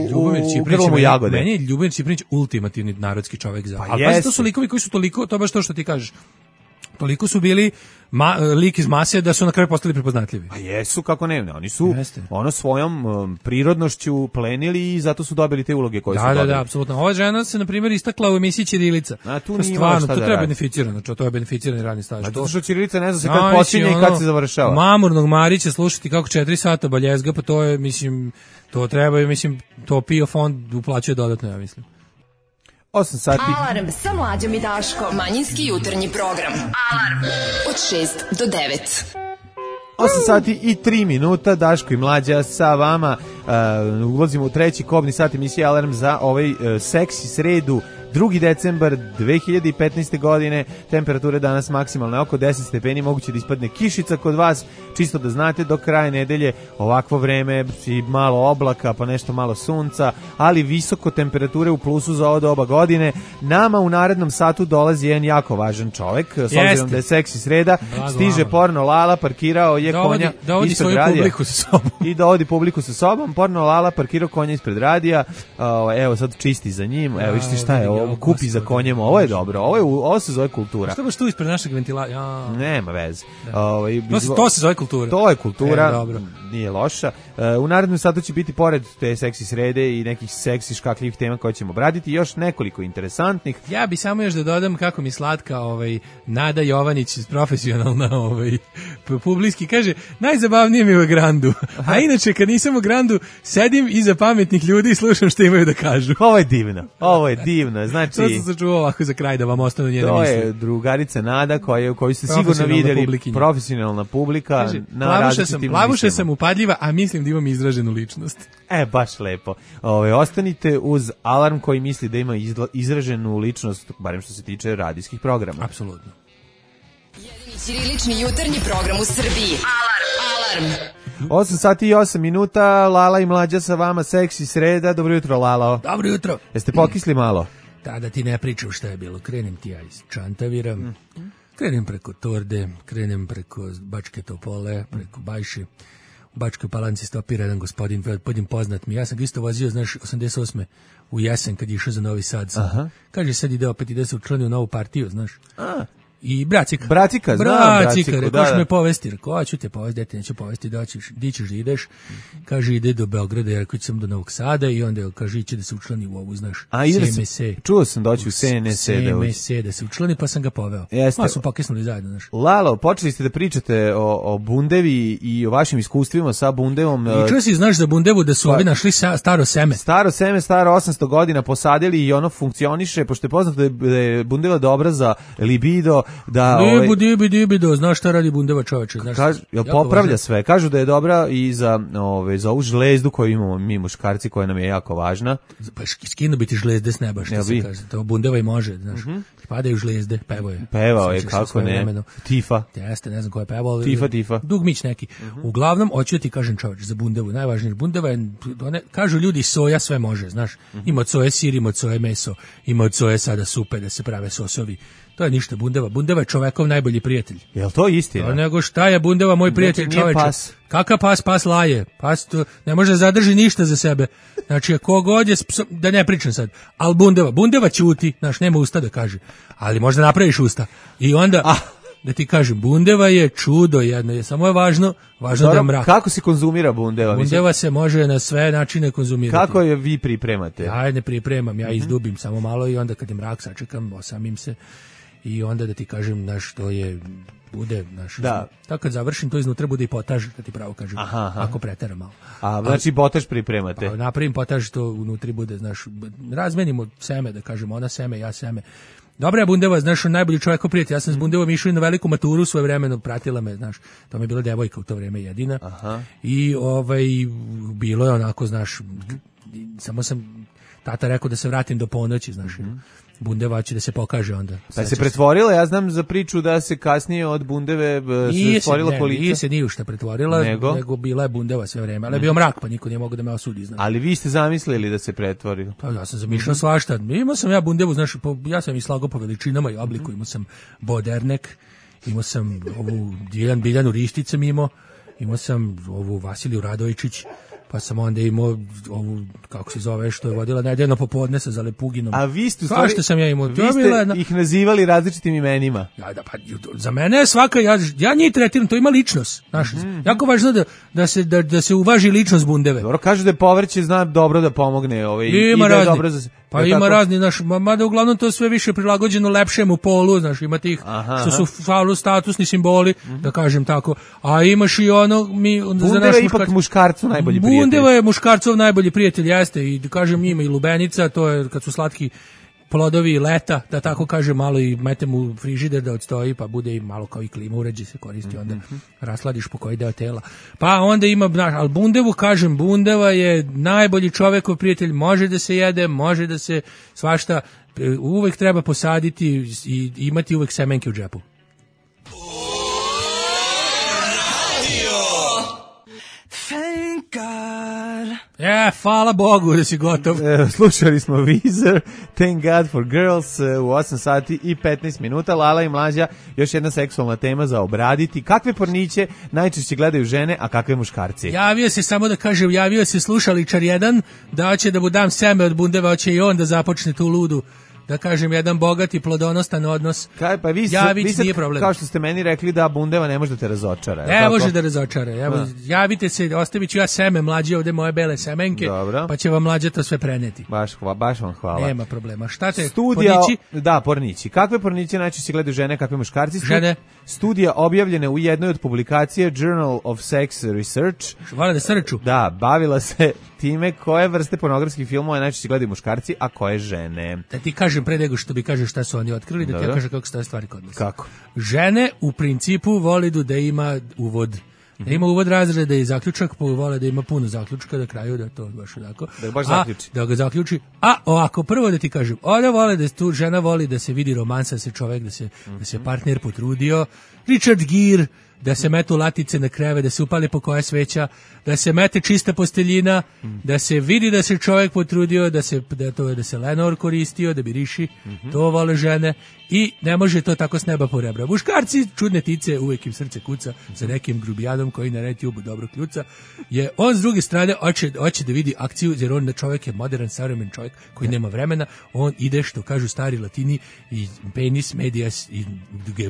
u grlomu jagode. Meni je Ljubomir Čipranić ultimativni narodski čovjek za. Pa ali pazi, to su likovi koji su toliko, to baš to što ti kažeš. Toliko su bili ma, lik iz mase da su na kraju postali prepoznatljivi. Pa jesu, kako ne, ne. Oni su Jeste. ono svojom um, prirodnošću plenili i zato su dobili te uloge koje da, su da, dobili. Da, da, apsolutno. Ova žena se, na primjer, istakla u emisiji Ćirilica. A tu to nije stvarno, šta to da treba radi. beneficirano, to je beneficirani radni staž. A to to što Ćirilica ne zna se no, kad počinje i kad ono, se završava. Mamurnog Marića slušati kako četiri sata baljezga, pa to je, mislim, to treba, mislim, to P I O fond uplaćuje dodatno, ja mislim. osam sati. Alarm sa Mlađom i Daškom. Manjinski jutarnji program. Alarm od šest do devet. osam sati i tri minuta, Daško i Mlađa sa vama. Uh, ulazimo u treći kobni sat emisije Alarm za ovaj uh, seksi sredu. drugi decembar dve hiljade petnaeste. godine, temperature danas maksimalne oko deset stepeni, moguće da ispadne kišica kod vas, čisto da znate, do kraja nedelje ovakvo vreme i malo oblaka, pa nešto malo sunca, ali visoko temperature u plusu za ovo doba godine. Nama u narednom satu dolazi jedan jako važan čovek, s obzirom Jeste. da je seksi sreda, Blago, stiže mama. Porno Lala, parkirao je Dovodi, konja dovodi ispred svoju radija. publiku sa sobom. I dovodi publiku sa sobom, Porno Lala parkirao konja ispred radija, uh, evo sad čisti za njim, evo vište šta je ovo, kupi za konjem, ovo je dobro, ovo, je, ovo se zove kultura. Što baš tu ispred našeg ventila? Ja. Nema veze. Da. Ovaj, To, se, to se zove kultura. To je kultura, e, dobro. Nije loša. Uh, u narednom satu će biti pored te seksi srede i nekih seksi škakljivih tema koje ćemo obraditi, još nekoliko interesantnih. Ja bi samo još da dodam kako mi slatka ovaj, Nada Jovanić, profesionalna ovaj, publiski, kaže, najzabavnije mi je u Grandu. A inače, kad nisam u Grandu, sedim iza pametnih ljudi i slušam što imaju da kažu. Ovo je divno, ovo je divno. Znači, to sam sačuvao ovako za kraj da vam ostanu njene misli. To je drugarica Nada koja, koju ste sigurno vidjeli, publikinja. Profesionalna publika. Kaže, na plavuša sam, plavuša emisijama. sam upadljiva, a mislim da imam izraženu ličnost. E, baš lepo. Ove, ostanite uz Alarm koji misli da ima izla, izraženu ličnost, barem što se tiče radijskih programa. Apsolutno. Jedini ćirilični jutarnji program u Srbiji. Alarm! Alarm! osam sati i osam minuta, Lala i Mlađa sa vama, seksi sreda. Dobro jutro, Lalo. Dobro jutro. Jeste pokisli malo? Da, da ti ne pričam šta je bilo. Krenem ti ja iz Čantavira, mm. krenem preko Torde, krenem preko Bačke Topole, preko Bajše. Bačkoj Palanci stopira jedan gospodin, podim poznat mi. Ja sam ga isto vozio, znaš, osamdeset osme u jesen kad je išao za Novi Sad. Sam. Kaže, sad ide opet, ide se učlanio u novu partiju, znaš. A. I Bracika. Bracika, znam Bracika, Braciku, rekao da, da. me povesti, rekao, a ću te povesti, dete, neću povesti, doćiš, di ćeš da ideš. Kaže, ide do Beograda, ja rekao, sam do Novog Sada i onda kaže, iće da se učlani u ovu, znaš, S M S. Čuo sam doći u S N S. S M S da se učlani, pa sam ga poveo. Jeste. Pa su pokisnuli zajedno, znaš. Lalo, počeli ste da pričate o, o bundevi i o vašim iskustvima sa bundevom. I čuo si, znaš za bundevu da su pa, ovi našli sa, staro seme. Staro seme, staro osamsto godina posadili i ono funkcioniše, pošto je poznato da je bundeva dobra za libido, da... Libu, dibi, dibido, znaš šta radi bundeva čoveče, znaš. Kaž, jel popravlja sve, kažu da je dobra i za, ove, za ovu žlezdu koju imamo mi muškarci, koja nam je jako važna. Pa skinu biti žlezde s neba, što ja, se kaže, to bundeva i može, znaš. Uh -huh. Padaju žlezde, pevao je. Pevao je, kako ne, vremenu. Tifa. Jeste, ne znam ko je pevao. Tifa, tifa. Dugmić neki. Uh -huh. Uglavnom, hoću ti kažem čoveče, za bundevu, najvažnije, bundeva je, one, kažu ljudi, soja sve može, znaš. Uh -huh. Ima od soje sir, ima od soje meso, ima od soje sada supe da se prave sosovi. To je ništa bundeva. Bundeva je čovekov najbolji prijatelj. Jel to istina? To nego šta je bundeva moj prijatelj čoveče? Kakav pas, pas laje. Pas to ne može zadrži ništa za sebe. Znači, kogod je, da ne pričam sad, al bundeva, bundeva ćuti, znaš, nema usta da kaže. Ali možda napraviš usta. I onda, ah. da ti kažem, bundeva je čudo jedno, je samo je važno, važno Dobro, da je mrak. Kako se konzumira bundeva? Bundeva mislim? se može na sve načine konzumirati. Kako je vi pripremate? Ja ne pripremam, ja izdubim samo malo i onda kad je mrak sačekam, osamim se. I onda da ti kažem, znaš, to je, bude, znaš, da. Tako kad završim, to iznutra bude i potaž, da ti pravo kažem, aha, aha. Ako preteram malo. A, znači potaž pripremate? Pa, napravim potaž, to unutri bude, znaš, razmenimo seme, da kažem, ona seme, ja seme. Dobra je bundeva, znaš, najbolji čovjek prijatelj, ja sam s bundevom išao na veliku maturu svoje vremeno, pratila me, znaš, to mi je bila devojka u to vrijeme jedina. Aha. I ovaj, bilo je onako, znaš, samo sam, tata rekao da se vratim do ponoći, znaš, mm-hmm. Bundeva će da se pokaže onda. Pa se pretvorila, ja znam za priču da se kasnije od bundeve se stvorila kolica. Nije se nije šta pretvorila, nego? nego bila je bundeva sve vreme, ali je bio mrak, pa niko nije mogao da me osudi. Znaš. Ali vi ste zamislili da se pretvori? Pa ja sam zamišljao svašta. Imao sam ja bundevu, znaš, po, ja sam i slagao po veličinama i obliku, imao sam bodernek, imao sam ovu Biljanu, Biljanu Rišticam imao, imao sam ovu Vasiliju Radovičić, pa sam onda imao ovu, kako se zove, što je vodila nedeljno popodne sa Zalepuginom. A vi ste, stvari, što sam ja imao? Vi ste jedna... ih nazivali različitim imenima. Ja, da, pa, za mene je svaka, ja, ja njih tretiram, to ima ličnost. Znaš, mm-hmm. jako važno da, da, se, da, da se uvaži ličnost bundeve. Dobro, kaže da je povrće zna dobro da pomogne. Ovaj, ima i da je dobro za... Pa ja, ima tako? Razni, znaš, mada uglavnom to sve više prilagođeno lepšemu polu, znaš, ima tih aha, što su falu statusni simboli, mm-hmm. da kažem tako, a imaš i ono, mi... Bundeva je ipak muškarcu najbolji prijatelj. Bundeva je muškarcov najbolji prijatelj, jeste, i da kažem ima i lubenica, to je kad su slatki plodovi leta, da tako kažem, malo i metem u frižider da odstoji, pa bude i malo kao i klima uređaj se koristi, onda mm-hmm. rasladiš po koji deo tela. Pa onda ima, ali bundevu, kažem, bundeva je najbolji čovekov prijatelj, može da se jede, može da se svašta, uvek treba posaditi i imati uvek semenke u džepu. Thank God. E, hvala Bogu da si gotov. E, slušali smo Weezer, Thank God for Girls u osam sati i petnaest minuta. Lala i Mlađa, još jedna seksualna tema za obraditi. Kakve porniće najčešće gledaju žene, a kakve muškarci? Javio se, samo da kažem, javio se slušaličar jedan, da hoće da mu dam seme od bundeva, hoće i on da započne tu ludu. Da kažem, jedan bogati plodonostan odnos. Kaj, pa vi, Javić, vi sad, nije problem. Kao što ste meni rekli da bundeva ne može da te razočara. Ne tako? Može da razočara. Evo, javite se, ostavit ću ja seme Mlađe, ovde moje bele semenke, dobro. Pa će vam Mlađe to sve preneti. Baš, hva, baš vam hvala. Nema problema. Šta te, Studija, pornići? Da, pornići. Kakve porniće najčešće gledaju žene, kakve muškarci? Žene. Studija objavljena u jednoj od publikacije Journal of Sex Research. Vole da srču. Da, bavila se time koje vrste pornografskih filmova najčešće gledaju muškarci, a koje žene. Da ti kažem pre nego što bi kaže šta su oni otkrili, da ti ja kažem kako stoje stvari kod nas. Kako? Žene u principu vole da ima uvod. Da ima uvod razreda i zaključak, pa vole da ima puno zaključka da kraju, da to baš onako. Da ga baš zaključi. A, da ga zaključi. A ovako, prvo da ti kažem, ona vole da tu žena voli da se vidi romansa, da se čovjek, da se, mm-hmm. da se partner potrudio. Richard Gere, da se metu latice na kreve, da se upali po koja sveća, da se mete čista posteljina, da se vidi da se čovjek potrudio, da se da to da se lenor koristio, da bi riši, to vole žene i ne može to tako s neba po rebra. Muškarci, čudne tice, uvek im srce kuca sa nekim grubijanom koji na RedTube dobro kljuca. Je on s druge strane hoće hoće da vidi akciju, jer on čovjek je modern, savremen čovjek koji nema vremena, on ide što kažu stari Latini i penis medias i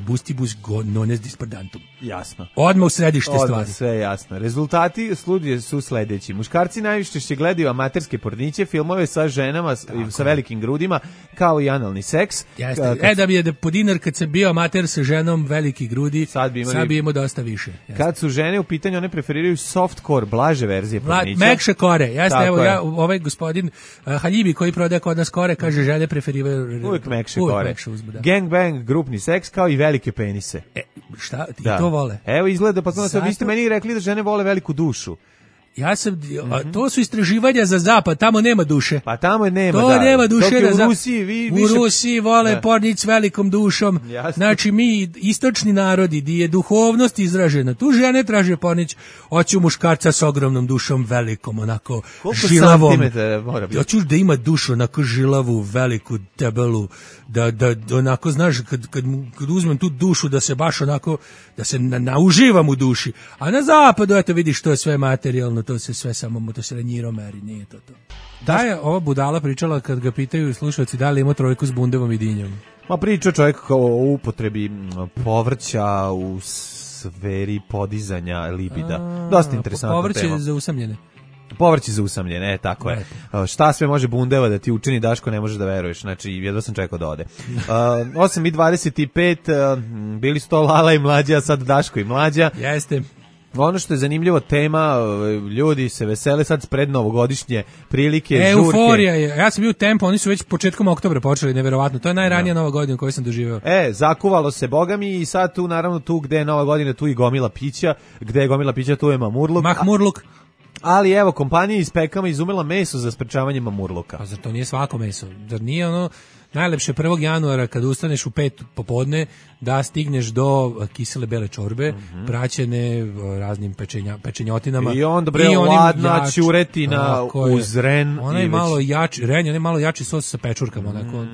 gustibus non est disperdantum. Jasno. Odmah u središte Odmah, stvari. sve jasno. Rezultati studije su sledeći. Muškarci najviše će gledaju amaterske porniće, filmove sa ženama Tako. sa velikim grudima, kao i analni seks. Jeste. Kad... E da bi je da po dinar kad se bio amater sa ženom veliki grudi, sad bi, imali... sad bi imao dosta više. Jeste. Kad su žene u pitanju, one preferiraju softcore, blaže verzije pornića. Mekše kore. Jeste, evo ja, ovaj gospodin uh, Haljibi koji prodaje kod nas kore, kaže žene preferiraju uvijek mekše kore. Mekše uzbuda. Gangbang, grupni seks, kao i velike penise. E, šta? I da. to vole? Evo izgleda, pa Zato... vi ste meni rekli da žene vole veliku dušu. Ja sam, mm-hmm. to su istraživanja za zapad, tamo nema duše. Pa tamo nema, to da. nema duše. Dok u Rusiji, vi, u više... Rusiji vole pornić s velikom dušom. Jasne. Znači mi, istočni narodi, di je duhovnost izražena, tu žene traže pornić, hoću muškarca s ogromnom dušom, velikom, onako Koliko žilavom. santimetara mora biti? Hoću da ima dušu, onako žilavu, veliku, debelu, da, da, da onako, znaš, kad, kad, kad uzmem tu dušu, da se baš onako, da se na, nauživam u duši. A na zapadu, eto vidiš, to je sve materijalno, to se sve samo to se ranjiro meri, nije to to. Da je ova budala pričala kad ga pitaju slušalci da li ima trojku s bundevom i dinjom. Ma priča čovjek kao o upotrebi povrća u sferi podizanja libida. A, Dosta interesantna povrće tema. Povrće za usamljene. Povrće za usamljene, e, tako je. Uh, šta sve može bundeva da ti učini, Daško, ne možeš da veruješ. Znači, jedva sam čekao da ode. Uh, osam i dvadeset pet, uh, bili su to Lala i Mlađa, a sad Daško i Mlađa. Jeste. Ono što je zanimljivo tema, ljudi se vesele sad pred novogodišnje prilike, e, žurke. Euforija je. Ja sam bio u Tempo, oni su već početkom oktobra počeli, neverovatno. To je najranija no. Nova godina koju sam doživeo. E, zakuvalo se bogami i sad tu, naravno, tu gde je Nova godina, tu i gomila pića. Gde je gomila pića, tu je mamurluk. Mahmurluk. Ali evo, kompanija iz Pekama izumela meso za sprečavanje mamurluka. Pa zar to nije svako meso? Zar nije ono najlepše prvog januara kad ustaneš u pet popodne da stigneš do kisele bele čorbe, mm-hmm. praćene raznim pečenja, pečenjotinama. I onda bre ladna ćuretina uz ren. Ona je malo jači, ren je malo jači sos sa pečurkama, mm. onako,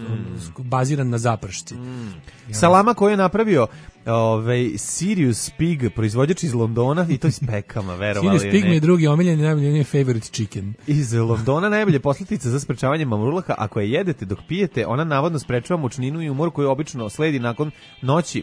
baziran na zapršci. Mm. Ja. Salama koju je napravio ovaj Sirius Pig, proizvođač iz Londona, i to iz Pekama, verovali. Sirius Pig mi je drugi omiljeni, najbolji favorite chicken. Iz Londona najbolje poslatica za sprečavanje mamurluka. Ako je jedete dok pijete, ona navodno sprečava mučninu i umor koji obično sledi nakon noći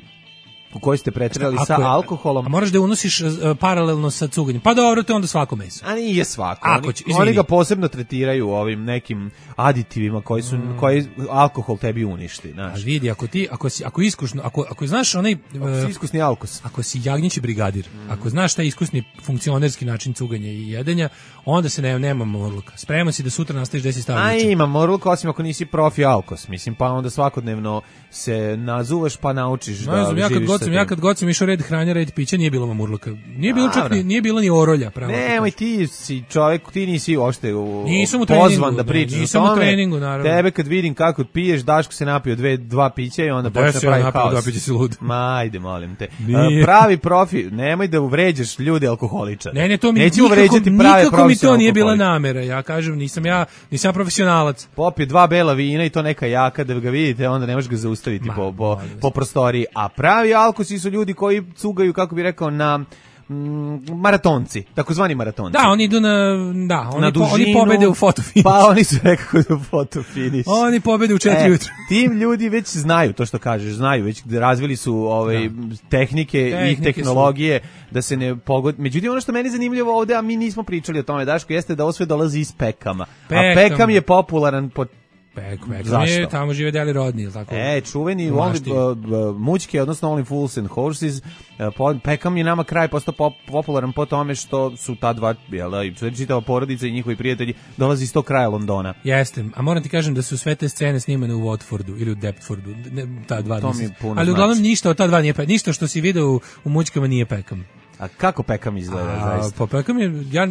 u kojoj ste preterali sa je, alkoholom. A moraš da unosiš uh, paralelno sa cuganjem. Pa dobro, to je onda svako meso. A nije svako. Ako će, oni, oni ga posebno tretiraju ovim nekim aditivima koji su mm. koji alkohol tebi uništi, znaš. A vidi, ako ti ako si ako iskusno, ako ako znaš onaj ako si iskusni alkos. Ako si jagnjeći brigadir, mm. ako znaš taj iskusni funkcionerski način cuganja i jedenja, onda se ne nema mamurluka. Spreman si da sutra nastaviš da si stavljaš. A ima mamurluk, osim ako nisi profi alkos, mislim, pa onda svakodnevno se nazuvaš pa naučiš no, da znam, ja kad god sam ja kad god sam išao red hranja, red pića, nije bilo mamurluka. Nije bilo čak ni, nije bilo ni orolja, pravo. Nemoj, ti si čovjek, ti nisi uopšte u, nisam u pozvan da pričaš. Ne, nisam u treningu, naravno. Tebe kad vidim kako piješ, Daško se napio dve, dva pića i onda počne pravi haos. Dva pića si lud. Ma, ajde, molim te. Nije. Pravi profi, nemoj da uvređaš ljude alkoholičare. Ne, ne, to mi Neću uvređati prave nikako mi to nije bila namera. Ja kažem, nisam ja, nisam profesionalac. Popije dva bela vina i to neka jaka, da ga vidite, onda ne možeš ga zaustaviti po, po, po prostoriji. A pravi alkosi su ljudi koji cugaju, kako bi rekao, na mm, maratonci, takozvani maratonci. Da, oni idu na, da, oni, na dužinu, po, oni pobede u fotofiniš. Pa oni su nekako u fotofiniš. Oni pobede u četiri e, jutra. Tim ljudi već znaju to što kažeš, znaju, već razvili su ovaj, tehnike, tehnike i tehnologije su. Da se ne pogodi. Međutim, ono što meni zanimljivo ovde, a mi nismo pričali o tome, Daško, jeste da ovo sve dolazi iz Pekama. Pekam. A Pekam je popularan po Pek, Pekam je, tamo žive Deli Rodni, ili tako? E, čuveni only, uh, mućke, odnosno Only Fools and Horses. Uh, Pekam je nama kraj postao pop, popularan po tome što su ta dva, jel, čitava porodica i njihovi prijatelji dolazi iz tog kraja Londona. Jeste, a moram ti kažem da su sve te scene snimane u Watfordu ili u Deptfordu, ne, ta dva to nisam. Mi puno ali uglavnom znači. Ništa od ta dva nije Pekam, ništa što si video u, u mućkama nije Pekam. A kako Pekam izgleda, A, zaista? pa Pekam je, ja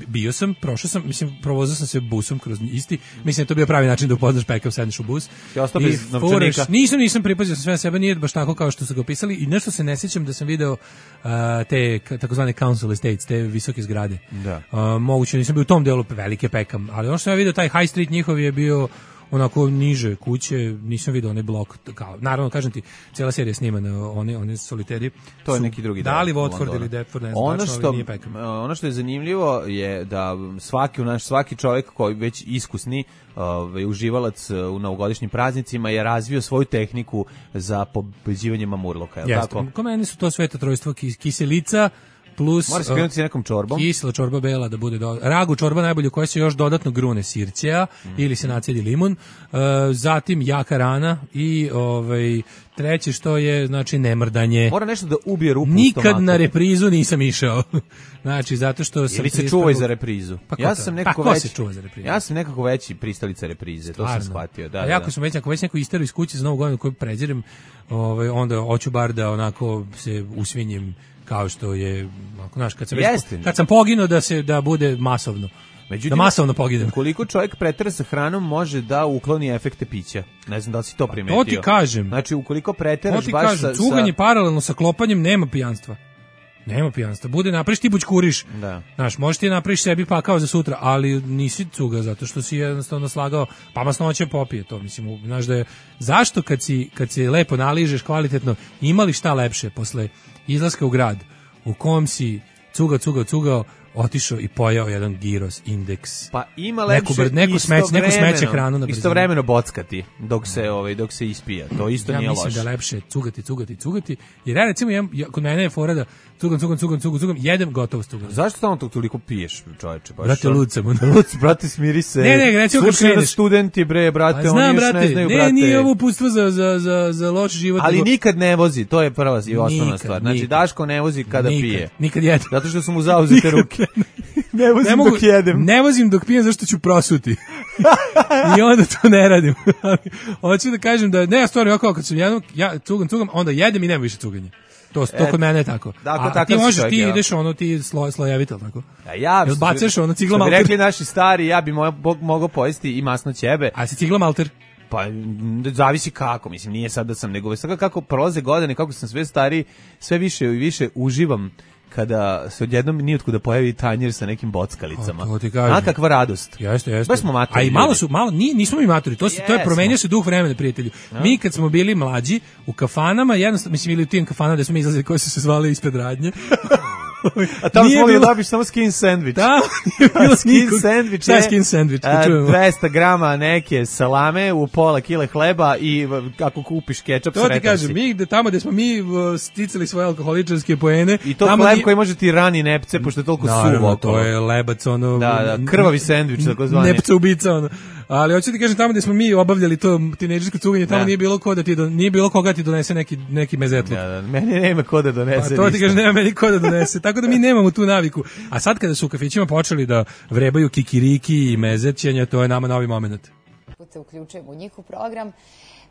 bio sam, prošao sam, mislim, provozao sam se busom kroz isti, mislim, to bio pravi način da upoznaš Pekam, sedneš u bus. Ja ostao bez furaš, novčanika. nisam, nisam pripazio sam sve na sebe, nije baš tako kao što su ga opisali i nešto se ne sjećam da sam video uh, te k- takozvane council estates, te visoke zgrade. Da. Uh, moguće, nisam bio u tom delu velike Pekam, ali ono što sam ja video, taj high street njihov je bio onako niže kuće, nisam vidio onaj blok kao, naravno kažem ti, cijela serija snimana, one one soliteri. To je neki drugi da li deo Watford Londona. ili Deptford, ne znam, ono tačno, što ali nije Peckham. ono što je zanimljivo je da svaki naš svaki čovjek koji već iskusni ovaj uživalac u novogodišnjim praznicima je razvio svoju tehniku za pobeđivanje mamurloka, je li Jeste, tako? ko meni su to sveta trojstva, kis, kiselica plus Mora se krenuti sa nekom čorbom. Kisela čorba bela da bude do... ragu čorba najbolje koja se još dodatno grune sirćeja mm. ili se nacedi limun, uh, zatim jaka rana i ovaj treće što je znači nemrdanje. Mora nešto da ubije rupu u Nikad stomaku. na reprizu nisam išao. Znači zato što sam ili se čuvaj za reprizu. Pa ja sam nekako pa veći. Se čuva za reprizu? Ja sam nekako veći pristalica reprize, to sam shvatio, da. A da, jako da. sam već ako već neko isteru iz kuće za Novu godinu koju prezirem, ovaj onda hoću bar da onako se usvinjim kao što je, ako znaš, kad sam već, kad sam poginuo da se da bude masovno. Međutim, da masovno poginem. Koliko čovjek pretera sa hranom može da ukloni efekte pića. Ne znam da li si to primetio. To ti kažem. Znači, ukoliko preteraš baš kažem, sa... sa... Cuganje paralelno sa klopanjem nema pijanstva. Nema pijanstva. Bude napraviš ti bućkuriš. Da. Znaš, možeš ti napraviš sebi pakao za sutra, ali nisi cuga zato što si jednostavno slagao, pa masnoće popije to. Mislim, znaš da je, zašto kad si, kad si lepo naližeš kvalitetno, imali šta lepše posle izlaska u grad u kom si cugao, cugao, cugao, otišao i pojao jedan gyros indeks. Pa ima lepše neku, neku smeć, neku smeće hranu na istovremeno bockati dok se ovaj dok se ispija. To isto ja nije loše. Ja mislim da lepše cugati, cugati, cugati. Jer ja recimo ja, ja, kod mene je fora da cugam, cugam, cugam, cugam, cugam, jedem gotovo cugam. Zašto stalno to toliko piješ, čoveče? Baš. Brate, lud sam. Lud, brate, smiri se. Ne, ne, recimo kad kreneš. Studenti, bre, brate, znam, oni još brate, ne znaju, ne, brate. Ne, nije ovo uputstvo za, za, za, za loš život. Ali nego... nikad ne vozi, to je prva i osnovna stvar. Znači, nikad. Daško ne vozi kada nikad, pije. Nikad jede. Zato što su mu zauzete ruke. Ne vozim ne mogu, dok jedem. Ne vozim dok pijem zašto ću prosuti. I onda to ne radim. Hoću da kažem da, ne, stvarno, ja kad sam jednom, ja cugam, cugam, onda jedem i nema više cuganja. To, to kod mene je tako. Dakle, a ti možeš, ti ideš ono, ti sloj, slojevito, tako? Ja, ja Jel bacaš ono cigla malter? malter? Rekli naši stari, ja bi mo, mogao pojesti i masno ćebe. A si cigla malter? Pa, zavisi kako, mislim, nije sad da sam, nego sad kako prolaze godine, kako sam sve stari, sve više i više uživam kada se odjednom nijotkuda pojavi tanjir sa nekim bockalicama. O, to ti kažem. A kakva radost. Jeste, jeste. Baš smo maturi. A i malo su, malo, ni, nismo mi maturi, to, se, to je promenio se duh vremena, prijatelju. Ja. Mi kad smo bili mlađi, u kafanama, jednostavno, mislim, ili u tim kafanama gde smo izlazili, koji su se zvali ispred radnje, a tamo smo mogli da dobiš samo skin sandvič. Da, nije bilo skin sandvič. Šta je skin sandvič? dvesta grama neke salame u pola kile hleba i ako kupiš kečap, sretan si. To ti kažem, mi gde, tamo gde smo mi sticali svoje alkoholičarske poene. I to hleb nije... koji može ti rani nepce, pošto je toliko suvo. No, to je lebac, ono... Da, da, krvavi sandvič, tako zvani. Nepca ubica, ono. Ali hoću ti kažem, tamo gde smo mi obavljali to tinejdžersko cuganje, tamo da. nije bilo ko da ti do, nije bilo koga ti donese neki neki mezetluk. Da, da, meni nema ko da donese. Pa to ti kažem, nema meni ko da donese. Tako da mi nemamo tu naviku. A sad kada su u kafićima počeli da vrebaju kikiriki i mezećenja, to je nama novi moment. Se uključujemo u njihov program.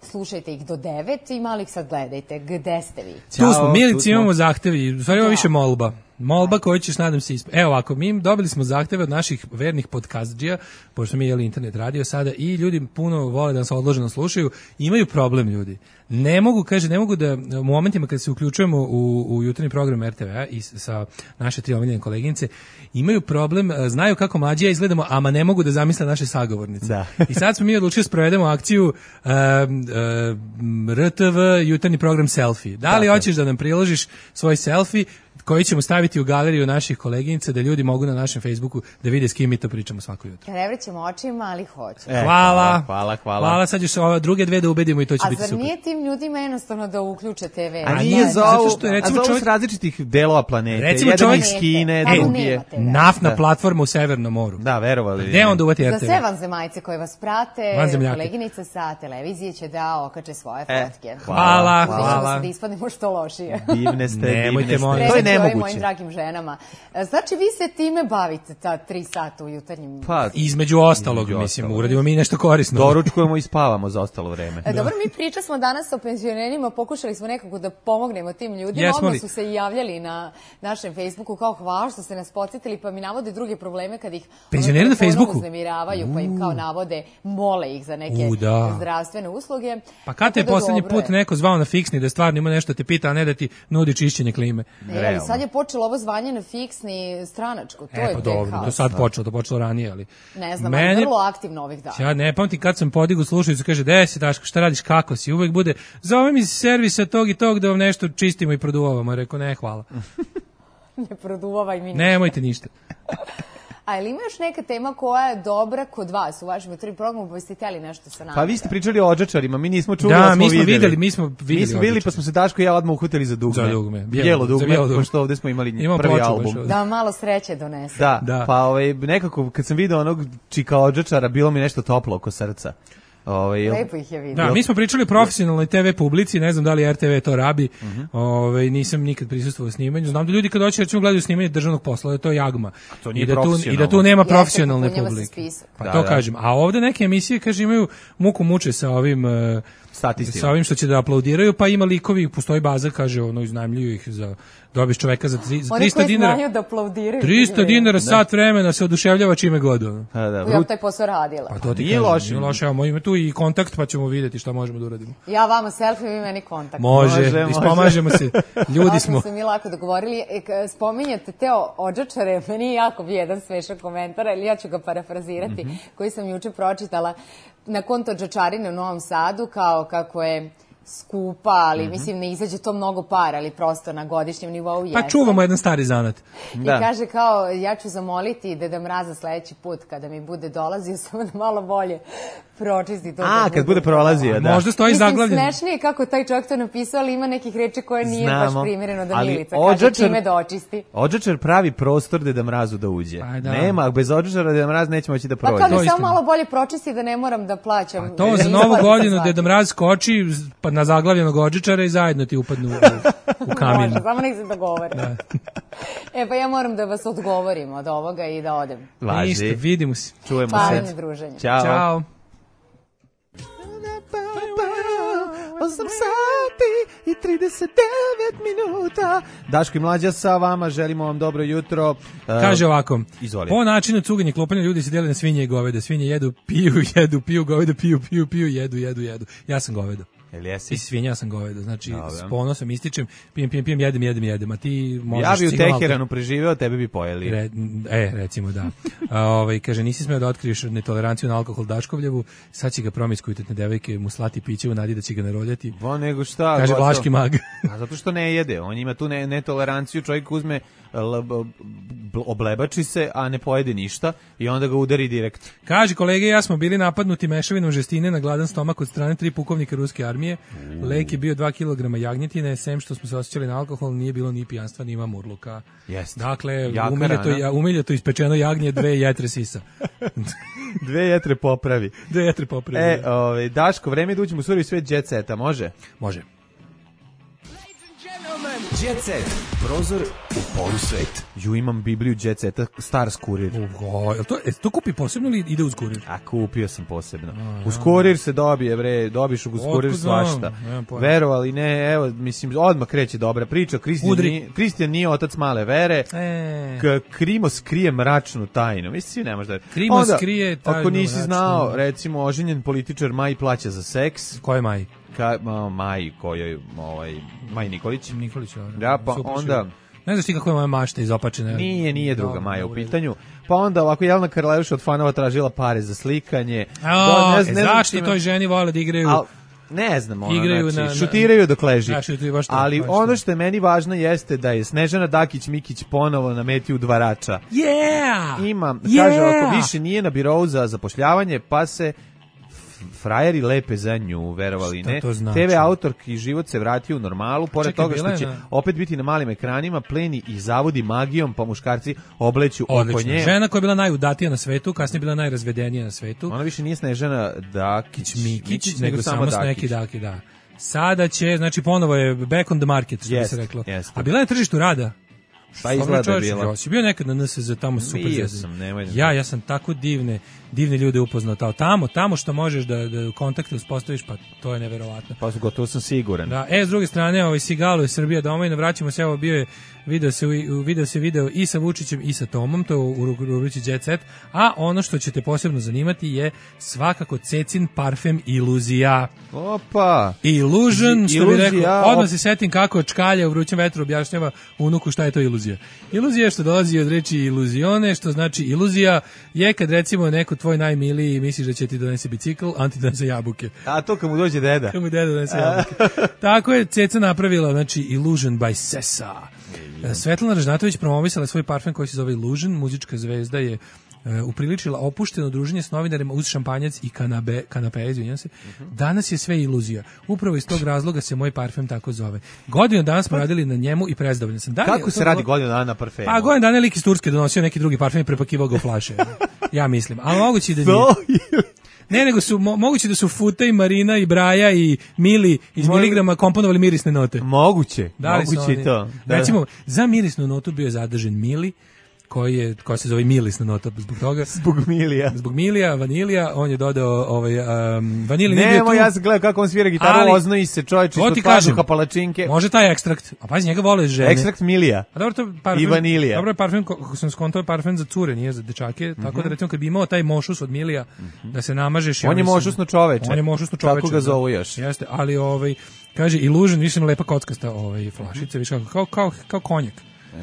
Slušajte ih do devet i malo ih sad gledajte. Gde ste vi? Ćao, tu smo, Milici, imamo zahtevi. U stvari ima više molba. Molba koju ćeš, nadam se, isp... Evo ovako, mi dobili smo zahteve od naših vernih podcastđija, pošto mi jeli internet radio sada, i ljudi puno vole da nas odloženo slušaju, imaju problem ljudi. Ne mogu, kaže, ne mogu da u momentima kad se uključujemo u, u jutarnji program er te ve-a i sa naše tri omiljene koleginice, imaju problem, znaju kako mlađi ja izgledamo, ama ne mogu da zamisle naše sagovornice. Da. I sad smo mi odlučili sprovedemo akciju uh, uh, er te ve jutarnji program selfie. Da li hoćeš da nam priložiš svoj selfie koji ćemo staviti u galeriju naših koleginica da ljudi mogu na našem Facebooku da vide s kim mi to pričamo svako jutro. Ne vrećemo očima, ali hoću. E, hvala. Hvala, hvala. Hvala, sad ćeš ove druge dve da ubedimo i to će a biti super. A zar nije tim ljudima jednostavno da uključe te ve? A nije za ovo, što je, recimo, a za ovo s različitih delova planete. Recimo jedan čovjek iz Kine, drugi je. Naftna da. platforma u Severnom moru. Da, verovali. Gde onda uvati er te ve? Za sve vanzemaljce koje vas prate, koleginice sa televizije će da okače svoje fotke. Hvala, hvala. hvala. Da ispadnemo što lošije. Divne ste, Nemojte, divne ste. molim. To je ovim mojim dragim ženama. Znači, vi se time bavite ta tri sata u jutarnjim... Pa, između ostalog, između mislim, ostalog. Uradimo mi nešto korisno. Doručkujemo i spavamo za ostalo vreme. E, dobro, mi priča smo danas o penzionerima, pokušali smo nekako da pomognemo tim ljudima. Jesmo Odmah li? su se javljali na našem Facebooku kao hvala što ste nas podsjetili, pa mi navode druge probleme kad ih penzioneri na Facebooku uznemiravaju, pa im kao navode, mole ih za neke U, da. zdravstvene usluge. Pa kad te je da poslednji dobro put je. neko zvao na fiksni da stvarno ima nešto te pita, a ne da ti nudi čišćenje klime? E, ali sad je počelo ovo zvanje na fiksni stranačko, to e, je pa tek dobro, haos. to sad počelo, to počelo ranije, ali... Ne znam, Meni... ali vrlo aktivno ovih dana. Ja ne pamtim kad sam podigao slušalicu, kaže, de si Daško, šta radiš, kako si? Uvek bude, zove mi iz servisa tog i tog da vam nešto čistimo i produvavamo. Rekao, ne, hvala. Ne produvavaj mi ništa. Nemojte ništa. A ili ima još neka tema koja je dobra kod vas u vašem jutarnjem programu, pa biste htjeli nešto sa nama? Pa vi ste pričali o odžačarima, mi nismo čuli, da, ali smo mi smo videli. videli. Mi smo videli, mi smo videli pa smo se Daško i ja odmah uhvatili za dugme. Za dugme. Bijelo, bijelo dugme, bijelo dugme. pošto ovde smo imali Imamo prvi ploču album. Da malo sreće donese. Da, da. Pa ovaj, nekako kad sam video onog čika odžačara, bilo mi nešto toplo oko srca. Ovaj, Lepo ih je vidio. Da, mi smo pričali o profesionalnoj te ve publici, ne znam da li er te ve to rabi, uh -huh. ovaj, nisam nikad prisustvovao u snimanju. Znam da ljudi kad hoće recimo gledaju snimanje državnog posla, da to je jagma. To nije I, da tu, profesionalno. I da tu nema Jeste, profesionalne popunjava se publike. spisak. Pa Da, to da. kažem. A ovde neke emisije, kaže, imaju muku muče sa ovim... Uh, Statistima. sa ovim što će da aplaudiraju, pa ima likovi, postoji baza, kaže, ono, iznajmljuju ih za, dobiš čoveka za trista dinara. Oni koji znaju da aplaudiraju. trista dinara sat vremena se oduševljava čime god. Ono. Pa da, Ja taj posao radila. Pa to ti Nije kažem, loše. nije loše, evo, ima tu i kontakt, pa ćemo vidjeti šta možemo da uradimo. Ja vama selfie, vi meni kontakt. Može, Može, može. ispomažemo se, ljudi smo. Tako smo mi lako dogovorili. E, k- spominjete te o- odžačare, meni je jako bio jedan smešan komentar, ali ja ću ga parafrazirati, Mhm. koji sam juče pročitala na konto odžačarine u Novom Sadu, kao kako je skupa, ali Mhm. mislim ne izađe to mnogo para, ali prosto na godišnjem nivou jeste. Pa čuvamo jedan stari zanat. Da. I kaže kao, ja ću zamoliti Deda Mraza sledeći put kada mi bude dolazio, samo da malo bolje pročisti to. A, da kad bude prolazio, da. Možda stoji Mislim, zaglavljen. smešnije kako taj čovjek to napisao, ali ima nekih reči koje nije Znamo, baš primjereno da ali Milica kaže odžačar- čime da očisti. Odžačar pravi prostor Deda Mrazu da uđe. Pa da. Nema, bez odžačara Deda Mraz neće moći da Pa prođe. kad To mi je samo istina. malo bolje pročisti da ne moram da plaćam. To za da novu isplatim godinu svaki. Deda Mraz skoči pa na zaglavljenog odžičara i zajedno ti upadnu u, u kamin. Može, samo nek se dogovore. E pa ja moram da vas odgovorim od ovoga i da odem. Važi. Ništa, vidimo se. Čujemo Pažnje se. druženje. Ćao. Ćao. osam sati i trideset devet minuta. Daško i Mlađa sa vama, želimo vam dobro jutro. Kaže ovako, Izvoli. po načinu cuganja i klopanja ljudi se dele na svinje i goveda. Svinje jedu, piju, jedu, piju, goveda, piju, piju, piju, jedu, jedu, jedu. Ja sam govedo. Jel Ti jesi? si svinja, ja sam govedo. Znači, Dobro. s ponosom ističem, pijem, pijem, pijem, jedem, jedem, jedem. A ti možeš... Ja bi u sigurno- Teheranu preživeo, tebe bi pojeli. Re, e, recimo da. A, ovaj, kaže, nisi smeo da otkriješ netoleranciju na alkohol Daškovljevu, sad će ga promiskuitetne devojke mu slati piće u nadi da će ga naroljati. Bo nego šta? Kaže gotovo. Vlaški mag. A zato što ne jede, on ima tu ne, netoleranciju, čovjek uzme, l, b, b, oblebači se, a ne pojede ništa i onda ga udari direkt. Kaže, kolege, ja smo bili napadnuti mešavinom žestine na gladan stomak od strane tri pukovnika ruske armije. Lek je bio dva kilograma jagnjetine, sem što smo se osjećali na alkohol, nije bilo ni pijanstva, ni ima murluka. Jeste. Dakle, Jaka umiljato, rana. ja, umiljato ispečeno jagnje, dve jetre sisa. Dve jetre popravi. Dve jetre popravi. E, ovaj, Daško, vreme je da uđemo u surovi svet jet seta, može? Može. Jet set. Prozor u polusvet. Ju, imam Bibliju jet seta, Stars kurir. Ugo, jel to, e, to kupi posebno ili ide uz kurir? A kupio sam posebno. Uz kurir se dobije, bre, dobiš uz kurir Otkud znam? svašta. Nemam pojma. Verovali, ne, evo, mislim, odmah kreće dobra priča. Kristijan Udri. nije, Kristijan nije otac male vere. E. K Krimos krije mračnu tajnu. Mislim, ne možda... Krimos Onda, krije tajnu ako nisi mračnu. znao, recimo, oženjen političar Maj plaća za seks. Ko je Maj? Ka, ma, Maj, kojoj, ovaj, Maj Nikolić. Nikolić. Ja, pa Super, onda... Ne znaš ti kako je moja mašta izopačena? Nije, nije druga Dobro, Maja u dobro. pitanju. Pa onda ovako Jelena Karleuša od fanova tražila pare za slikanje. A, Do- e, znam zašto čime- toj ženi vole da igraju? Al, ne znam, ono, Igraju znači, na- šutiraju dok leži. Da, šutiraju baš to, Ali baš to. ono što je meni važno jeste da je Snežana Dakić-Mikić ponovo na meti udvarača. Yeah! Ima, Yeah! kaže, ako više nije na birovu za zapošljavanje, pa se f- frajeri lepe za nju, verovali Šta ne. to znači? te ve autorki život se vratio u normalu, pored Čekaj, toga bila što je će na- opet biti na malim ekranima, pleni i zavodi magijom, pa muškarci obleću oko Odlično. nje. Žena koja je bila najudatija na svetu, kasnije bila najrazvedenija na svetu. Ona više nije Snežana Dakić, Mikić, nego samo neki Daki, da. Sada će, znači ponovo je back on the market, što bi Jest, se reklo. jeste. A bila je na tržištu rada. Pa izgleda je bila. Ja si bio nekad na N S Z tamo super. Bio sam, nemoj da Ja, ja sam tako divne, divne ljude upoznao tamo, tamo, tamo što možeš da, da kontakte uspostaviš, pa to je neverovatno. Pa gotovo sam siguran. Da, e, s druge strane, ovaj Sigalo je Srbija domovina, vraćamo se, evo bio je video se, video se video i sa Vučićem i sa Tomom, to je u rubrici Jet Set, a ono što će te posebno zanimati je svakako Cecin parfem Iluzija. Opa! Illusion, što bi rekao, Iluzija, odmah op- se setim kako čkalja u vrućem vetru objašnjava unuku šta je to iluzija. Iluzija je što dolazi od reči iluzione, što znači iluzija je kad recimo neko tvoj najmiliji misliš da će ti donese bicikl, a on ti donese jabuke. A to kad mu dođe deda. Kad mu deda donese jabuke. Tako je Ceca napravila, znači Illusion by Sesa. Svetlana Ražnatović promovisala svoj parfem koji se zove Illusion, muzička zvezda je Uh, upriličila opušteno druženje s novinarima uz šampanjac i kanabe, kanape, izvinjam se. Danas je sve iluzija. Upravo iz tog razloga se moj parfem tako zove. Godinu dana smo radili na njemu i prezadovoljni sam. Da, Kako se radi godinu dana na parfemu? Pa godinu dana je lik iz Turske donosio neki drugi parfem i prepakivao ga u flaše. Ja mislim. Ali moguće da nije. Ne, nego su mo, moguće da su Futa i Marina i Braja i Mili iz Mo... miligrama komponovali mirisne note. Moguće. Da li moguće i to. Da. Recimo, za mirisnu notu bio je zadržen Mili, koji je, koja se zove milisna nota zbog toga. Zbog Milija. Zbog Milija, vanilija, on je dodao ovaj, um, vanilija nije bio tu. Nemo, ja sam gledao kako on svira gitaru, ali, oznoji se čovječ ispod pazuha palačinke. Može taj ekstrakt, a pazi, njega vole žene. Ekstrakt Milija. A dobro, to parfem, i vanilija. Dobro je parfem, kako sam skontao, je parfem za cure, nije za dečake, mm-hmm. tako da recimo kad bi imao taj mošus od Milija, mm-hmm. da se namažeš. On je mošusno čoveče. On je mošusno čoveče. Tako ga zovu još. Jeste, ali ovaj, kaže, Illusion, više lepa kockasta ovaj, flašica, više kako, kao, kao, kao konjak.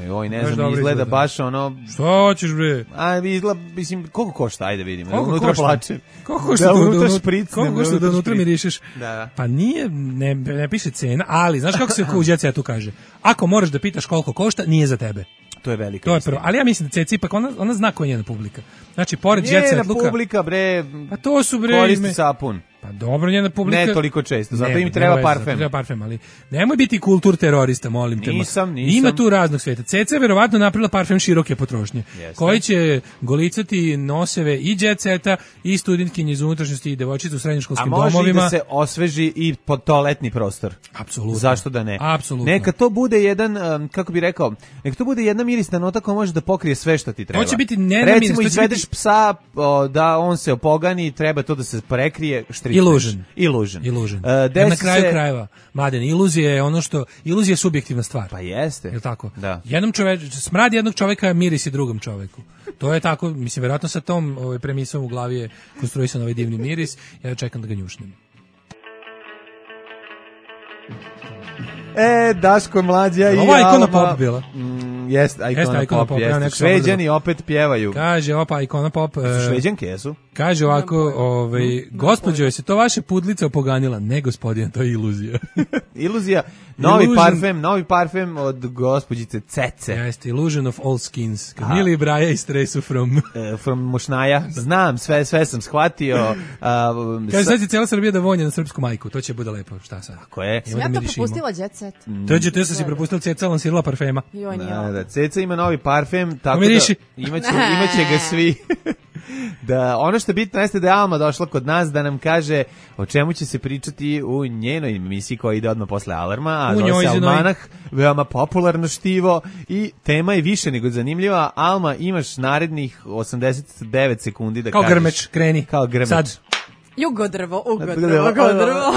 E, oj, ne znam, izgleda, izgleda baš ono... Šta hoćeš, bre? A, izgleda, mislim, koliko košta, ajde vidimo. Koliko unutra košta? plačem. Koliko košta da, da unutra špricnem? Koliko košta da unutra mirišeš? Da. Pa nije, ne, ne piše cena, ali, znaš kako se u Jet Setu kaže? Ako moraš da pitaš koliko košta, nije za tebe. To je velika To je prvo, ali ja mislim da Ceci ipak, ona, ona zna koja je njena publika. Znači, pored Jet Set Luka... Njena publika, bre, pa to su, bre, koristi ime... sapun. Pa dobro, njena publika... Ne toliko često, zato ne, im treba ne, parfem. Treba parfem, ali nemoj biti kultur terorista, molim te. Nisam, nisam. Ima tu raznog sveta. Ceca je verovatno napravila parfem široke potrošnje, Jeste. koji će golicati noseve i Jet Seta i studentkinje iz unutrašnjosti i devojčice u srednjoškolskim domovima. A može domovima. I da se osveži i pod toaletni prostor. Apsolutno. Zašto da ne? Apsolutno. Neka to bude jedan, um, kako bi rekao, neka to bude jedna mirisna nota koja može da pokrije sve što ti treba. To će biti ne Recimo, miris, izvedeš biti... psa o, da on se opogani, treba to da se prekrije, štričneš. Illusion. Illusion. Illusion. Uh, na kraju se... krajeva, Mladen, iluzija je ono što, iluzija je subjektivna stvar. Pa jeste. Je tako? Da. Jednom čoveku, smrad jednog čoveka mirisi drugom čoveku. To je tako, mislim, verovatno sa tom ovaj, premisom u glavi je konstruisan ovaj divni miris. Ja čekam da ga njušnem. E, Daško Mlađa i Alma. Ova ikona Alma. pop bila. Mm, jeste, ikona, jeste, ikona pop, pop, jeste. ja Šveđani opet pjevaju. Kaže, opa, ikona pop. Su Šveđanke, jesu? Kaže ovako, ovaj, gospođo, je se to vaše pudlica opoganila? Ne, gospodin, to je iluzija. Iluzija, novi Illusion. parfem, novi parfem od gospođice Cece. Jeste, Illusion of all skins. Kad Mili i Braja istresu from... Uh, from Mošnaja. Znam, sve sve sam shvatio. Uh, Kaže, sad će cijela Srbija da vonje na srpsku majku. To će bude lepo, šta sad? Tako je. Sam ja to propustila Jet Set. To će te sam si propustila, Ceca lansirala parfema. Joj, nije. Da, da, Ceca ima novi parfem, tako Miriši. da imaće, imaće ga svi. Da, ono što je bitno jeste da je Alma došla kod nas da nam kaže o čemu će se pričati u njenoj emisiji koja ide odmah posle Alarma, a zove se Almanah, veoma popularno štivo i tema je više nego zanimljiva. Alma, imaš narednih osamdeset devet sekundi da kao kažeš. Kao grmeč, kreni. Kao grmeč. Sad. Jugodrvo, ugodrvo, ugodrvo,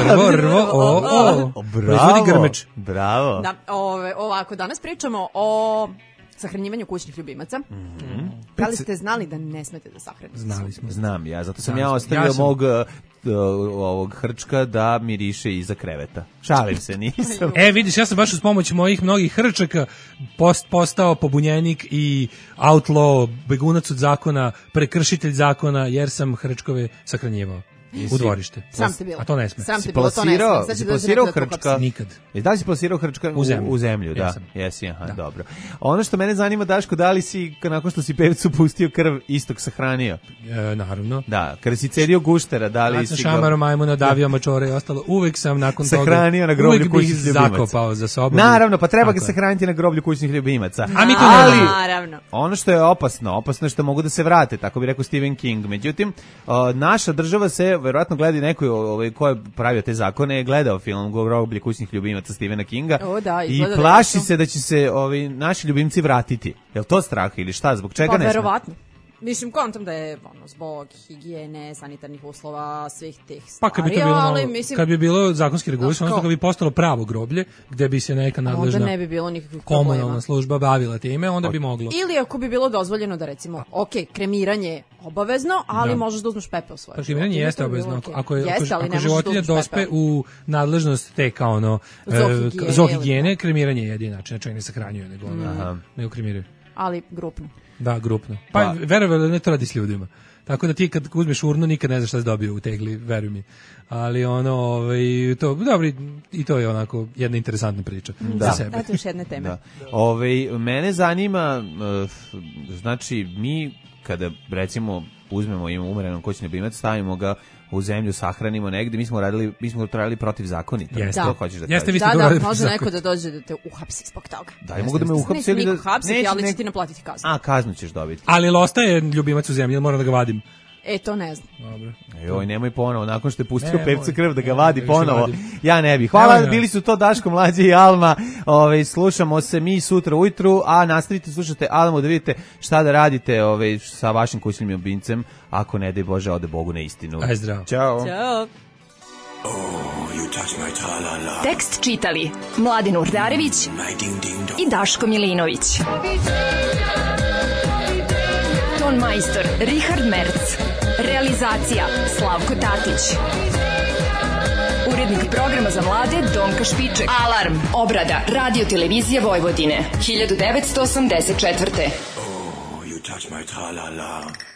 drvo, rvo, o, o. Bravo, grmeč. Bravo. Da, ove, ovako, danas pričamo o sahranjivanju kućnih ljubimaca. Mm-hmm. Da li ste znali da ne smete da sahranite? Znali smo. Znam ja, zato sam Znam ja ostavio ja sam... mog uh, ovog hrčka da miriše iza kreveta. Šalim se, nisam. E, vidiš, ja sam baš uz pomoć mojih mnogih hrčaka post, postao pobunjenik i outlaw, begunac od zakona, prekršitelj zakona, jer sam hrčkove sahranjivao. U dvorište. Sam te bilo. A to ne sme. Sam te bilo, to ne sme. Si plasirao hrčka? Nikad. E, da li si plasirao hrčka u, u zemlju? U zemlju, da. Jesam. Jesi, aha, da. Dobro. Ono što mene zanima, Daško, da li si, nakon što si pevcu pustio krv, istog sahranio? E, naravno. Da, kada si cedio guštera, da li Nakon si ga... šamaro, majmuna, davio mačore i ostalo, uvek sam nakon toga... Sahranio na groblju kućnih ljubimaca. Uvek bih zakopao za sobom. Naravno, pa treba ga sahraniti na groblju kućnih ljubimaca. A mi to ali, ne naravno. Ono što je opasno, opasno je što mogu da se vrate, tako bi rekao Stephen King. Međutim, o, naša država se verovatno gleda neko ovaj ko je pravio te zakone, je gledao film Groblje kućnih ljubimaca Stephena Kinga. O, da, i plaši da se da će se ovi naši ljubimci vratiti. Jel to strah ili šta? Zbog čega pa, ne? Pa verovatno. Mislim, kontam da je ono, zbog higijene, sanitarnih uslova, svih tih stvari, pa kad bi to bilo, ali malo, mislim... Kad bi bilo zakonski regulisano, odnosno kad bi postalo pravo groblje, gde bi se neka nadležna onda ne bi bilo nikakvih komunalna problema. služba bavila time, onda bi moglo. Ili ako bi bilo dozvoljeno da recimo, ok, kremiranje je obavezno, ali da. možeš da uzmeš pepeo svoje. Pa kremiranje jeste obavezno. Okay. Ako, je, jeste, ako, ako životinja dospe u nadležnost te kao ono zoohigijene, kremiranje je jedini način, znači ne sahranjuje, nego, mm. nego kremiraju. Ali grupno. Da, grupno. Pa, pa. verovali ne to radi s ljudima. Tako da ti kad uzmeš urnu nikad ne znaš šta si dobio u tegli, veruj mi. Ali ono, ovaj, to, dobri, i to je onako jedna interesantna priča da. za sebe. Eto još jedne teme. Da. Ove, mene zanima, znači, mi kada recimo uzmemo im umerenom kućni ljubimac, stavimo ga u zemlju, sahranimo negde, mi smo radili, mi smo radili protivzakonito. Jeste, to hoćeš da Jeste, kažeš. Da, da, može neko da dođe da te uhapsi zbog toga. Da, i mogu da me uhapsi ili da... Neće niko hapsiti, ali će ti naplatiti kaznu. A, kaznu ćeš dobiti. Ali ostaje ljubimac u zemlji, ili moram da ga vadim? E, to ne znam. Dobro. Joj, nemoj ponovo, nakon što je pustio pevca krv da ga vadi ponovo. Ja ne bih. Hvala, bili su to Daško, Mlađe i Alma. Ove, slušamo se mi sutra ujutru, a nastavite slušate Almu da vidite šta da radite ove, sa vašim kućnim ljubimcem, ako ne daj Bože ode Bogu na istinu. Aj zdravo. Ćao. Ćao. Oh, you touch my tra-la-la. Tekst čitali Mladin Urdarević i Daško Milinović. Ton majstor Richard Merc. Realizacija Slavko Tatić. Urednik programa za mlade Donka Špiček. Alarm. Obrada Radio Televizije Vojvodine. hiljadu devetsto osamdeset četvrte. Oh, you touch my tra-la-la.